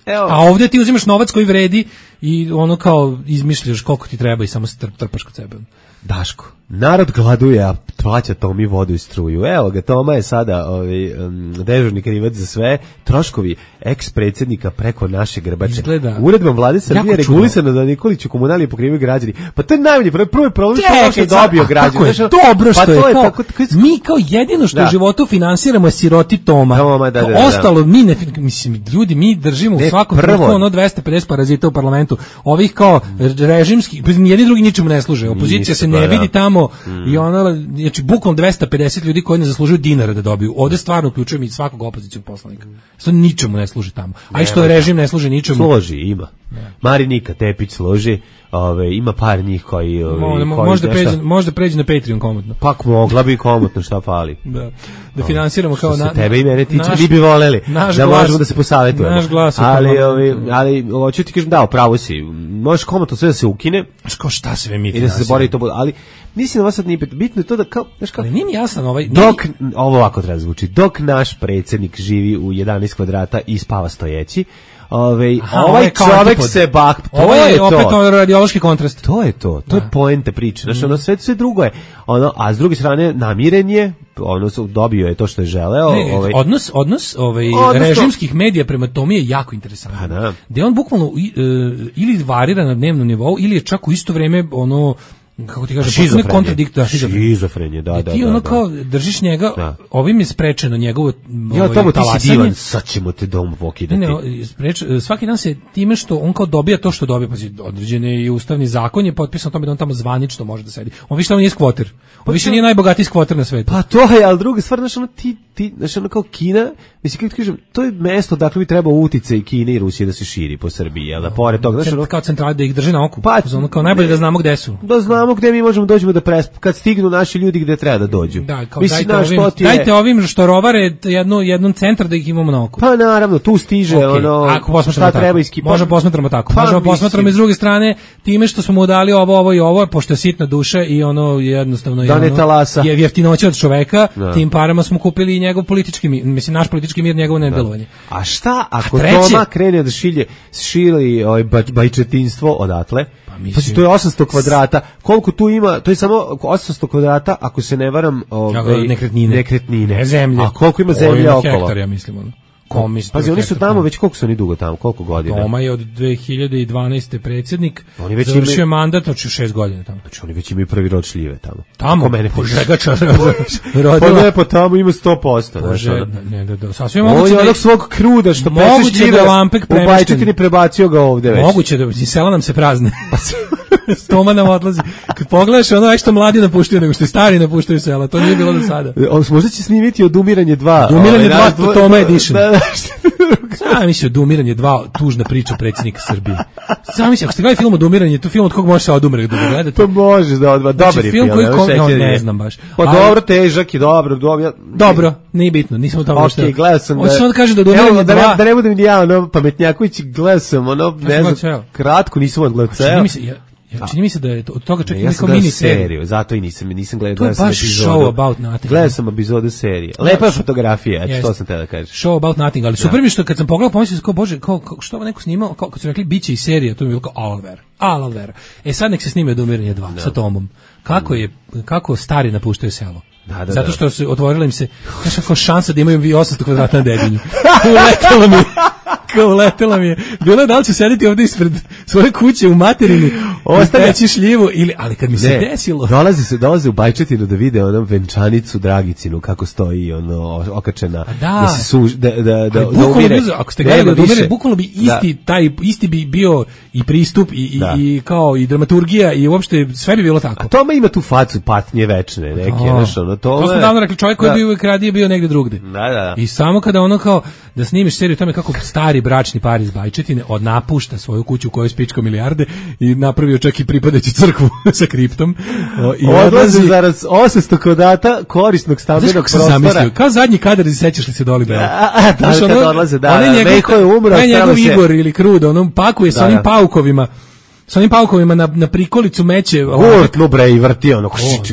Evo. A ovdje ti uzimaš novac koji vredi i ono kao izmišljaš koliko ti treba i samo se trpaš kod sebe. Daško, narod gladuje, a plaća Tomi vodu i struju. Evo ga, Toma je sada ovaj, um, dežurni krivac za sve. Troškovi eks-predsjednika preko naše grbače. Izgleda, uredbom vlade Srbije regulisano da Nikoliću komunalije pokrivaju građani. Pa to je najbolji problem. Prvo je problem što je dobio građani. Je dobro što pa je. To je kao, tako, mi kao jedino što da. u životu finansiramo je siroti Toma. Toma da, da, da, ostalo mi ne, mislim, ljudi, mi držimo ne, u svakom trenutku ono dvesta pedeset parazita u parlamentu. Ovih kao režimskih, jedni drugi ničemu ne služe. Opozicija se ne vidi tamo mm. i ona, znači bukvalno dvesta pedeset ljudi koji ne zaslužuju dinara da dobiju. Ovde stvarno uključujem i svakog opozicijskog poslanika. Što ničemu ne služi tamo. A i što režim ne služi ničemu. Složi, ima. Ne. Marinika Tepić složi, ove, ima par njih koji... Ove, Mo, koji možda, pređe, možda pređe na Patreon komotno. Pak mogla bi komotno, šta fali. Da, da finansiramo kao... Što se tebe i mene tiče, vi bi voleli da glas, možemo da se posavetujemo. Naš glas. Ali, ovi, ali hoću ti kažem, da, pravo si, možeš komotno sve da se ukine. Kao šta sve mi i da se zabori to bude, ali mislim da vas sad nije bitno je to da kao, znaš kao... Ali nije mi jasan ovaj... Dok, ovo ovako treba zvuči, dok naš predsjednik živi u jedanaest kvadrata i spava stojeći, Ove, Aha, ovaj čovjek se bah, to ovo je, je opet to. radiološki kontrast. To je to, to da. je poenta priče. Znači, ono sve, sve drugo je. Ono, a s druge strane, namiren je, ono, dobio je to što je želeo. Ne, ovaj. Odnos, odnos ovaj, Odnosno, režimskih medija prema Tomi je jako interesantan. Da. Gde on bukvalno uh, ili varira na dnevnom nivou, ili je čak u isto vreme ono, kako ti kažeš, potpuno kontradiktor, šizofrenije, da, da. Ti ono da, kao držiš njega, da. ovim je sprečeno njegovo ja ovaj, tamo ti si divan, sad ćemo te dom pokidati. Ne, ne, spreč, svaki dan se time što on kao dobija to što dobija, pa određene i ustavni zakon je potpisan o tome da on tamo zvanično može da sedi. On više tamo nije skvoter. On pa više nije najbogatiji skvoter na svetu. Pa to je, ali druga stvar, znaš, ono ti, ti, znaš, ono kao Kina, mislim, kako ti kažem, to je mesto dakle bi treba uticaj i Kine i Rusije da se širi po Srbiji, jel da, pored toga, znaš, ono... Kao centrali da ih drže na oku, pa, ono kao najbolje da znamo gde su. Da znamo gde mi možemo dođemo da presp, kad stignu naši ljudi gde treba da dođu. Da, kao mislim, dajte, ovim, je... dajte ovim što rovare jednu, jednom centar da ih imamo na oku. Pa naravno, tu stiže okay. ono, ako šta tako. Treba iskipa. Možemo posmatramo tako. Pa, možemo posmatramo iz druge strane time što smo mu dali ovo, ovo i ovo, pošto je sitna duša i ono jednostavno je, ono, je jeftinoće od čoveka, da. Tim parama smo kupili i njegov politički mir, mislim naš politički mir, njegovo nedelovanje. A šta ako Toma krene da šilje, šili ovaj bajčetinstvo odatle? Pa mislim, to je osamsto kvadrata. Koliko tu ima? To je samo osamsto kvadrata, ako se ne varam, ovaj nekretnine. Nekretnine. Ne zemlje. A koliko ima zemlje okolo? Hektar, ja mislim, ono. Pazi, oni su tamo već, koliko su oni dugo tamo, koliko godina? Toma je od dve hiljade dvanaeste predsjednik, oni već završio imaju... mandat od šest godina tamo. Znači oni već imaju prvi rod šljive tamo. Tamo? Mene požegača rodila. Pa ne, pa tamo ima sto posto. Pože, ne, da, da, sasvim moguće da... On je onog svog kruda što peče šljive, da Lampek premešten. U Bajčetini prebacio ga ovde već. Moguće da, sela nam se prazne. Toma nam odlazi. Kad pogledaš, ono je što mladi napuštaju, nego što stari napuštaju sela. To nije bilo do sada. On možda će snimiti Odumiranje dva. Odumiranje dva, Toma Edition. Sam mislio da umiranje dva tužna priča predsjednika Srbije. Sam mislio, ako ste gledali film od umiranje, to film od kog može se odumre da ga gledate. To možeš da odba, dobar znači, je film. Koji kom, no, ne je. znam baš. Pa ali, dobro, težak je, dobro, dobro. Dobro, nije bitno, nisam u tome okay, što. Gledao sam da... Hoće samo da kaže da umiranje da, dva... ne, da ne budem ja, ono, Pametnjaković, gledao sam, ono, ne znam, kratko, nisam odgledao ceo. Čini mi se, ja, ja, čini mi se da je od toga čak ne, ja neko mini seriju, zato i nisam, nisam gledao, to je gledao baš sam epizodu. Show about nothing. Gledao sam epizodu serije. Lepa je fotografija, eto, to sam te da kažem. Show about nothing, ali super mi što kad sam pogledao, pomislio sam kao, bože, kao, kao, što ovo neko snimao, kao, kad su rekli, bit će i serija, to mi je bilo kao, alver, alver. E sad nek se snime do umiranja dva, sa Tomom. Kako je, kako stari napuštaju selo. Da, da, zato što se otvorila im se znaš kako šansa da imaju osamsto kvadrata na dedinju. Uletela mi kao uletela mi je. Bilo je da li ću sediti ovdje ispred svoje kuće u materini ostaći šljivu ili, ali kad mi se ne, desilo dolazi se, dolaze u Bajčetinu da vide ono venčanicu Dragicinu kako stoji ono okačena da, da se suž, da, da, da, da umire. Ako ste gledali da umire, bukvalno bi isti da. taj, isti bi bio i pristup i, da. i, i kao i dramaturgija i uopšte sve bi bilo tako. A Toma ima tu facu patnje večne neke, znaš ono, to to smo davno rekli, čovjek koji da. je bio kradije bio negde drugde. Da, da, da. I samo kada ono kao da snimiš seriju tome kako stari bračni par iz Bajčetine odnapušta svoju kuću u kojoj spičko milijarde i napravio čak i pripadajuću crkvu sa kriptom. O, i odlazi zaraz osamsto kvadrata korisnog stambenog prostora. Sam zamislio, kao zadnji kadar, sećaš li se Doli Bela? Da, da, kad ono, odlaze, da, da, Mejko je umro, ne njegov Igor ili Krudo, onom pakuje sa onim da. paukovima. Sa onim paukovima na, na prikolicu meće. Gurtnu bre i vrti ono.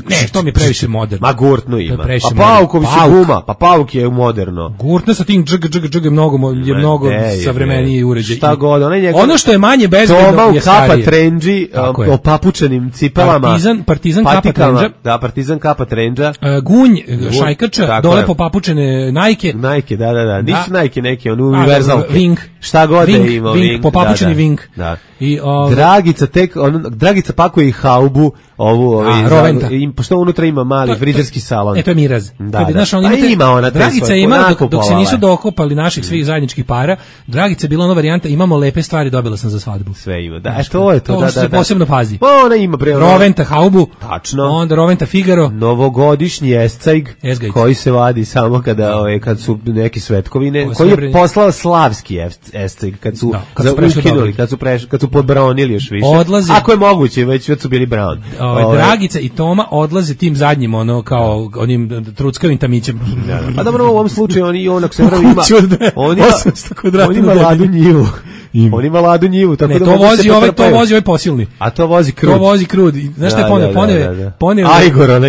Ne, to mi je previše moderno. Ma gurtnu ima. Pa paukovi su guma, pa pauk je moderno. Gurtno sa tim džg, džg, džg je mnogo, je mnogo savremeniji uređaj. Šta god, onaj njegov... Ono što je manje bezbedno je starije. Toma u kapa trendži, opapučenim cipelama. Partizan, partizan kapa trendža. Da, partizan kapa trendža. Gunj, šajkača, dole popapučene Nike. Nike, da, da, da. Nisu Nike neki, on univerzal. Ving. Šta god je imao. Ving, popapučeni Ving. Da. I Dragica tek on Dragica pakuje i haubu ovu ovaj im pošto unutra ima mali frižerski salon. E to je Miraz. Da, da. Znaš, on pa ima ona Dragica ima dok, dok se nisu dokopali naših svih zajedničkih para. Dragica je bila ona varijanta imamo lepe stvari, dobila sam za svadbu. Sve ima. Da, e, to je to, to da, da. To se posebno pazi. Pa ona ima pre Roventa haubu. Tačno. Onda Roventa Figaro. Novogodišnji escajg koji se vadi samo kada ovaj kad su neke svetkovine, o, koji je poslao slavski escajg kad su da, kad za su ukinuli, kad su prešli, kad su podbronili još više. Odlazi, ako je moguće, već već su bili brown. Ove, ove, Dragica i Toma odlaze tim zadnjim, ono, kao onim truckavim tamićem. Da, da. A dobro, u ovom slučaju oni onak se vrlo ima. On ima osamsto kvadrata. On ima ladu njivu. Ima. On ima ladu njivu, tako ne, da to vozi ovaj, to vozi ovaj posilni. A to vozi krud. To vozi krud. Znaš šta je poneo? Poneo, poneo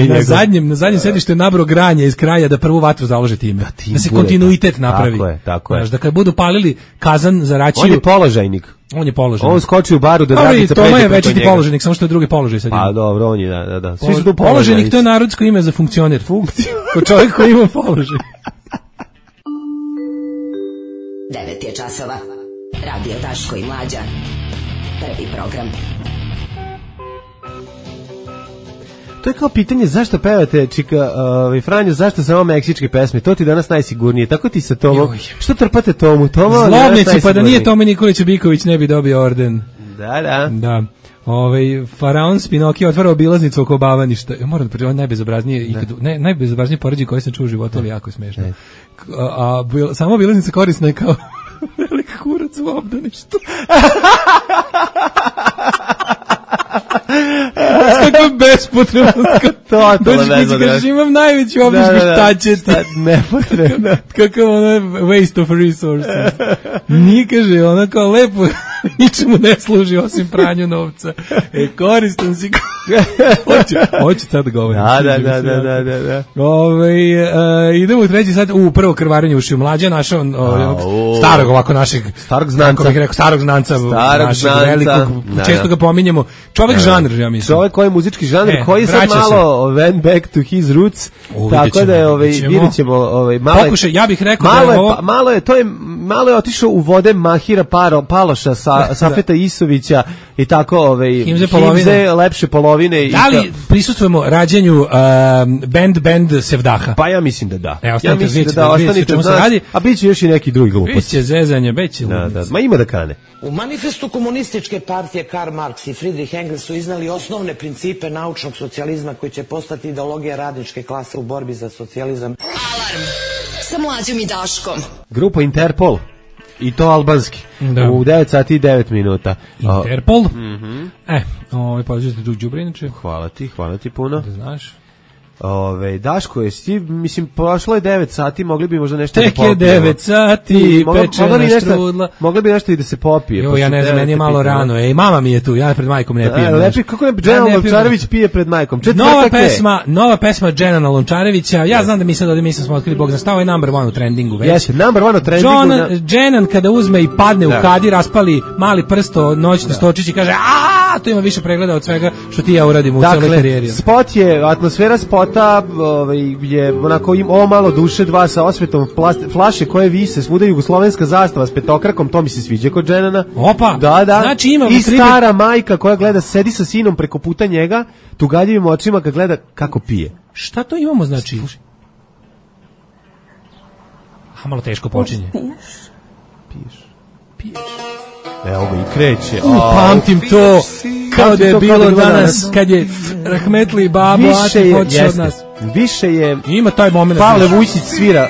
na zadnjem, na zadnjem sedištu je nabro granje iz kraja da prvu vatru založe time. Da, da se kontinuitet napravi. Tako je, tako je. Znaš, da kad budu palili kazan za račiju. On je položajnik. On je položajnik. On skoči u baru da Dragica pređe. To je večiti položajnik, samo što je drugi položaj sad. Pa dobro, on je, da, da, da. Svi su tu položajnik, to je narodsko ime za funkcioner. Funkciju. Ko čovjek koji ima položaj. devet je časova. Radio Daško i Mlađa. Prvi program. To je kao pitanje zašto pevate, čika, ovaj Franjo, zašto samo meksičke pesme? To ti danas najsigurnije. Tako ti sa Tomom. Što trpate Tomu? Toma, zlobnici, pa da nije Tome Nikolić Biković ne bi dobio orden. Da, da. Da. Ovaj faraon Spinokio otvara obilaznicu oko Bavaništa. Ja moram da pričam najbezobraznije i ne najbezobraznije poređenje koje sam čuo u životu, ali jako je smešno. A, a bil, samo obilaznica korisna je kao veliki kurac u obdaništu. Kako bespotrebno. Totalno bezobrazno. Imam najveću običku, šta ćete? Nepotrebno. Kako ono waste of resources. Nije, kaže, ona kao lepo ničemu ne služi osim pranju novca. E, koristan si. Hoću, hoću sad da govorim. Da, da, da, da, da, da, da. Ove, uh, idemo u treći sat, u prvo krvarenje ušiju. Mlađa našao uh, starog ovako našeg, starog znanca, bih rekao, starog znanca, starog našeg znanca, velikog, da, često ga pominjemo. Čovjek da, žanr, ja mislim. Čovjek koji je muzički žanr, e, koji je sad malo went back to his roots, u, tako da je, ovaj, vidjet ćemo, ovaj, malo pokušaj, ja bih rekao malo da je je, ovo... pa, malo je, to je, malo je otišao u vode Mahira Paro, Paloša, sa, Safeta Isovića i tako, ovaj, Himze, Himze lepše polovine. Da li prisustujemo rađenju um, band band Sevdaha? Pa ja mislim da da. E, ja mislim da da, ostanite od nas, a bit će još i neki drugi gluposti. Biće zezanje, biće da, da, ma ima da kane. U manifestu komunističke partije Karl Marx i Friedrich Engels su iznali osnovne principe naučnog socijalizma koji će postati ideologija radničke klase u borbi za socijalizam. Alarm sa Mlađom i Daškom. Grupa Interpol I to albanski. Da. U devet sati i devet minuta. Interpol. Mhm. E, ovaj podržite drug đubre inače. Hvala ti, hvala ti puno. Da znaš. Ove, Daško, jesi ti, mislim, prošlo je devet sati, mogli bi možda nešto Tek da popijemo. je devet sati, Mogli- pečena mogli bi nešto- štrudla. Mogli bi nešto i da se popije. Jo, pa ja su ne znam, meni je devet malo pitanja. rano. Ej, mama mi je tu, ja pred majkom ne E, pijem. lepi, znaš. kako je Ja Dženan ne pijem. Lončarević pije pred majkom? Četvrtak Nova je. pesma, nova pesma Dženana Lončarevića. Ja znam da mi sad ovdje mi smo otkrili, Bog zna šta, ovo je number one u trendingu već. Jeste, number one u trendingu. John, na- Dženan kada uzme i padne Da. u kadi, raspali mali prsto, noćni stočić i kaže, a to ima više pregleda od svega što ti ja uradim u celoj karijeri. Dakle, spot je, atmosfera spota ovaj, je onako im, ovo malo duše, dva sa osvetom, plast, flaše koje vise, svuda jugoslovenska zastava s petokrakom, to mi se sviđa kod Dženana. Opa, da, da. znači ima I primer- stara majka koja gleda, sedi sa sinom preko puta njega, tugaljivim očima kad gleda kako pije. Šta to imamo znači? A malo teško počinje. Evo ga i kreće. U, A, pamtim to kao da je to kao bilo da je bilo danas danas. kad je Rahmetli babo Više Atif je, otišao od jeste, nas. više je Ima taj moment. Pavle Vujčić svira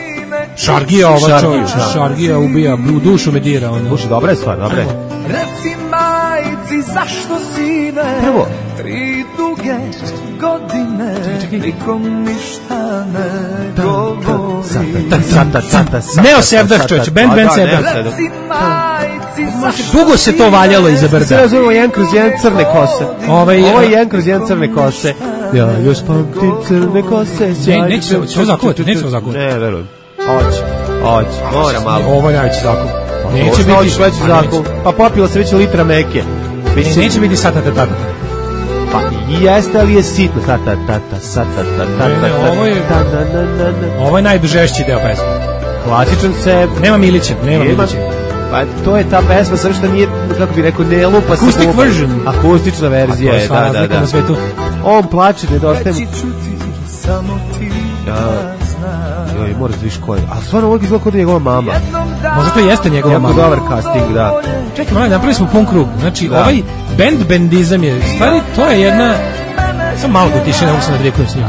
Šargija ova Šargiju, čovječ, da. Šargija ubija, u dušu me dira. Ono. Duše, dobra je stvar, dobra je. Reci majci zašto sine Prvo. tri duge godine nikom ništa ne govori. Sata, sata, sata, Neo Sevdah, čovječe, band, band Sevdah. Reci majci zašto Dugo se to valjalo iza Sve brda. razumemo jedan kroz jedan crne kose. Ovaj, Ovo je jedan kroz jedan crne kose. Ja još pamtim crne kose. Ne, neće se- će ovo zakuvat, neće se ovo zakuvat. Ne, verujem. Hoće, hoće, mora malo. Ovo je najveći zakon. Neće Neće biti biti veći a zakon. Pa popila se već litra meke. neće. Ne, neće biti sata ta tata. Pa i jeste, ali je sitno. Ta ta ta ta sa ta ta ta Ne, ne, ta ovo je- ta na na na na. Ovo je najdužešći deo pesme. Klasičan se. Nema Milića, nema Nema. Milića. Pa to je ta pesma, samo što nije, kako bi rekao, ne lupa se. Acoustic lupa. version. Akustična verzija A to je je, sva da, da, razlika da. na svetu. On plače, nedostaje mu. Reći ću ti samo ti Ja. da znaš. Joj, moraš da viš ko je. A stvarno ovdje izgleda kao da je njegova mama. Jednom danu Možda to jeste njegova Jako mama. dobar casting, da. Čekaj, malo, napravili smo pun krug. Znači, Da. ovaj band bendizam je, stvari, to je jedna, samo malo da tiše, ne mogu se nadrijekujem s njim.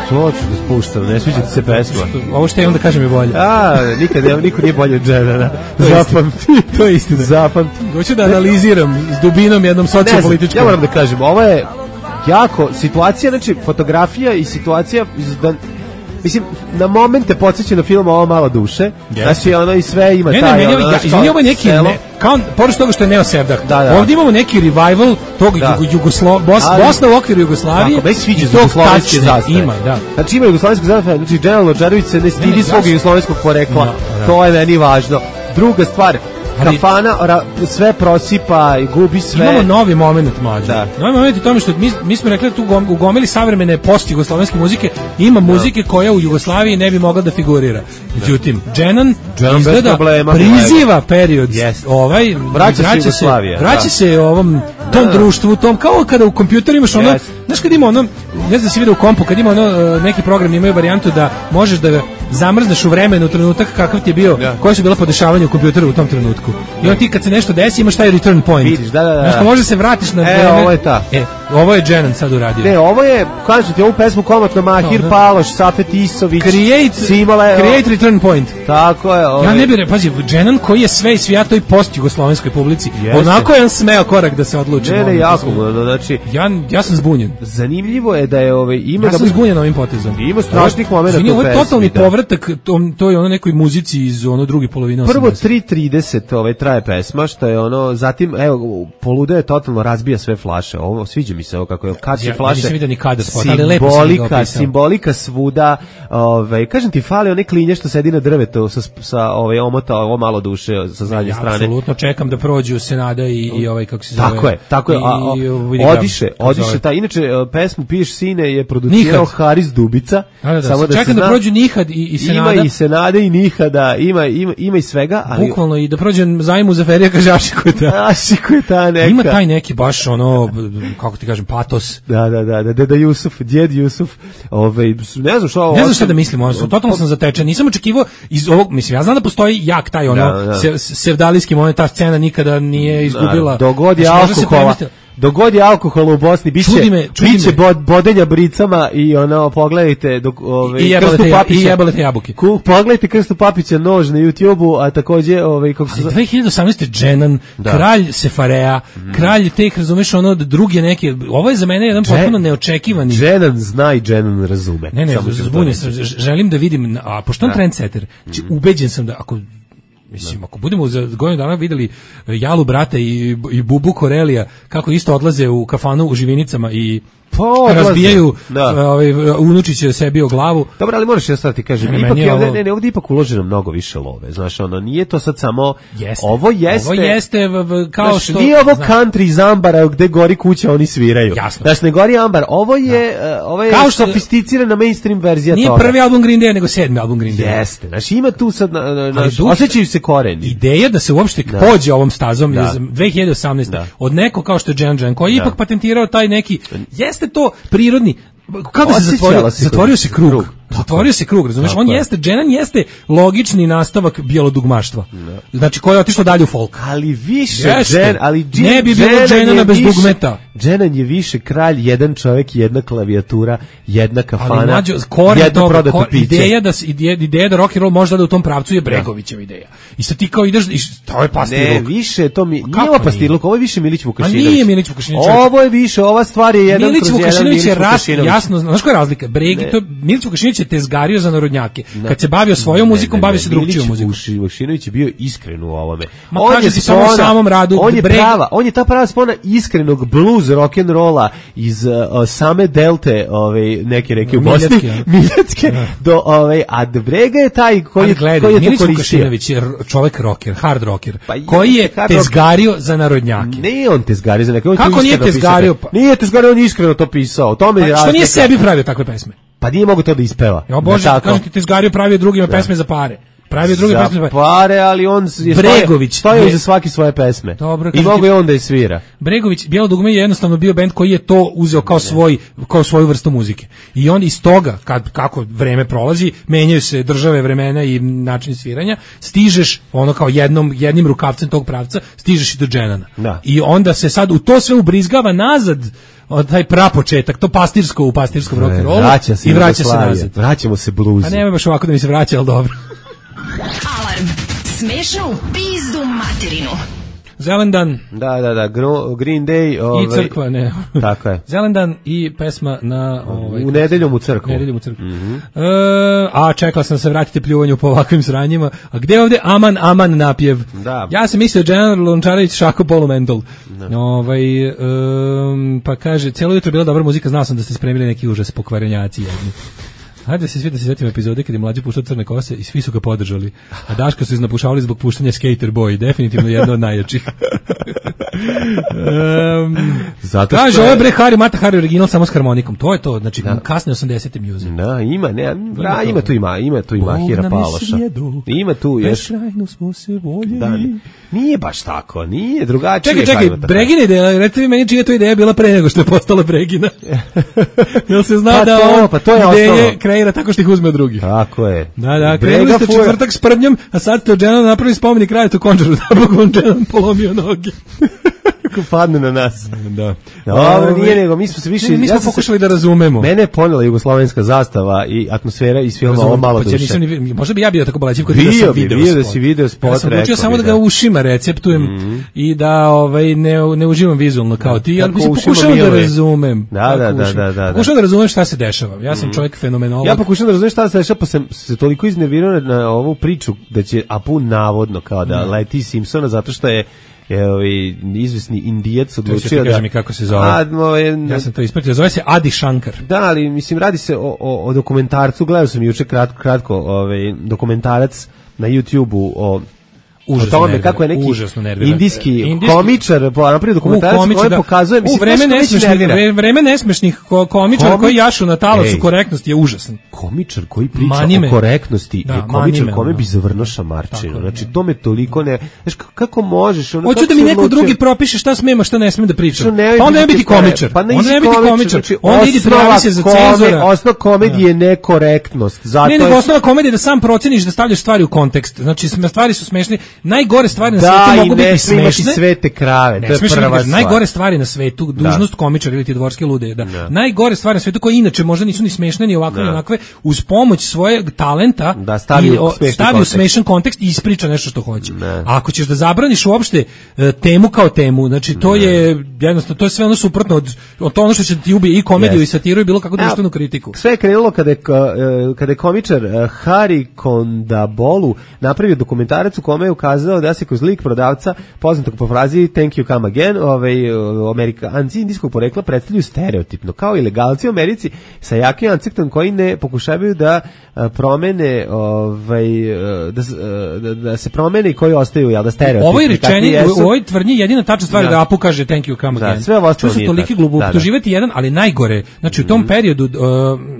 Što ću da spuštam, ne sviđa ti se pesma. Ovo što je onda kažem je bolje. A, nikad, ne, niko nije bolje od Dženana. To je Zapamti. To je istina. Zapamti. Hoću da analiziram s dubinom jednom Ne znam, sociopolitičkom. ja moram da kažem, ovo je jako, situacija, znači, fotografija i situacija, iz- da, mislim, na momente podsjeća na film Ovo malo duše, znači, ono i sve ima Ne, ne, taj, meni, ono, ja, znaš, izvini, kao ovo je neki, selo. ne, kao, pored toga što je Neo Sevdah, Da, da. ovdje imamo neki revival tog Da. jugo, Jugoslo, Bos, Ali- Bosna u okviru Jugoslavije Tako, meni se sviđa i tog jugoslovenske tačne zastave. ima, da. Znači ima jugoslovenska zastava, znači Dženan Lončarević se ne Ne, stidi ne, svog zašto? jugoslovenskog porekla, Da, da. to je meni važno. Druga stvar, Ali- kafana ra, sve prosipa i gubi sve. Imamo novi moment mlađe. Da. Novi moment u tome što mi, mi smo rekli da tu gom- u gomili savremene post-jugoslovenske muzike ima muzike koja u Jugoslaviji ne bi mogla da figurira. Međutim, Dženan Dženan bez izgleda problema, priziva period Jeste. ovaj, Vraća se Jugoslavija, vraća da. se ovom tom Da. društvu, tom kao kada u kompjuteru imaš ono, Jeste. znaš kad ima ono, ne znam da si vidio u kompu, kad ima ono, e, neki program imaju varijantu da možeš da ga zamrzneš u vremenu, u trenutak kakav ti je bio, Da. koje su bila podešavanja u kompjuteru u tom trenutku. I on ti kad se nešto desi imaš taj return point. Vidiš, da, da, da. Znaš, pa može se vratiš na E, vreme. ovo je ta. E, ovo je Dženan sad uradio. Ne, ovo je, kažem ti, ovu pesmu komotno Mahir Da, da. Paloš, Safet Isović, Create, Simale, create return point. tako je. Ovaj. Ja ne bih, re- pazi, Dženan koji je sve i svijato i post-jugoslovenskoj publici. Jeste. Onako je on smeo korak da se odluči. Ne, na ne, ovom jako, poslu. ono, znači, Ja, ja sam zbunjen. zanimljivo je da je, ovaj, ima Ja sam dobrih- zbunjen ovim potezom. Ima strašnih Ovo- momenata izvini, u ovo je pesmi, totalni da. povratak tom, to je ono nekoj muzici iz ono druge polovine Prvo osamdesetih. tri trideset ovaj traje pesma, što je ono, zatim evo polude je totalno razbija sve flaše. Ovo sviđa mi se ovo kako je kad Ja- će ja flaše. nisam vidio ni kadar spot, ali lepo si mi ga simbolika, opisao. simbolika svuda. Ovaj kažem ti fali one klinje što sedi na drvetu sa sa ovaj omota ovo malo duše sa zadnje Ja strane. apsolutno čekam da prođu Senada i, i ovaj kako se zove. Tako je, tako je. A, a, i, vidi ga, odiše, kako se odiše zove. ta. Inače e, pesmu Piješ sine je producirao Nihad. Haris Dubica. Da, da, da, Samo da se čekam da zna, prođu Nihad i, i Senada. Ima i Senade i Nihada, ima ima ima i svega, ali Bukvalno i da prođem zajmu za Ferija Kažaši koji ta. Ašiku je ta neka. Ima taj neki baš ono, kako ti kažem, patos. Da, da, da, da, deda Jusuf, djed Jusuf, ovaj, ne znam što... Ne znam šta da mislim, ono, totalno sam zatečen. Nisam očekivao iz ovog, mislim, ja znam da postoji jak taj ono, Da, da. se, sevdalijski moment, ta scena nikada nije izgubila. Da, dogod je Znači, možda se alkohola, premestila. dogod je alkohola u Bosni, biće, Čudi me, čudi biće me. bod, bodenja bricama i ono, pogledajte dok, ove, I jebale Krstu te ja- Papića. i jebale te jabuke. Ku- Pogledajte Krstu Papića nož na YouTubeu, a takođe, ovaj, kako se... Ali dve hiljade osamnaeste. Dženan, Da. kralj Sefarea, kralj teh, razumeš, ono, druge neke, ovo je za mene jedan Dže- potpuno neočekivani. Dženan zna i Dženan razume. Ne, ne, Samo ću to zbunjen reći. sam, ž- želim da vidim, a pošto on Da. trendsetter, znači ubeđen sam da ako mislim, ako budemo za godinu dana videli Jalu brata i, i Bubu Korelija kako isto odlaze u kafanu u Živinicama i Pa, odlaze. razbijaju Da. ovaj, unučiće sebi o glavu. Dobro, ali moraš ja sad ti kažem, Ne, ipak meni je je ovde, ovo- ne, ne, ovdje ipak uloženo mnogo više love, znaš, ono, nije to sad samo, Jeste. ovo jeste, Ovo jeste v- v- kao znaš, što... nije ovo znaš, country iz Ambara gde gori kuća, oni sviraju. Jasno. Znaš, ne gori Ambar, ovo je, eh, ovo je Kao što- sofisticirana mainstream verzija Nije toga. prvi album Green Day, nego sedmi album Green Day. Jeste, znaš, ima tu sad, na, na, Ali znaš, duh- osjećaju se koreni. Ideja da se uopšte Da. pođe ovom stazom Da. iz dve hiljade osamnaeste. Da. od neko kao što je Dženan Džen, koji je Da. ipak patentirao taj neki, jeste to prirodni, kako se Osjećala zatvorio, se zatvorio krug. se krug. Krug. Zatvorio se krug, razumeš? Tako On je. jeste, Dženan jeste logični nastavak bijelodugmaštva. Znači, koji je otišao dalje u folk. Ali više Jeste. Džen, ali Džen, Ne bi bilo Dženan Dženana je bez više- dugmeta. Dženan je više kralj, jedan čovjek, jedna klavijatura, jedna kafana, Ali mlađo, koren jedno toga, prodato kor- piće. ideja da, se- ideja, ideja da rock and roll može da ide u tom pravcu je Bregovićeva ideja. I sad ti kao ideš, i š- to je pastir Ne, luk. više je to mi, Kako nije ovo nije? pastirluk, ovo je više Milić Vukašinović. A nije Milić Vukašinović. Ovo je više, ova stvar je jedan Milić kroz jedan Vukašinović je Milić ras, Vukašinović. jasno, znaš koja je razlika? Bregi, Ne. to, Milić Vukašinović je tezgario za narodnjake. Kad se bavio svojom Ne, muzikom, ne, bavio ne, se drugčijom Milić muzikom. Vukašinović je bio iskren u ovome. Ma On kažem je ti samo u spona- samom radu, On je Breg- prava, on je ta prava spona iskrenog blues rock and rolla iz uh, same delte, ovaj neke reke u Bosni, Miljacke, ja. Miljacke, do ovaj a Brega je taj koji Ali je gledaj, koji je to Milić koristio. Vukašinović je r- čovjek rocker, hard rocker, Pa je, koji je hard rocker. tezgario za narodnjake. Nije on tezgario za neke, on je to Kako nije iskreno tezgario? pisao. Nije tezgario, on je iskreno to pisao. O tome je Pa što nije razlika. sebi pravio takve pesme? Pa nije mogu to da ispeva. Ja bože, Ne tako. kažem ti, tezgario pravio drugima pesme za pare. Pravio druge Za pesme za pare. pare, ali on je Bregović stojao je- iza svake svoje pesme. Dobro, I kažem mogu ti- je on da je svira. Bregović, Bijelo dugme je jednostavno bio bend koji je to uzeo kao svoj kao svoju vrstu muzike. I onda iz toga, kad kako vreme prolazi, menjaju se države, vremena i način sviranja, stižeš ono kao jednom jednim rukavcem tog pravca, stižeš i do Dženana. Da. I onda se sad u to sve ubrizgava nazad od taj prapočetak, to pastirsko u pastirskom rock and rollu Vraća se i vraća se Jugoslavija. nazad. Vraćamo se bluzu. A nema baš ovako da mi se vraća, ali dobro. Alarm. Smešno u pizdu materinu. Zelendan Da, da, da, Gro- Green Day. Ovaj, i crkva, ne. Tako je. Zelendan i pesma na ovaj U nedeljom u crkvu. Nedeljom u crkvu. E, a čekala sam da se vratite pljuvanju po ovakvim sranjima. A gde je ovde Aman Aman napjev? Da. Ja sam mislio General Lončarević Šako Polumental. Ovaj em, pa kaže celo jutro je bila dobra muzika, znao sam da ste spremili neki užas pokvarenjaci jedni. Hajde se svi da se sjetimo epizode kad je mlađi puštao crne kose i svi su ga podržali. A Daška su iznapušavali zbog puštanja Skater Boy, definitivno jedna od najjačih. um, Zato što kaže, je- ovo je bre Harry Mata Harry original samo s harmonikom. To je to, znači kasne osamdesete music. Da, ima, ne, bra, to. ima tu ima, ima tu ima Bog Hira nam je Paloša. svijedu, Ima tu još. beskrajno smo se voljeli. Da, nije baš tako, nije drugačije. Čekaj, čekaj, Harry Mata Harry. Bregina ideja, recite mi meni čija je to ideja bila pre nego što je postala Bregina. Jel se zna Pa da to, on pa to je ideje osnovno. kreira tako što ih uzme od drugih? Tako je. Da, da, Brega krenuli ste fura. četvrtak s prdnjom, a sad ste od Dženana napravili spomenik Rajetu Končaru, da Bog vam Dženan polomio noge. Kako padne na nas. Da. Dobro, nije nego, mi smo se više... Ne, mi smo sam se- pokušali da razumemo. Mene je ponela jugoslovenska zastava i atmosfera iz filma Ovo malo Pa ja duše. nisam ni vi- možda bi ja bio tako balaćiv kod da Bio sam bi, video bio da spot. si video spot, Ja sam odlučio rekao samo bi, da ga da. ušima receptujem i da ovaj ne ne uživam vizualno kao ti, ali Kako mislim ušima pokušavam da miluje. razumem. Da, Kako da, da, ušima. da, da, da. Pokušavam da razumem šta se dešava. Ja sam čovjek fenomenolog. Ja pokušam da razumem šta se dešava, pa sam se toliko iznervirao na ovu priču da će Apu navodno kao da leti Simpsona zato što je je ovaj izvesni Indijac To odlučio ti da... kaže mi kako se zove. A, ovaj, Ja sam to ispratio. Zove se Adi Shankar. Da, ali mislim radi se o, o, o dokumentarcu, gledao sam juče kratko, kratko ovaj, dokumentarac na YouTubeu o Užasno o tome nervira, kako je neki užasno nervira. indijski, Indijski- komičar po napravio dokumentarac U, komičar, koji da. pokazuje, U, mislim, vreme znaš što već nesmešnih, nervira? vre- vreme nesmešnih ko- komičara Komi- koji jašu na talasu Ej. korektnosti je užasan. Komičar koji priča Mani me. o korektnosti Da, je mani komičar me, kome ono. bi zavrnuo šamarčinu. Tako je, Znači, to me toliko ne... Znaš, k- kako možeš? Ono, Hoću kako da mi si neko odlučio? drugi propiše šta smem, a šta ne smem da pričam. Što ne Pa onda ne biti biti kore- komičar. Pa ne Onda ne biti komičar. Znači, Onda idi osnova prijavi se za kome- cenzora. Osnova komedije je nekorektnost. Zato Ne, nego je- osnova komedije je da sam proceniš da stavljaš stvari u kontekst. Znači, sm- stvari su smešne. najgore stvari na da, svetu mogu i ne biti sme imati smešne. svete krave, Ne to je smeš prva imati- stvar. Najgore stvari na svetu, dužnost komičara ili ti dvorske lude, da. Da. Najgore stvari na svetu koje inače možda nisu ni smešne ni ovakve ni Da. onakve, uz pomoć svojeg talenta Da, stavi i, u o, smešni stavi u kontekst. smešan kontekst i ispriča nešto što hoće. Ne. A ako ćeš da zabraniš uopšte e, temu kao temu, znači to je jednostavno to je sve ono suprotno od, od to ono što će ti ubije i komediju Yes. i satiru i bilo kakvu društvenu kritiku. Sve je krenulo kada je, ka- e, kada je komičar e, Hari Kondabolu napravio dokumentarac u kome je ukazao da se kroz lik prodavca, poznatog po frazi thank you come again, ovaj, e, Amerikanci indijskog porekla predstavljaju stereotipno, kao i legalci u Americi sa jakim akcentom koji ne pokušavaju da e, promene ovaj, e, da, s- e, da, da se promene i koji ostaju, jel da stereotipni. Ovo je kakvi rečeni, u, jesu. u ovoj tvrdnji jedina tačna stvar je Da. da Apu kaže thank you come Da, again. sve ovo ostalo To su nije toliki tačno. glupo, Da, da. optuživati jedan, ali najgore, znači u tom periodu uh,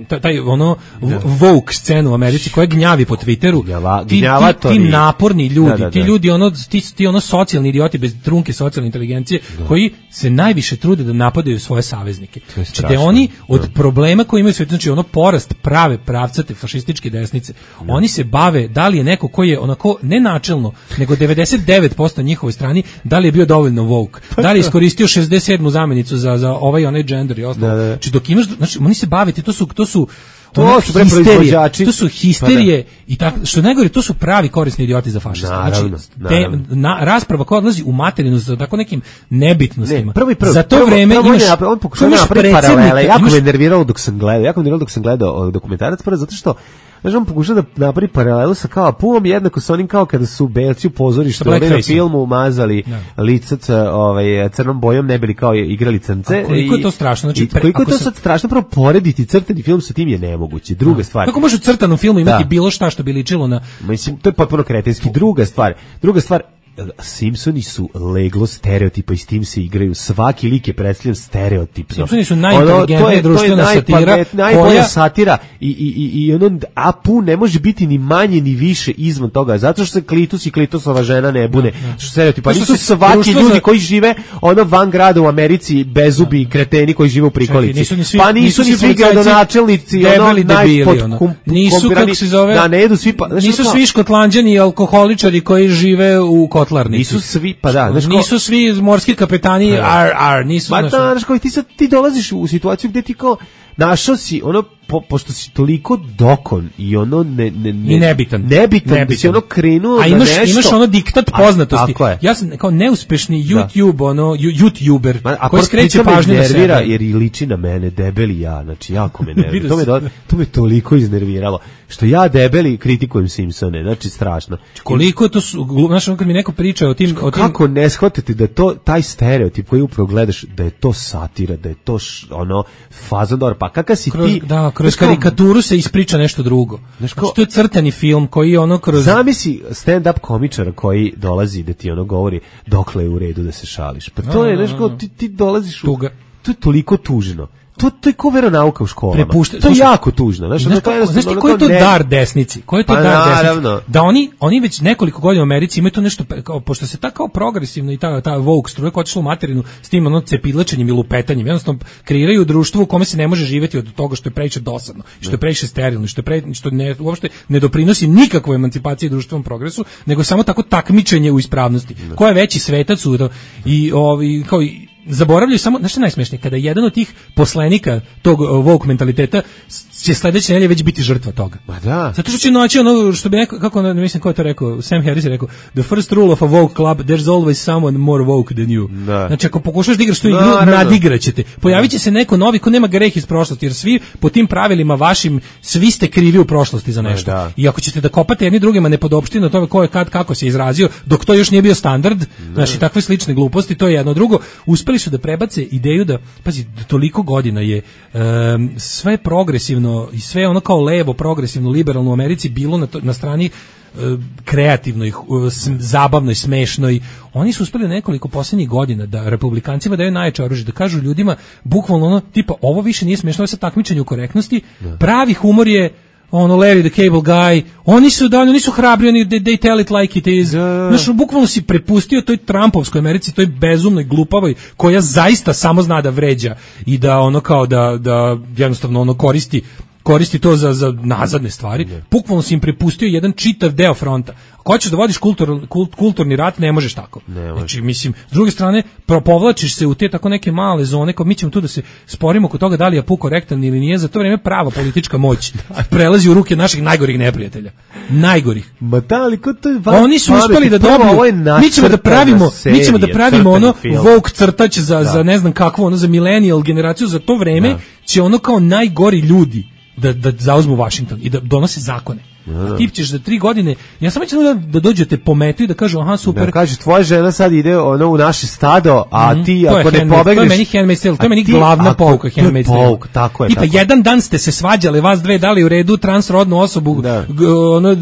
taj, taj ono woke scenu u Americi koja gnjavi po Twitteru, Gnjava- ti, ti, gnjavatori. ti naporni ljudi, Da, da, ti da. ljudi ono ti, ti ono socijalni idioti bez trunke socijalne inteligencije koji se najviše trude da napadaju svoje saveznike. je Znači da strašno. oni od problema koji imaju u svijetu, znači ono porast prave pravcate fašističke desnice, oni se bave da li je neko koji je onako ne načelno, nego devedeset devet posto na njihovoj strani, da li je bio dovoljno woke, da li je iskoristio šezdeset sedmu zamenicu za, za ovaj i onaj gender i ostalo. Da, da. Znači dok imaš, znači oni se bavite, to su, to su To ono su bre histerije, proizvođači. to su histerije i tako, što je najgore, to su pravi korisni idioti za fašiste. Naravno, Znači, naravno. te, na, rasprava koja odlazi u materinu za tako nekim nebitnostima. Ne, prvo i prvo. za to prvo, vreme prvo imaš, on, je, on pokušava imaš napraviti predsjednika, paralele. Jako imaš- me nerviralo dok sam gledao. Jako me nerviralo dok sam gledao ovaj dokumentarac prvo zato što znaš, on pokušao da napravi paralelu sa kao Apum, jednako sa onim kao kada su belci u pozorištu Sa ovaj na blackface-om. filmu umazali lica c- ovaj, crnom bojom, ne bili kao igrali crnce. A koliko je I- to strašno, znači, i pre- koliko je ako to se- sad strašno, prvo porediti crtani film sa tim je nemoguće. Druga stvar. Kako može u crtanom filmu imati Da. bilo šta što bi ličilo na... Mislim, to je potpuno kretenski. Druga stvar, druga stvar, Simpsoni su leglo stereotipa i s tim se igraju. Svaki lik je predstavljen stereotipno. Simpsoni su Ono, najinteligentnija to je- to je društvena satira najpamet- najbolja koja- satira i, i, i, i ono, Apu ne može biti ni manje ni više izvan toga, zato što se Klitus i Klitusova žena ne bune. Što stereotipa, To nisu se svaki društvo ljudi za- koji žive ono van grada u Americi, bezubi kreteni koji žive u prikolici. Čekaj, nisu ni svi- pa nisu, nisu ni svi svi policajci gradonačelnici, ono, debeli debili, ono. najpotkum- Nisu, kompirani- kako se zove, da ne jedu svi, pa, znaš, nisu ono- svi škotlanđani i alkoholičari koji žive u kotlarnici. Nisu svi, pa da, znaš, kao- nisu svi morski kapetani, ar, ar, nisu, Ma znaš, da, znaš, kao i ti sad ti dolaziš u situaciju gde ti kao našao si ono po, pošto si toliko dokon i ono ne ne ne I nebitan. nebitan, da si ono krenuo A imaš, na nešto. imaš ono diktat A, poznatosti. tako je. Ja sam kao neuspešni YouTube, ono, ju- YouTuber, Ma, a koji pri skreće tome pažnju na nervira sebe. jer i liči na mene debeli ja, znači jako me nervira. Vidio to me sam. do, to me toliko iznerviralo što ja debeli kritikujem Simpsone, znači strašno. Koliko to su, glu- znaš, ono kad mi neko priča o tim... O tim Kako ne shvatiti da to taj stereotip koji upravo gledaš da je to satira, da je to š, ono fazon dobar, pa kakav si kroz, ti? da, kroz znaš kao- karikaturu se ispriča nešto drugo. Znaš kao- Znači, to je crtani film koji je ono kroz... Zamisli stand-up komičara koji dolazi da ti ono govori dokle je u redu da se šališ. Pa to je, znaš, kao ti, ti dolaziš u... Tuga. To je toliko tužno. To, to je ko veronauka u školama. Prepušta- to je slušaj, jako tužno. Znaš, Znaš, ono, to je kako, znaš ti jednostavno koji je to ne- dar desnici? Koji je to Pa dar naravno. desnici? Da oni, oni već nekoliko godina u Americi imaju to nešto, pe- kao, pošto se ta kao progresivno i ta, ta woke struja koja je otišla u materinu s tim ono cepilačenjem i lupetanjem, jednostavno kreiraju društvo u kome se ne može živjeti od toga što je previše dosadno, što je previše sterilno, što je pre, što ne, uopšte ne doprinosi nikakvoj emancipaciji i društvenom progresu, nego samo tako takmičenje u ispravnosti. Ko je veći svetac u to, i ovi, kao i zaboravljaju samo, znaš što je najsmešnije, kada jedan od tih poslenika tog uh, woke mentaliteta s- će sledeće nedelje već biti žrtva toga. Ma da. Zato što će naći ono što bi neko, kako ono, ne mislim ko je to rekao, Sam Harris je rekao, the first rule of a woke club, there's always someone more woke than you. Da. Znači ako pokušaš da igraš tu igru, Naravno. nadigraćete. Pojavit će se neko novi ko nema greh iz prošlosti, jer svi po tim pravilima vašim, svi ste krivi u prošlosti za nešto. Da. I ako ćete da kopate jedni drugima nepodopštine o tome ko je kad, kako se izrazio, dok to još nije bio standard, znači takve slične gluposti, to je jedno. Drugo, uspeli su da prebace ideju da, pazi, toliko godina je em, sve progresivno i sve ono kao levo, progresivno, liberalno u Americi bilo na, to, na strani e, kreativnoj, e, s- zabavnoj, smešnoj. Oni su uspeli nekoliko posljednjih godina da republikancima daju najjače oružje, da kažu ljudima bukvalno ono, tipa, ovo više nije smešno, ovo je sad takmičenje u korektnosti, pravi humor je ono Larry the Cable Guy, oni su da oni su hrabri, oni they, they tell it like it is. Znaš, bukvalno si prepustio toj Trumpovskoj Americi, toj bezumnoj, glupavoj, koja zaista samo zna da vređa i da ono kao da, da jednostavno ono koristi koristi to za, za nazadne stvari. Bukvalno si im prepustio jedan čitav deo fronta. Ako hoćeš da vodiš kultur, kult, kulturni rat, ne možeš tako. Ne može. Znači, mislim, s druge strane, propovlačiš se u te tako neke male zone, kao mi ćemo tu da se sporimo oko toga da li je Apu korektan ili nije, za to vreme prava politička moć prelazi u ruke naših najgorih neprijatelja. Najgorih. Ma da, ali ko to je Oni su uspeli da dobiju, mi ćemo da pravimo, serija, mi ćemo da pravimo ono film. woke crtač za, da. za ne znam kakvo, ono za millennial generaciju, za to vreme da. Će ono kao najgori ljudi da, da zauzmu Washington i da donose zakone. A ti ćeš za tri godine, ja samo ću da, da dođete pometu i da kažu, aha, super. Da kaže, tvoja žena sad ide ono u naše stado, a mm-hmm. ti ako ne pobegneš... To je meni Handmaid's Tale, to je meni glavna pouka Handmaid's Tale. Pouk, tako je. Tipa, tako. jedan dan ste se svađali, vas dve dali u redu transrodnu osobu, da. g, ono,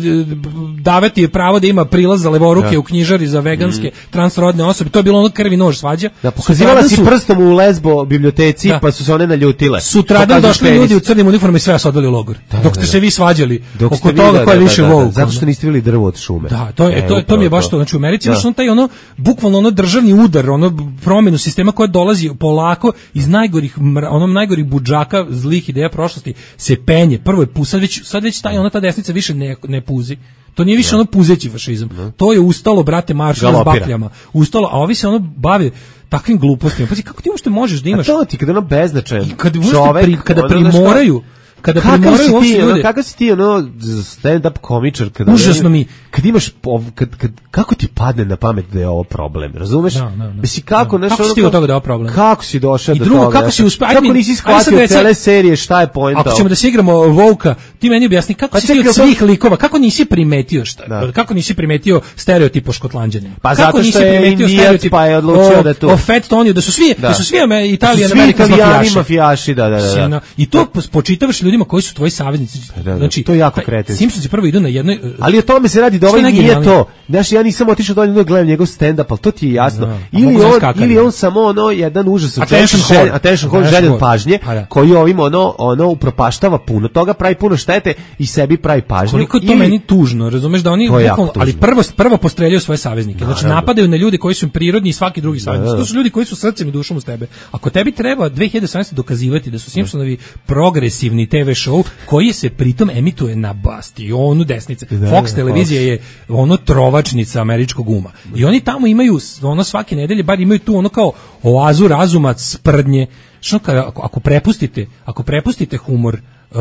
davati je pravo da ima prilaz za levoruke da. U knjižari za veganske mm-hmm. transrodne osobe, to je bilo ono krvi nož svađa. Da, pokazivala si su, prstom u Lesbo biblioteci, da. Pa su se one naljutile. Sutradan došli ljudi u crnim uniformama i sve vas odveli u logor. Da, dok ste da, se vi svađali dok oko toga ko je više woke. Zato što niste vidjeli drvo od šume. Da, to je e, to, to mi je baš to. Znači u Americi imaš on taj ono bukvalno ono državni udar, ono promenu sistema koja dolazi polako iz najgorih onom najgorih budžaka zlih ideja prošlosti se penje. Prvo je pu, sad već sad već taj ona ta desnica više ne ne puzi. To nije više no. ono puzeći fašizam. No. To je ustalo, brate, maršalo s bakljama. Ustalo, a ovi se ono bave takvim glupostima. Pa kako ti uopšte možeš da imaš? A to ti kada ono beznačajan čovek, pri, kada primoraju kada primoraju uopšte ljude. Kako si ti ono stand-up komičar? Kada užasno mi. Kad imaš, kad, kad, kako ti padne na pamet da je ovo problem, razumeš? Da, da, da. Mislim, kako, da. Kako si ti od toga da je ovo problem? Kako si došao do drugo, toga? Kako, si uspe, kako nisi shvatio cele serije, šta je poenta? Ako ćemo da se igramo Vouka, ti meni objasni kako pa si ti od svih likova, kako nisi primetio šta? Da. Kako nisi primetio stereotip o Škotlanđanima? Pa kako zato što je Indijac pa je odlučio da to... O Fat Toniju, da su svi, da su svi Italijan, Amerikan mafijaši. Da, da, da. I to spočitavaš ljudima koji su tvoji saveznici. Znači, to je jako kretenski. Simpsonsi prvo idu na jednoj... Ali o tome se radi da ovaj nije to. Znaš, ja nisam otišao dolje da gledam njegov stand-up, ali to ti je jasno. No, ili, on, ili on samo ono, jedan užas od attention željen, attention horn, željen pažnje, pa, koji ovim ono, ono upropaštava puno toga, pravi puno štete i sebi pravi pažnju. Koliko je to ili, meni tužno, razumeš, da oni, bukvalno, ali prvo, prvo postreljaju svoje saveznike. Znači, naravno. Napadaju na ljude koji su prirodni i svaki drugi saveznici. To su ljudi koji su srcem i dušom uz tebe. Ako tebi treba dve hiljade sedamnaeste dokazivati da su Simpsonovi progresivni te ve show koji se pritom emituje na bastionu desnice. Fox televizija je ono trovačnica američkog uma. I oni tamo imaju ono svake nedelje bar imaju tu ono kao oazu razuma, sprdnje. Što ako, ako prepustite, ako prepustite humor uh,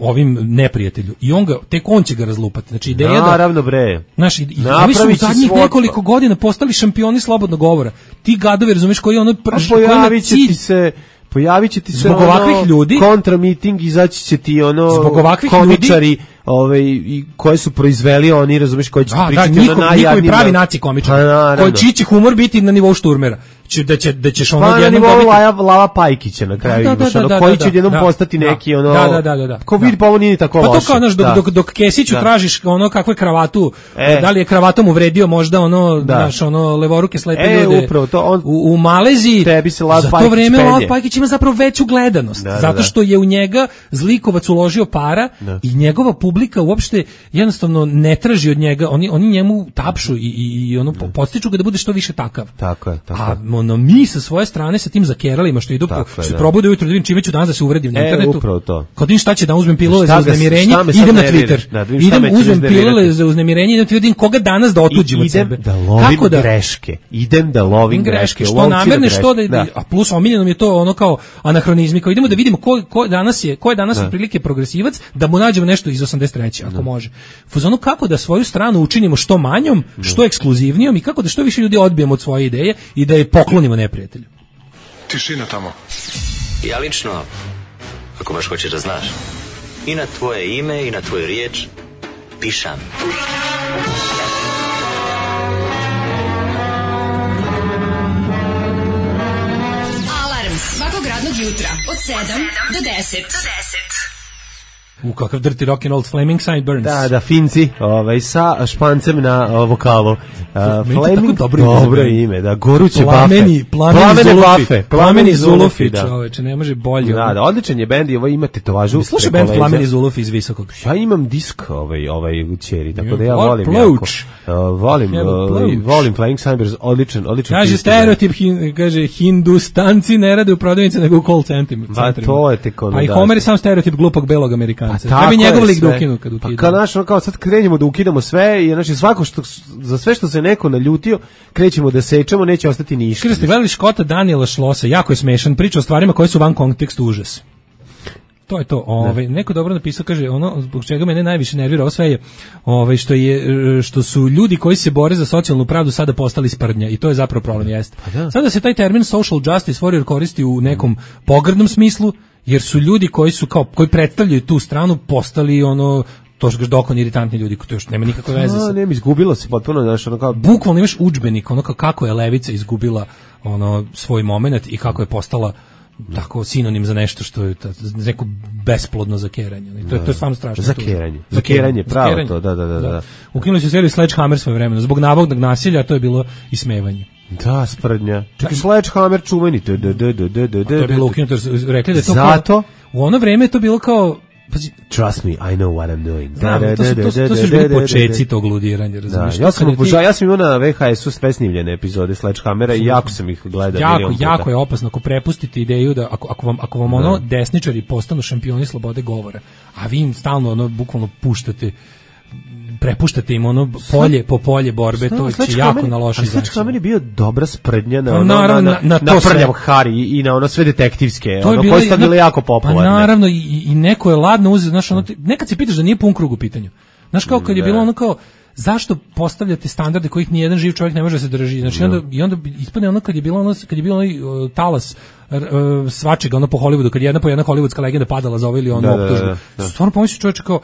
ovim neprijatelju i on ga tek on će ga razlupati. Znači ideja da naravno bre. Naš i oni su u zadnjih svoj... nekoliko godina postali šampioni slobodnog govora. Ti gadovi, razumeš, koji ono prš, pojavit će ti se pojavit će ti se zbog ovakvih ono, ljudi kontra miting, izaći će ti ono zbog ovakvih komičari ljudi, ovaj i koje su proizveli oni, razumeš, koji će da, pričati da, nikom, na najjadnijima. Nikovi pravi naci komičari, koji čiji će humor biti na nivou Šturmera. Da će da ćeš ono pa, jednom dobiti Lava, Lava Pajkića na kraju, da, da, da, ono, da, koji će da, jednom da, postati da, neki ono da, da, da, da, ko vidi pa ovo nije tako loše. Pa to kao znaš, dok, dok, dok Kesiću da. Tražiš ono kakvu kravatu, e. Da li je kravatom uvredio možda ono, da. Znaš, ono levoruke slepe e, ljude upravo, to on, u, u Maleziji, tebi se Lava za to vreme Lava Pajkić ima zapravo veću gledanost, da, zato što je u njega zlikovac uložio para da. I njegova publika uopšte jednostavno ne traži od njega, oni, oni njemu tapšu i, i, i ono podstiču ga da bude što više takav. Tako je, tako a ono, mi sa svoje strane sa tim zakeralima što idu po, što probude ujutro da vidim čime ću danas da se uvredim na e, internetu. Upravo to. Kad im šta će da uzmem pilule za uznemirenje, idem na Twitter. Da, idem uzmem pilule za uznemirenje, idem vidim koga danas da otuđim od sebe. Da lovim Kako da greške. Idem da lovim greške. Što namerne, što da, da, a plus omiljeno mi je to ono kao anahronizmi, kao idemo da vidimo ko, ko danas je, ko je danas otprilike progresivac, da mu nađemo nešto iz osamdeset treće ako može. Fuzonu kako da svoju stranu učinimo što manjom, što ekskluzivnijom i kako da što više ljudi odbijemo od svoje ideje i da je poklonimo neprijatelju. Tišina tamo. Ja lično, ako baš hoćeš da znaš, i na tvoje ime i na tvoju riječ pišam. Alarm svakog radnog jutra od sedam do deset. U kakav dirty rock and old Flaming Sideburns. Da, da, Finci, ovaj, sa špancem na o, vokalu. Uh, Flaming, dobro, dobro ime, da, goruće plameni, bafe. Plameni, plameni bafe. Zulufi. Plameni Zulufi, da. Čoveče, ne može bolje. Da, da, odličan je bend i ovo ima tetovažu. Slušaj bend Plameni Zulufi iz Visokog. Ja imam disk ovaj, ovaj u ćeri, tako da ja volim jako. Uh, volim, uh, volim Flaming Sideburns, odličan, odličan. Kaže stereotip, hin, kaže, Hindustanci ne rade u prodavnici nego u call centrima. Ba, to je tek ono, pa i Homer je sam stereotip glupog belog Amerikana. Šprance. Pa Treba bi tako njegov je lik da sve. ukinu kad ukinu. Pa kao, znaš, ono kao sad krenemo da ukidamo sve i znači svako što, za sve što se neko naljutio, krećemo da sečemo, neće ostati ništa. Kaže, ste gledali Škota Daniela Šlosa, jako je smešan, priča o stvarima koje su van kontekstu užas. To je to. Ovaj neko dobro napisao, kaže, ono zbog čega mene najviše nervira, ovo sve je ovaj što je što su ljudi koji se bore za socijalnu pravdu sada postali sprdnja i to je zapravo problem jeste. Pa sada se taj termin social justice warrior koristi u nekom pogrdnom smislu, jer su ljudi koji su kao koji predstavljaju tu stranu postali ono to što dokon iritantni ljudi, to još nema nikakve veze sa. A, nema, izgubilo se potpuno, znaš, ono kao bukvalno imaš udžbenik, ono kao kako je levica izgubila ono svoj momenat i kako je postala tako sinonim za nešto što je neko besplodno zakeranje. I to je to je stvarno strašno. Zakeranje. Zakeranje, pravo to, da, da, da, da. Ukinuli su seriju Sledgehammer svoje vremena zbog navodnog nasilja, a to je bilo ismevanje. Da, sprdnja. Čekaj, Sledgehammer čuveni. To je bilo ukinuto, rekli da je to zato u ono vreme je to bilo kao trust me, I know what I'm doing. Da, da, to su, to su, to su bili počeci tog ludiranja, razumiješ? Ja sam obožao, ja sam imao na V H S-u sve snimljene epizode Sledgehammera i jako sam ih gledao. Jako, jako je opasno ako prepustite ideju da, ako, ako vam, ako vam ono desničari postanu šampioni slobode govora, a vi im stalno ono, bukvalno puštate, prepuštate im ono polje po polje borbe, to će jako na loši način. Sledgehammer je bio dobra sprdnja na, pa, ono, naravno, na, na, na, na prljav Harry i na ono sve detektivske, ono koje su bile jako popularne. Pa naravno, i, i neko je ladno uzeo, znaš, ono, nekad se pitaš da nije pun krug u pitanju. Znaš, kao kad je bilo ono kao, zašto postavljate standarde kojih ni jedan živ čovjek ne može da se drži? Znači, onda, i onda ispadne ono kad je bilo ono, kad je bilo onaj uh, talas uh, svačega, ono po Hollywoodu, kad je jedna po jedna hollywoodska legenda padala za ovo ili ono da, optužbu. Da, da, da. Stvarno pomislio čovječe kao,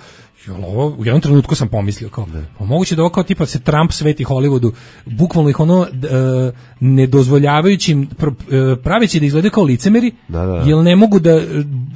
ovo, u jednom trenutku sam pomislio kao, pa moguće da ovo kao tipa se Trump sveti Hollywoodu, bukvalno ih ono uh, nedozvoljavajućim, uh, praveći da izgledaju kao licemeri, da, da. jer ne mogu da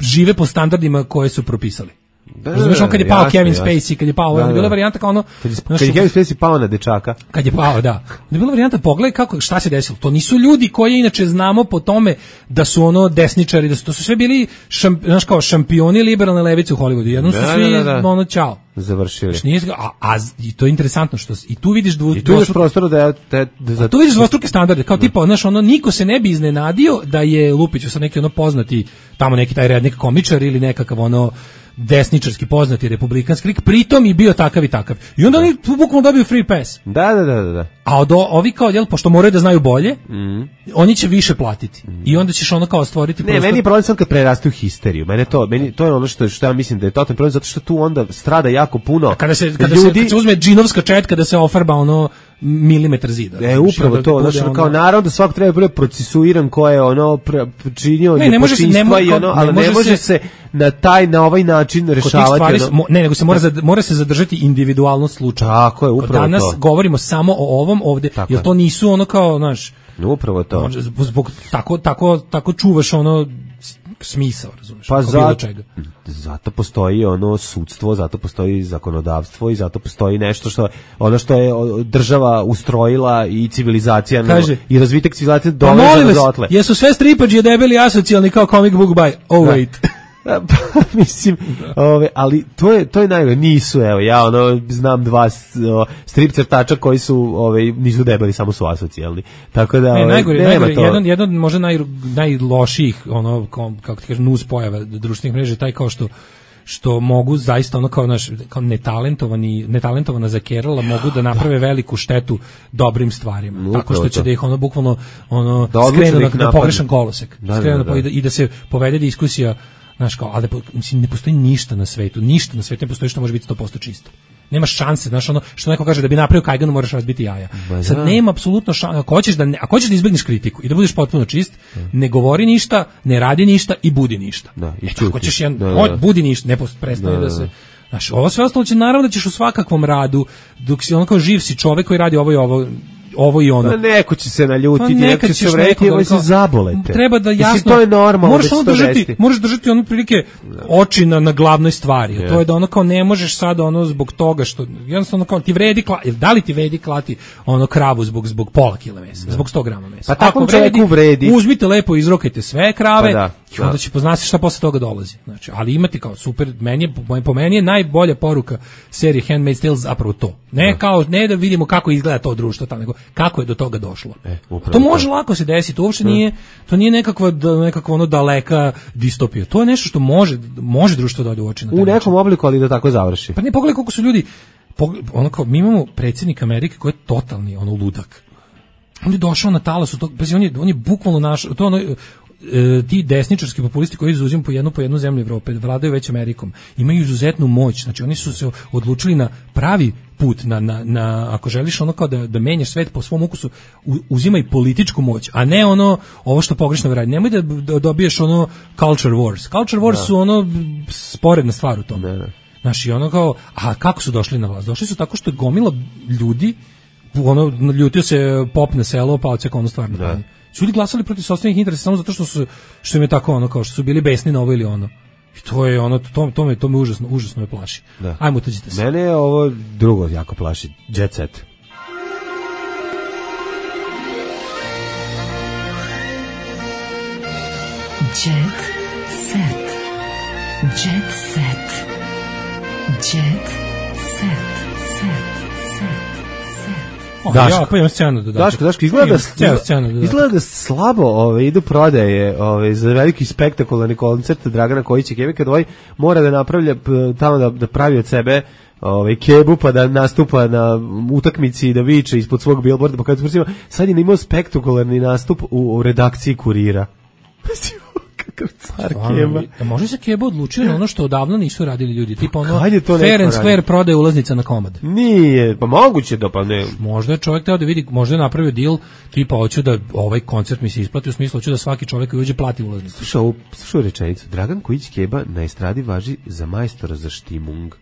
žive po standardima koje su propisali. Da, razumeš, on kad je pao jasne, Kevin jasne. Spacey, kad je pao, da, da. bila varijanta kao ono... Kad je, kad je Kevin Spacey pao na dečaka. Kad je pao, da. Da je bila varijanta, pogledaj kako, šta se desilo. To nisu ljudi koje inače znamo po tome da su ono desničari, da su, to su sve bili šamp, znaš kao šampioni liberalne levice u Hollywoodu. Jednom su da, svi, da, da. ono, čao. Završili. Nije, a, a, i to je interesantno što i tu vidiš dvu, I tu vidiš prostor da, da, da, da tu vidiš dvostruke standarde, kao tipa, znaš, ono, niko se ne bi iznenadio da je Lupić sa neki ono poznati, tamo neki taj rednik komičar ili nekakav ono desničarski poznati republikanski lik, pritom i bio takav i takav. I onda oni bukvalno dobiju free pass. Da, da, da, da. A od ovi kao, jel, pošto moraju da znaju bolje, mm. oni će više platiti. Mm. I onda ćeš ono kao stvoriti ne, prostor. meni je problem sam kad preraste u histeriju. Mene to, meni to je ono što što ja mislim da je totalni problem, zato što tu onda strada jako puno. Kada se kada ljudi... se, kad se uzme džinovska četka da se ofarba ono milimetar zida. E, upravo to, znači ono... kao naravno da svako treba bude procesuiran ko je ono činio nepočinstva i ono, ali ne može se na taj na ovaj način rešavati stvari, ono... ne, nego se mora za, mora se zadržati individualnost slučaja. Tako je, upravo danas to. Danas govorimo samo o ovom ovde, tako jer to nisu ono kao, znaš, upravo to. Zbog, zbog tako tako tako čuvaš ono smisao, razumeš? Pa za, čega. Zato postoji ono sudstvo, zato postoji zakonodavstvo i zato postoji nešto što ono što je država ustrojila i civilizacija Kaže, no, i razvitak civilizacije pa doveze do dotle. Jesu sve stripađe debeli asocijalni kao comic book buy? Oh wait. Pa, mislim, ove, ali to je to je najgore, nisu, evo, ja ono znam dva o, strip crtača koji su, ove, nisu debeli, samo su asocijalni. Tako da, ne, ove, najgore, nema najgore, to. jedan jedan možda naj najlošijih, ono kako ti kažem, nus pojava društvenih mreža, taj kao što što mogu zaista ono kao naš kao netalentovani netalentovana zakerala mogu da naprave veliku štetu dobrim stvarima. No, tako što će to. Da ih ono bukvalno ono da skrenu na, na pogrešan kolosek. Da, skrenu da, da. I da se povede diskusija, znaš kao, ali mislim ne postoji ništa na svetu, ništa na svetu ne postoji što može biti sto posto čisto. Nema šanse, znaš, ono što neko kaže da bi napravio kajganu moraš razbiti jaja. Ba, sad nema apsolutno šanse. Ako hoćeš da ne, ako hoćeš da izbegneš kritiku i da budeš potpuno čist, da. Ne govori ništa, ne radi ništa i budi ništa. Da, i ako ćeš jedan, da, da. Budi ništa, ne prestane da, da se. Znaš, ovo sve ostalo će naravno da ćeš u svakakvom radu, dok si ono kao živ si čovek koji radi ovo i ovo ovo i ono. Pa neko će se naljutiti, pa neko će se vreti, ovo se zabolete. Treba da jasno, mislim, to je normalno, moraš ono držati, moraš držati ono prilike oči na, na glavnoj stvari. Yeah. To je da ono kao ne možeš sad ono zbog toga što jednostavno kao ti vredi klati, da li ti vredi klati ono kravu zbog zbog pola kile mesa, yeah. Zbog sto grama mesa. Pa tako čovjeku vredi. Uzmite lepo, izrokajte sve krave, pa da. I onda će poznati šta posle toga dolazi. Znači, ali imati kao super, meni je, po meni je najbolja poruka serije Handmaid's Tale zapravo to. Ne, kao, ne da vidimo kako izgleda to društvo tamo, nego kako je do toga došlo. E, to može to. Lako se desiti, to uopšte nije, to nije nekakva, nekakva ono daleka distopija. To je nešto što može, može društvo da ode u oči na taj u nekom obliku, ali da tako završi. Pa ne, pogledaj koliko su ljudi, ono kao, mi imamo predsjednik Amerike koji je totalni ono ludak. On je došao na talasu, to, on je, on je bukvalno naš, to ono, e, ti desničarski populisti koji izuzimaju po jednu po jednu zemlju Evrope, vladaju već Amerikom, imaju izuzetnu moć, znači oni su se odlučili na pravi put, na, na, na ako želiš ono kao da, da menjaš svet po svom ukusu, u, uzimaj političku moć, a ne ono, ovo što pogrešno radi, nemoj da, da dobiješ ono culture wars, culture wars da. Su ono sporedna stvar u tome. Da. Znaš, i ono kao, a kako su došli na vlast? Došli su tako što je gomila ljudi, ono, ljutio se pop na selo, pa odseka ono stvarno. Da. Su ljudi glasali protiv sopstvenih interesa samo zato što su, što im je tako ono, kao što su bili besni na ovo ili ono. I to je ono, to, to, me, to me užasno, užasno me plaši. Da. Ajmo, utuđite se. Mene je ovo drugo jako plaši, Jet Set. Jet Set. Jet Set. Jet Set. Daško, ja, pa imam scenu da Daško, Daško, izgleda, da, izgleda da slabo ove, idu prodaje ove, za veliki spektakularni koncert Dragana Kojića Kebe, kad ovaj mora da napravlja tamo da, da pravi od sebe ovaj kebu pa da nastupa na utakmici i da viče ispod svog billboarda, pa kad sad je imao spektakularni nastup u, u redakciji Kurira. Kakav car Keba. A može se Keba odlučio na ono što odavno nisu radili ljudi, tipa ono Fair and Square prodaje ulaznica na komad. Nije, pa moguće da pa ne. Možda je čovjek teo da vidi, možda je napravio deal, tipa hoću da ovaj koncert mi se isplati, u smislu hoću da svaki čovjek koji uđe plati ulaznicu. Slušaj ovu, slušaj rečenicu, Dragan Kojić Keba na estradi važi za majstora za štimung.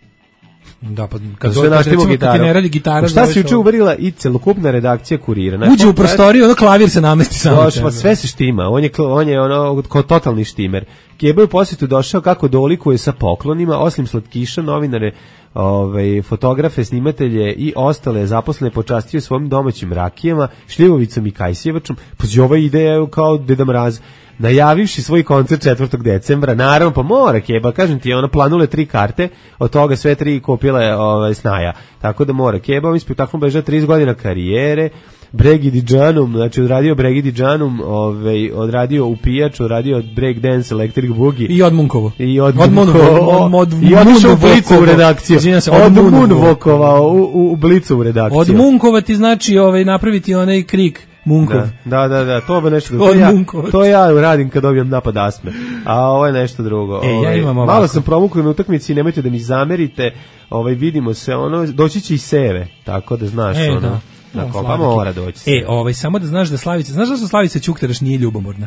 Da, pa kad dođe recimo kad ti ne radi gitara, šta se juče uverila i celokupna redakcija Kurira. Znači, uđe u prostoriju, ono klavir se namesti samo. Došlo, pa sve se štima. On je on je ono kao totalni štimer. Keba je u posjetu došao kako dolikuje sa poklonima, osim slatkiša, novinare, ovaj fotografe, snimatelje i ostale zaposlene počastio svojim domaćim rakijama, šljivovicom i kajsjevačom. Pa ova ideja kao Deda Mraz. Najavivši svoj koncert četvrtog decembra, naravno, pa mora Keba, kažem ti, ona planule tri karte, od toga sve tri kupile ovaj, snaja, tako da mora Keba, ovim spektaklom beža trideset godina karijere, Bregidi Džanum, znači odradio Bregidi Džanum, ovaj, odradio Upijač, odradio Break Dance, Electric Boogie. I od Munkovo. I od Munkovo. I otišao u Blicu u redakciju. Od Munvokovao u, u Blicu u redakciju. Od Munkova ti znači ovaj, napraviti onaj krik. Munkov. Da, da, da, to je nešto drugo. To ja, to ja radim kad dobijem napad astme. A ovo je nešto drugo. E, ovaj, ja imam ovako. Malo sam promukao na utakmici, nemojte da mi zamerite. Ovaj vidimo se, ono doći će i Seve, tako da znaš e, ono. Da. Na no, kopa mora doći. E, ovaj samo da znaš da Slavica, znaš da su Slavica Ćukteraš nije ljubomorna.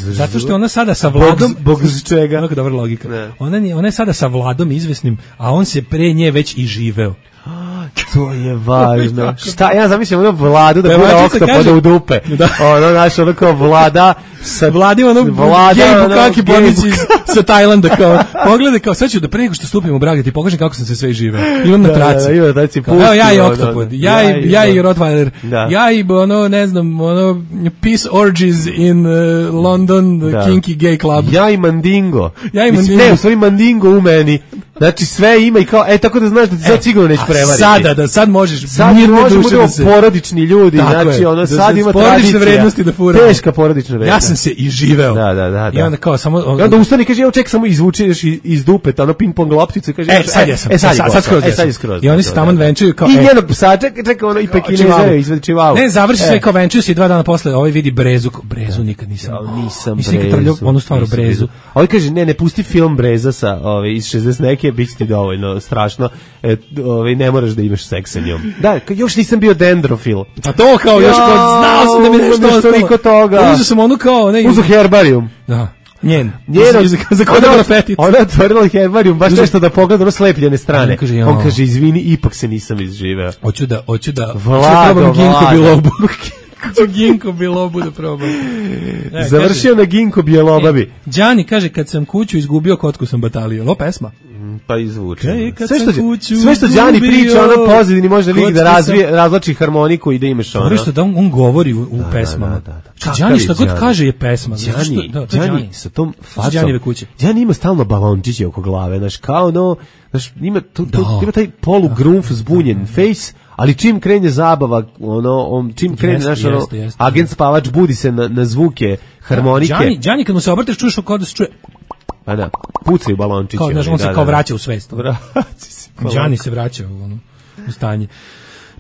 Zato što ona sada sa Vladom, bog z čega? Kako dobra logika. Ne. Ona nije, ona je sada sa Vladom izvesnim, a on se pre nje već i živeo. To je važno. Šta, ja zamišljam ono Vladu da bude oktopoda u dupe. Da. Ono, znaš, ono kao Vlada sa Vladim, ono, gej bukaki pornici sa Tajlanda, kao, pogledaj, kao, sad ću da pre nego što stupim u brak, da ti pokažem kako sam se sve živeo. Imam na traci. Da, da, da, kao, evo, ja i oktopod, ja i, ja i Rottweiler, ja i, ono, ne znam, ono, Peace Orgies in uh, London, the Kinky Gay Club. Ja i Mandingo. Ja i Mandingo. Ne, u stvari Mandingo u meni. Znači sve ima i kao, e, tako da znaš da ti sad sigurno neće prevariti. Sada, da, sad možeš, sad možemo budemo porodični ljudi, znači ono, sad ima tradicija, vrednosti da furamo. Teška porodična vrednost. Ja sam se i živeo. Da, da, da. I onda kao, samo... On, I onda ustani, kaže, evo ček, samo izvučeš iz, iz dupeta, ono ping-pong lopticu i kaže... E, sad ja sam, e, sad, sad, sad, skroz, e, sad je skroz. I oni se tamo venčuju kao... I njenog psa, čekaj, čekaj, ono, i pekinezere, izvedi čivavu. Ne, završi sve kao venčuju se i dva dana posle, ovaj vidi Brezu, Brezu nikad nisam... Nisam Brezu. Onu stvaru Brezu. A ovaj kaže, ne, ne pusti film Breza sa, ove, iz šezdeset neke, bit će ti dovoljno strašno, e, ove, ne moraš da imaš seks sa njom. Da, još nisam bio dendrofil. A to kao, još kao, znao sam da mi nešto ostalo. Nešto toga. Uzeo sam onu kao... Ne, Uzu herbarijum. Da. Njen. Njeno, za, za kod ona petit. Ona je otvorila herbarijum, baš nešto da pogleda ono slepljene strane. Kaže, on kaže, izvini, ipak se nisam izživeo. Hoću da, hoću da... Vlado, Ginko Bilobu. Ginko Bilobu da probam. E, Završio kaže, na Ginko Bilobabi. Đani kaže, kad sam kuću izgubio, kotku sam batalio. Lo pesma? Pa izvuče. Kaj, Sve što, kuću sve što Đani gubio, priča, ono pozadini može lik da kocka razvije, sam- razlači harmoniku i da imaš ono. Dobro što da on, on govori u, u Da, pesmama. da, da, da. Što Kakav Đani je što god Đani? kaže je pesma. Zato što- Đani, da, to je Đani Đani. sa tom To su facom. Đanijeve kuće. Đani ima stalno balončiće oko glave, znaš, kao ono, znaš, ima, to, to, Da. ima taj polugrunf zbunjen face, ali čim krene zabava, ono, on, čim krene, Jeste, znaš, ono, jeste, jeste. agent spavač budi se na, na zvuke harmonike. Đani, Đani kad mu se obrteš čuješ kao da se čuje, Pa da, pucaju balončići. kao, znaš, oni, on se da, kao da, da. vraća u svest. Vraća se. Đani se vraća u, ono, u stanje.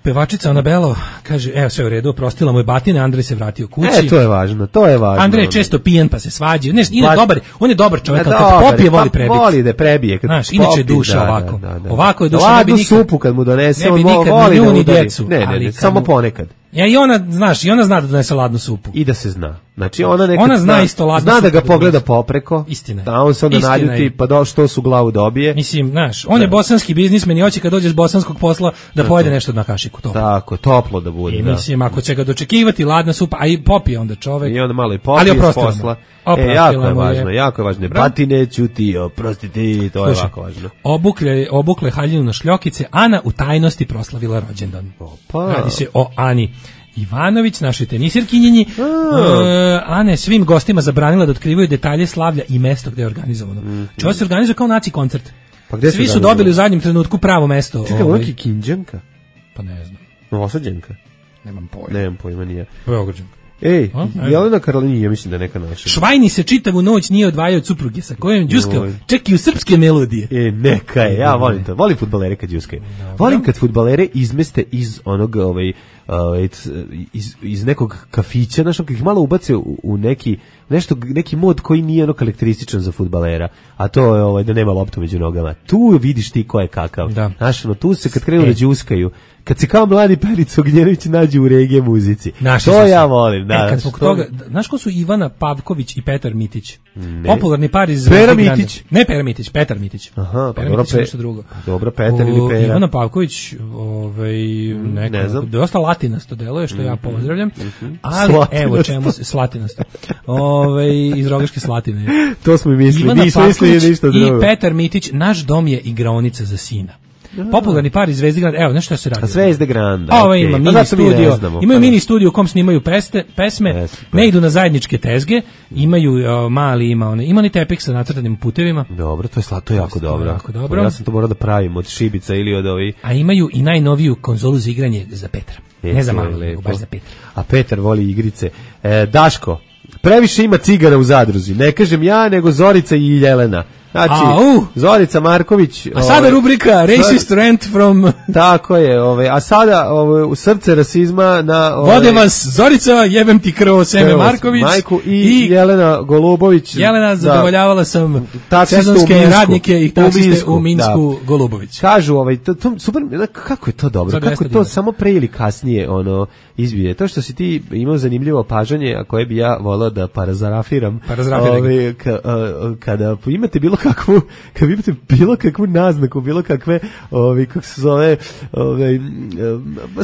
Pevačica Anabelo kaže, evo sve u redu, oprostila mu je batina, Andrej se vratio kući. E, to je važno, to je važno. Andrej je ono. često pijen pa se svađa. Ne, Pa- je dobar, on je dobar čovjek, Ma ali kad dobar, popije voli pa prebiti. Voli da prebije. Kad Znaš, inače je popije, duša da, ovako. da, da. Ovako je duša, Da ne bi ladnu nikad- supu kad mu donese, ne bi on mo- nikad voli ni da nju, ni udari. djecu, Ne, ne, ali ne, kad samo mu- ponekad. Ja, i ona, znaš, i ona zna da donese ladnu supu. I da se zna. Znači ona nekad Ona zna isto ladnu zna da supu ga da pogleda donese. popreko. Istina je. Da on se onda Istina naljuti, je. pa do što su glavu dobije. Mislim, znaš, on je bosanski biznismen i hoće kad dođe s bosanskog posla da pojede nešto na kašiku. To. Tako, toplo da bude. I da. mislim, ako će ga dočekivati ladna supa, a i popije onda čovek. I onda malo i Ali popije s oprostila mu. posla. E, Oprostila jako je mu je. važno, jako je važno. Dobro. Batine ću ti, oprosti ti, to je Slušaj, jako važno. Obukle, obukle haljinu na šljokice, Ana u tajnosti proslavila rođendan. Opa. Radi se o Ani Ivanović, našoj tenisirkinjenji. Uh, Ana je svim gostima zabranila da otkrivaju detalje slavlja i mesto gde je organizovano. Mm -hmm. Čovo se organizuje kao naci koncert. Pa gde Svi se su organizuje? dobili u zadnjem trenutku pravo mesto. Čekaj, ovaj. ovo je Kinđanka? Pa ne znam, Novosađanka? nemam pojma. Nemam pojma, nije. Beograđan. Ej, A, ne. Jelena Karolini, ja mislim da je neka naša. Švajni se čitavu noć nije odvajao od supruge sa kojom đuskao Joj. čak i u srpske melodije. E, neka je, ja volim to. Volim fudbalere kad džuskaju. Volim kad fudbalere izmeste iz onog, ovaj, ovaj, iz, iz nekog kafića, znaš, kad ih malo ubace u, u neki, nešto, neki mod koji nije ono karakterističan za fudbalera, a to je ovaj, da nema loptu među nogama. Tu vidiš ti ko je kakav. Da. Znaš, ono, tu se kad krenu E. da džuskaju, kad se kao mladi Perica Ognjenović nađe u regije muzici. Našli to su se. ja volim. Da, E, kad zbog što- toga, da- znaš ko su Ivana Pavković i Petar Mitić? Ne. Popularni par iz Pera Zvezde Grande. Mitić. Ne Pera Mitić, Petar Mitić. Aha, pa Pera dobro, Mitić je Pe- nešto drugo. dobro, Petar ili O, Pera. Ivana Pavković, ovaj, neka, ne znam. dosta latinasto deluje, što ja pozdravljam. Ali, Slatinasto. evo čemu se, slatinasto. Ovaj, iz Rogaške Slatine. To smo i mislili, Ivana nismo mislili Pavković ništa i drugo. Petar Mitić, naš dom je igraonica za sina. Popularni par iz Zvezde Grande. Evo, znaš šta se radi? A Zvezde Granda. A ovo okej. ima Pa mini zato mi ne studio, znamo, imaju pa mini studio u kom snimaju peste, pesme, Jeste, pa. ne idu na zajedničke tezge, imaju o, mali, ima one, ima oni tepik sa nacrtanim putevima, Dobro, to je sla, to je jako To je dobro. jako dobro. Ja sam to morao da pravim od šibica ili od ovih. a imaju i najnoviju konzolu za igranje za Petra. E, Ne za to je malo, nego lepo. baš za Petra. A Petar voli igrice. E, Daško, previše ima cigara u zadruzi. Ne kažem ja, nego Zorica i Jelena. Znači, Au! Zorica Marković. A sada ovaj, rubrika Racist Rant from Tako je, ovaj, a sada ovaj, u srce rasizma na... Ovaj, Vode vas Zorica, jebem ti krvo, Seme evo, Marković Majku i, i Jelena Golubović. Jelena, da, zadovoljavala sam taksiste u sezonske Minsku. radnike i taksiste Minsku, u Minsku, da. Golubović. Kažu, ovaj, to, to, super, kako je to dobro, Za kako dvesta je to dinara. samo pre ili kasnije ono, izbije. To što si ti imao zanimljivo opažanje, a koje bi ja volao da parazarafiram, Parazarafiraj ga. ovaj, ka, a, kada imate bilo kakvu, kad imate bilo kakvu naznaku, bilo kakve, ovaj, kako se zove, ovaj,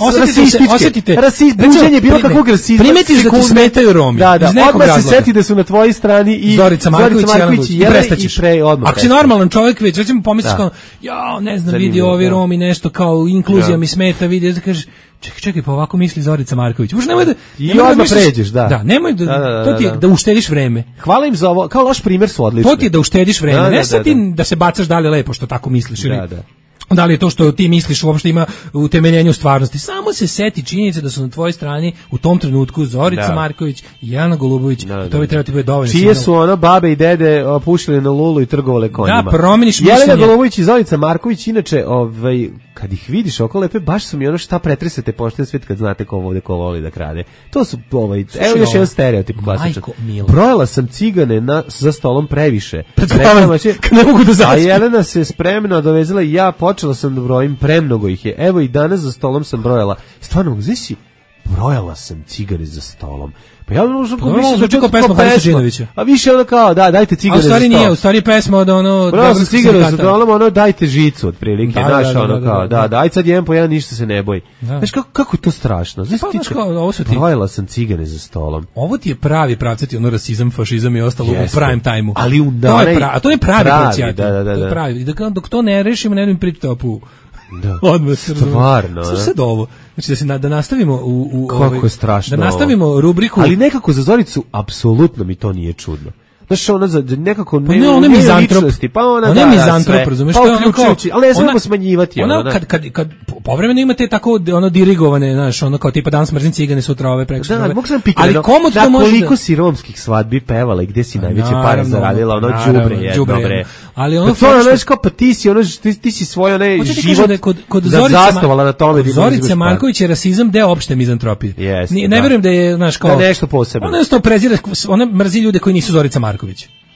Osjetite se, osjetite. rasist, Recimo, buđenje bilo prime- kakvog rasizma. primetiš da ti sekunde. smetaju Romi, Da, da, iz nekog odmah se razloga. seti da su na tvojoj strani i Zorica Marković, Marković i i i Jelena prestaćeš. i pre odmah. Ako si prestaćeš. normalan čovjek već, recimo pomisliš Da. kao, ja, ne znam, Zanimljivo, vidi ovi da. Romi nešto kao inkluzija Da. mi smeta, vidi, da kažeš, čekaj, čekaj, pa ovako misli Zorica Marković. Uš nemoj da I nemoj da odmah misliš- pređeš, da. Da, nemoj da, Da, da, da, to ti je da. da uštediš vreme. Hvala im za ovo, kao loš primjer su odlični. To ti je da uštediš vreme. Da, da, ne da, sad ti da. da se bacaš dalje lepo što tako misliš ili Da, da. da li je to što ti misliš uopšte ima utemeljenje u stvarnosti. Samo se seti činjenice da su na tvojoj strani u tom trenutku Zorica Da. Marković i Jelena Golubović. Da, I to da, bi trebalo ti bude dovoljno. Čije signal. su ono babe i dede o, pušili na lulu i trgovale konjima. Da, promeniš Jelena mišljenje. Golubović i Zorica Marković, inače, ovaj, kad ih vidiš oko lepe, baš su mi ono šta pretresete pošten svet kad znate ko ovde ko voli da krade. To su, ovaj, evo još ovo. jedan stereotip klasičan. Majko mila. Brojala sam cigane na, za stolom previše. Pred Rekla spavanjem, ma će- kad ne mogu da A zaspim. Jelena se spremno dovezala i ja počela sam da brojim, premnogo ih je. Evo i danas za stolom sam brojala. Stvarno, znaš si, brojala sam cigare za stolom. Pa ja možda Pa više zvuči kao pesma Harisa Đinovića. A više ono kao, da, dajte cigare za sto. A u stvari nije, u stvari je pesma od ono... Bravo sa cigare za sto, ono dajte žicu otprilike, Da, znaš, da, da, ono da, kao, da, da, da. da, aj sad jedan po jedan, ništa se ne boji. Da. Znaš, kako, kako je to strašno? Znaš, Pa, ti znaš kao, ovo su ti- Brojila sam cigare za stolom. Ovo ti je pravi pravcati, ono rasizam, fašizam i ostalo Jeste. u prime time-u. Ali u to je onaj pravi, a to je pravi, pravi, pravcijati. da, da, da, To je da. pravi. I dok, dok to ne rešimo, ne idem pričati opu. Da. Odmah se razumemo. Stvarno, Slušaj ne? sad ovo. Znači da se na, da nastavimo u u Kako ovaj, je strašno Da ovo. nastavimo rubriku. Ali nekako za Zoricu apsolutno mi to nije čudno. Znaš, ona za nekako Pa ne, ne, ona je ne mizantrop. ličnosti, pa ona, Ona da, je da, mizantrop, sve. razumeš, Pa to je ono kao- uključujući, ali ne smemo ona- smanjivati Ona ono, da. kad kad kad povremeno ima te tako ono dirigovane, znaš, ono kao tipa danas mrzim cigane, sutra ove preko Da, ove. mogu sam pitati, Ali komu da to može koliko da- si romskih svadbi pevala i gde si najveće pare naravno, zaradila, ono naravno, đubre jedno, đubre bre. jedno. Ali ono Pa to fora ono, što- znaš kao, pa ti si, ono, ti, ti si svoj, onaj Hoću ti kažem život da je kod kod da Zorice Ma- zasnovala na tome kod da imaš Zorice par. Marković je rasizam deo opšte mizantropije. Jeste, Ni- ne da. verujem da je, znaš, kao Da je nešto posebno. Ona isto prezira, ona mrzi ljude koji nisu Zorica Marković.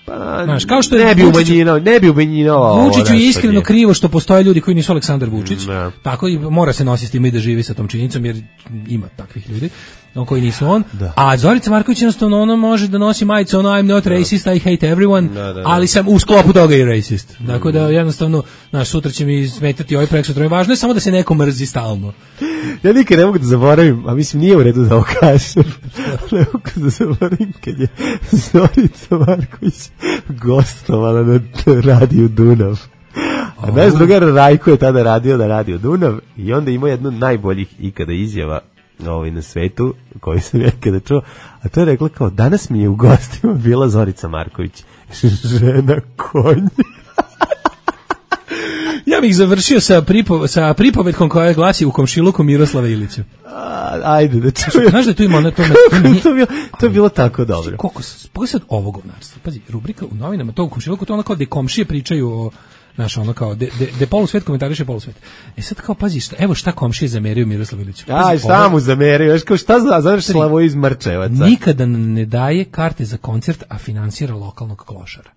Pa, Znaš, kao što je ne bi Vučiću- umanjinao, ne bi umanjinao. Vučiću je iskreno krivo što postoje ljudi koji nisu Aleksandar Vučić. Ne. Tako i mora se nositi s tim i da živi sa tom činjenicom jer ima takvih ljudi on koji nisu on. Da. A Zorica Marković jednostavno ona može da nosi majicu ono I'm not racist, I hate everyone, Da, da, da. ali sam u sklopu toga i racist. Dakle da jednostavno, znaš, sutra će mi smetati ovaj preksutra. Važno je samo da se neko mrzi stalno. Ja nikad ne mogu da zaboravim, a mislim nije u redu da ovo kažem. Ne mogu da zaboravim kad je Zorica Marković gostovala na radiju Dunav. A naš drugar Rajko je tada radio na radiju Dunav i onda imao jednu od najboljih ikada izjava ovaj, na svetu koju sam ja ikada čuo, a to je rekla kao danas mi je u gostima bila Zorica Marković, žena konj. Ja bih završio sa, pripo, sa pripovetkom koja glasi u komšiluku Miroslava Ilića. A, ajde da čujem. Znaš da tu ima ono to me, to, je, to, je bilo, to je bilo tako dobro. Koliko pogledaj sad ovo govnarstvo. Pazi, rubrika u novinama, to u komšiluku, to ono kao gde komšije pričaju o, znaš, ono kao, de, de, de polusvet komentariše polusvet. E sad kao, pazi, šta, evo šta komšije zameraju Miroslavu Iliću. Pazi, Aj, šta ovo- mu zamerio, znaš kao šta zna, znaš Slavo iz Mrčevaca. Nikada ne daje karte za koncert, a finansira lokalnog klošara.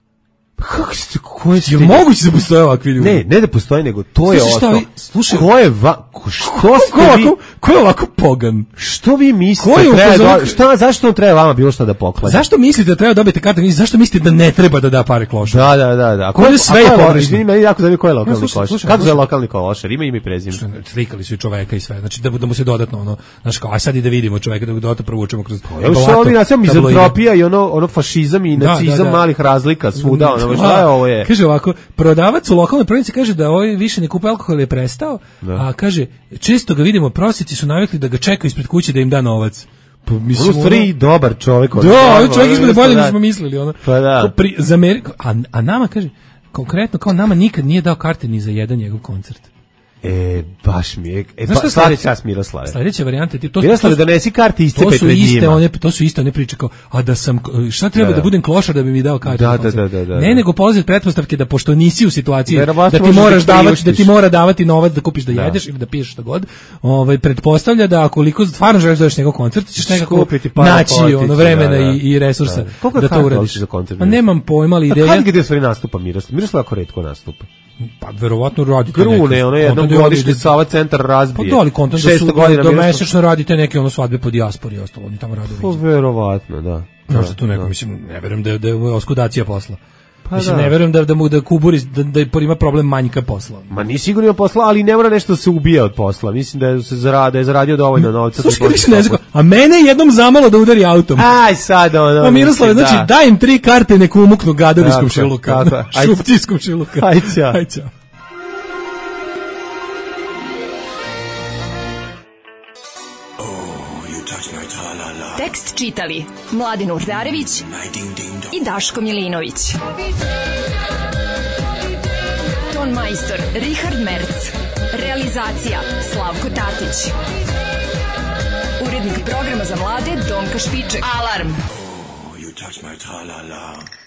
Kako ste, koje ste... Je moguće da postoje ovakvi ljudi? Ne, ne da postoji, nego to je Slušaj, šta osnov. vi- slušaj- Ko je va... Ko, što Ko ste je vi... ovako, ko je ovako pogan? Što vi mislite? Ko je u treba fazonu- da- šta, zašto on treba vama bilo šta da poklanja? Zašto mislite da treba dobiti karte? Zašto mislite da ne treba da da pare klošaru? Da, da, da, da. A Ovdje sve je a ko pogrešno. Izvini, meni jako zanima ko je lokalni No, slušaj, košar. slušaj, Kako zove slušaj. lokalni košar? Ima ime i prezime. Slikali su i čoveka i sve. Znači da, da mu se dodatno ono, znaš kao, aj sad i da vidimo čoveka, da ga dodatno provučemo kroz Evo što ovdje nacija mizantropija i ono, ono fašizam i Da, nacizam da, da. malih razlika svuda. Ono, šta je ovo je? Kaže ovako, prodavac u lokalnoj prodavnici kaže da ovaj više ne kupuje alkohol, je prestao, Da. a kaže, često ga vidimo, prosjeci su navikli da ga čekaju ispred kuće da im da novac. Pa mislim, On u stvari dobar čovjek. Da, ono, ovaj ono, čovjek izgleda bolje da. nego smo mislili, ono. Pa da. Kao pri, za Ameriku, a, a nama kaže, konkretno kao nama nikad nije dao karte ni za jedan njegov koncert. E, baš mi je. E, Znaš ba, šta stvari sledeće? čas Miroslave. Sledeća varijanta ti to Miroslave, to- donesi karte i To iscepe su pred iste njima. one, to su iste one priče kao, a da sam, šta treba Da, da, da. budem klošar da bi mi dao karte? Da, za da, koncert? da, da, da. Ne, nego polazi od pretpostavke da pošto nisi u situaciji Verovatno da ti možeš da moraš ih davati, da ti priuštiš. mora davati novac da kupiš da, Da. jedeš ili da piješ šta god, ovaj pretpostavlja da akoliko stvarno želiš da odeš na njegov koncert, ćeš nekako Kupiti para, naći potići, ono vremena da, da. i, i resursa Da. Koliko je da to karta uradiš. uopšte za koncert Pa Miroslava? nemam pojma, ali A ideja, kad gdje stvari nastupa Miroslav? Miroslav jako retko nastupa. pa verovatno radite Grune, ono jednom kontent godišnje radi- Sava centar Pa razbije. da, ali kontent da šesto su godina da Miroslav- mesečno radite neke ono svadbe po dijaspori i ostalo, oni tamo rade. Pa verovatno, da. Možda tu neko, mislim, ne verujem da je, da je oskudacija posla. Pa mislim, da. ne verujem da, da mu da Kuburi, da, da ima problem manjka posla. Ma ni sigurno ima posla, ali ne mora nešto da se ubija od posla. Mislim da je, se zarada, da je zaradio dovoljno novca. Slušaj, da kad može više ne stopati. znam, a mene je jednom zamalo da udari autom. Aj sad ono. Pa Miroslave, mislim, znači, da. daj im tri karte, neku umuknu gadar iz Tako, komšiluka. tako. Ajde. Šupci iz komšiluka. Ajde, ćao. Ajde, ćao. Tekst čitali Mladin Urdarević i Daško Milinović. Ton majstor Richard Merc. Realizacija Slavko Tatić. Urednik programa za mlade Donka Špiček. Alarm! You touch my tra-la-la.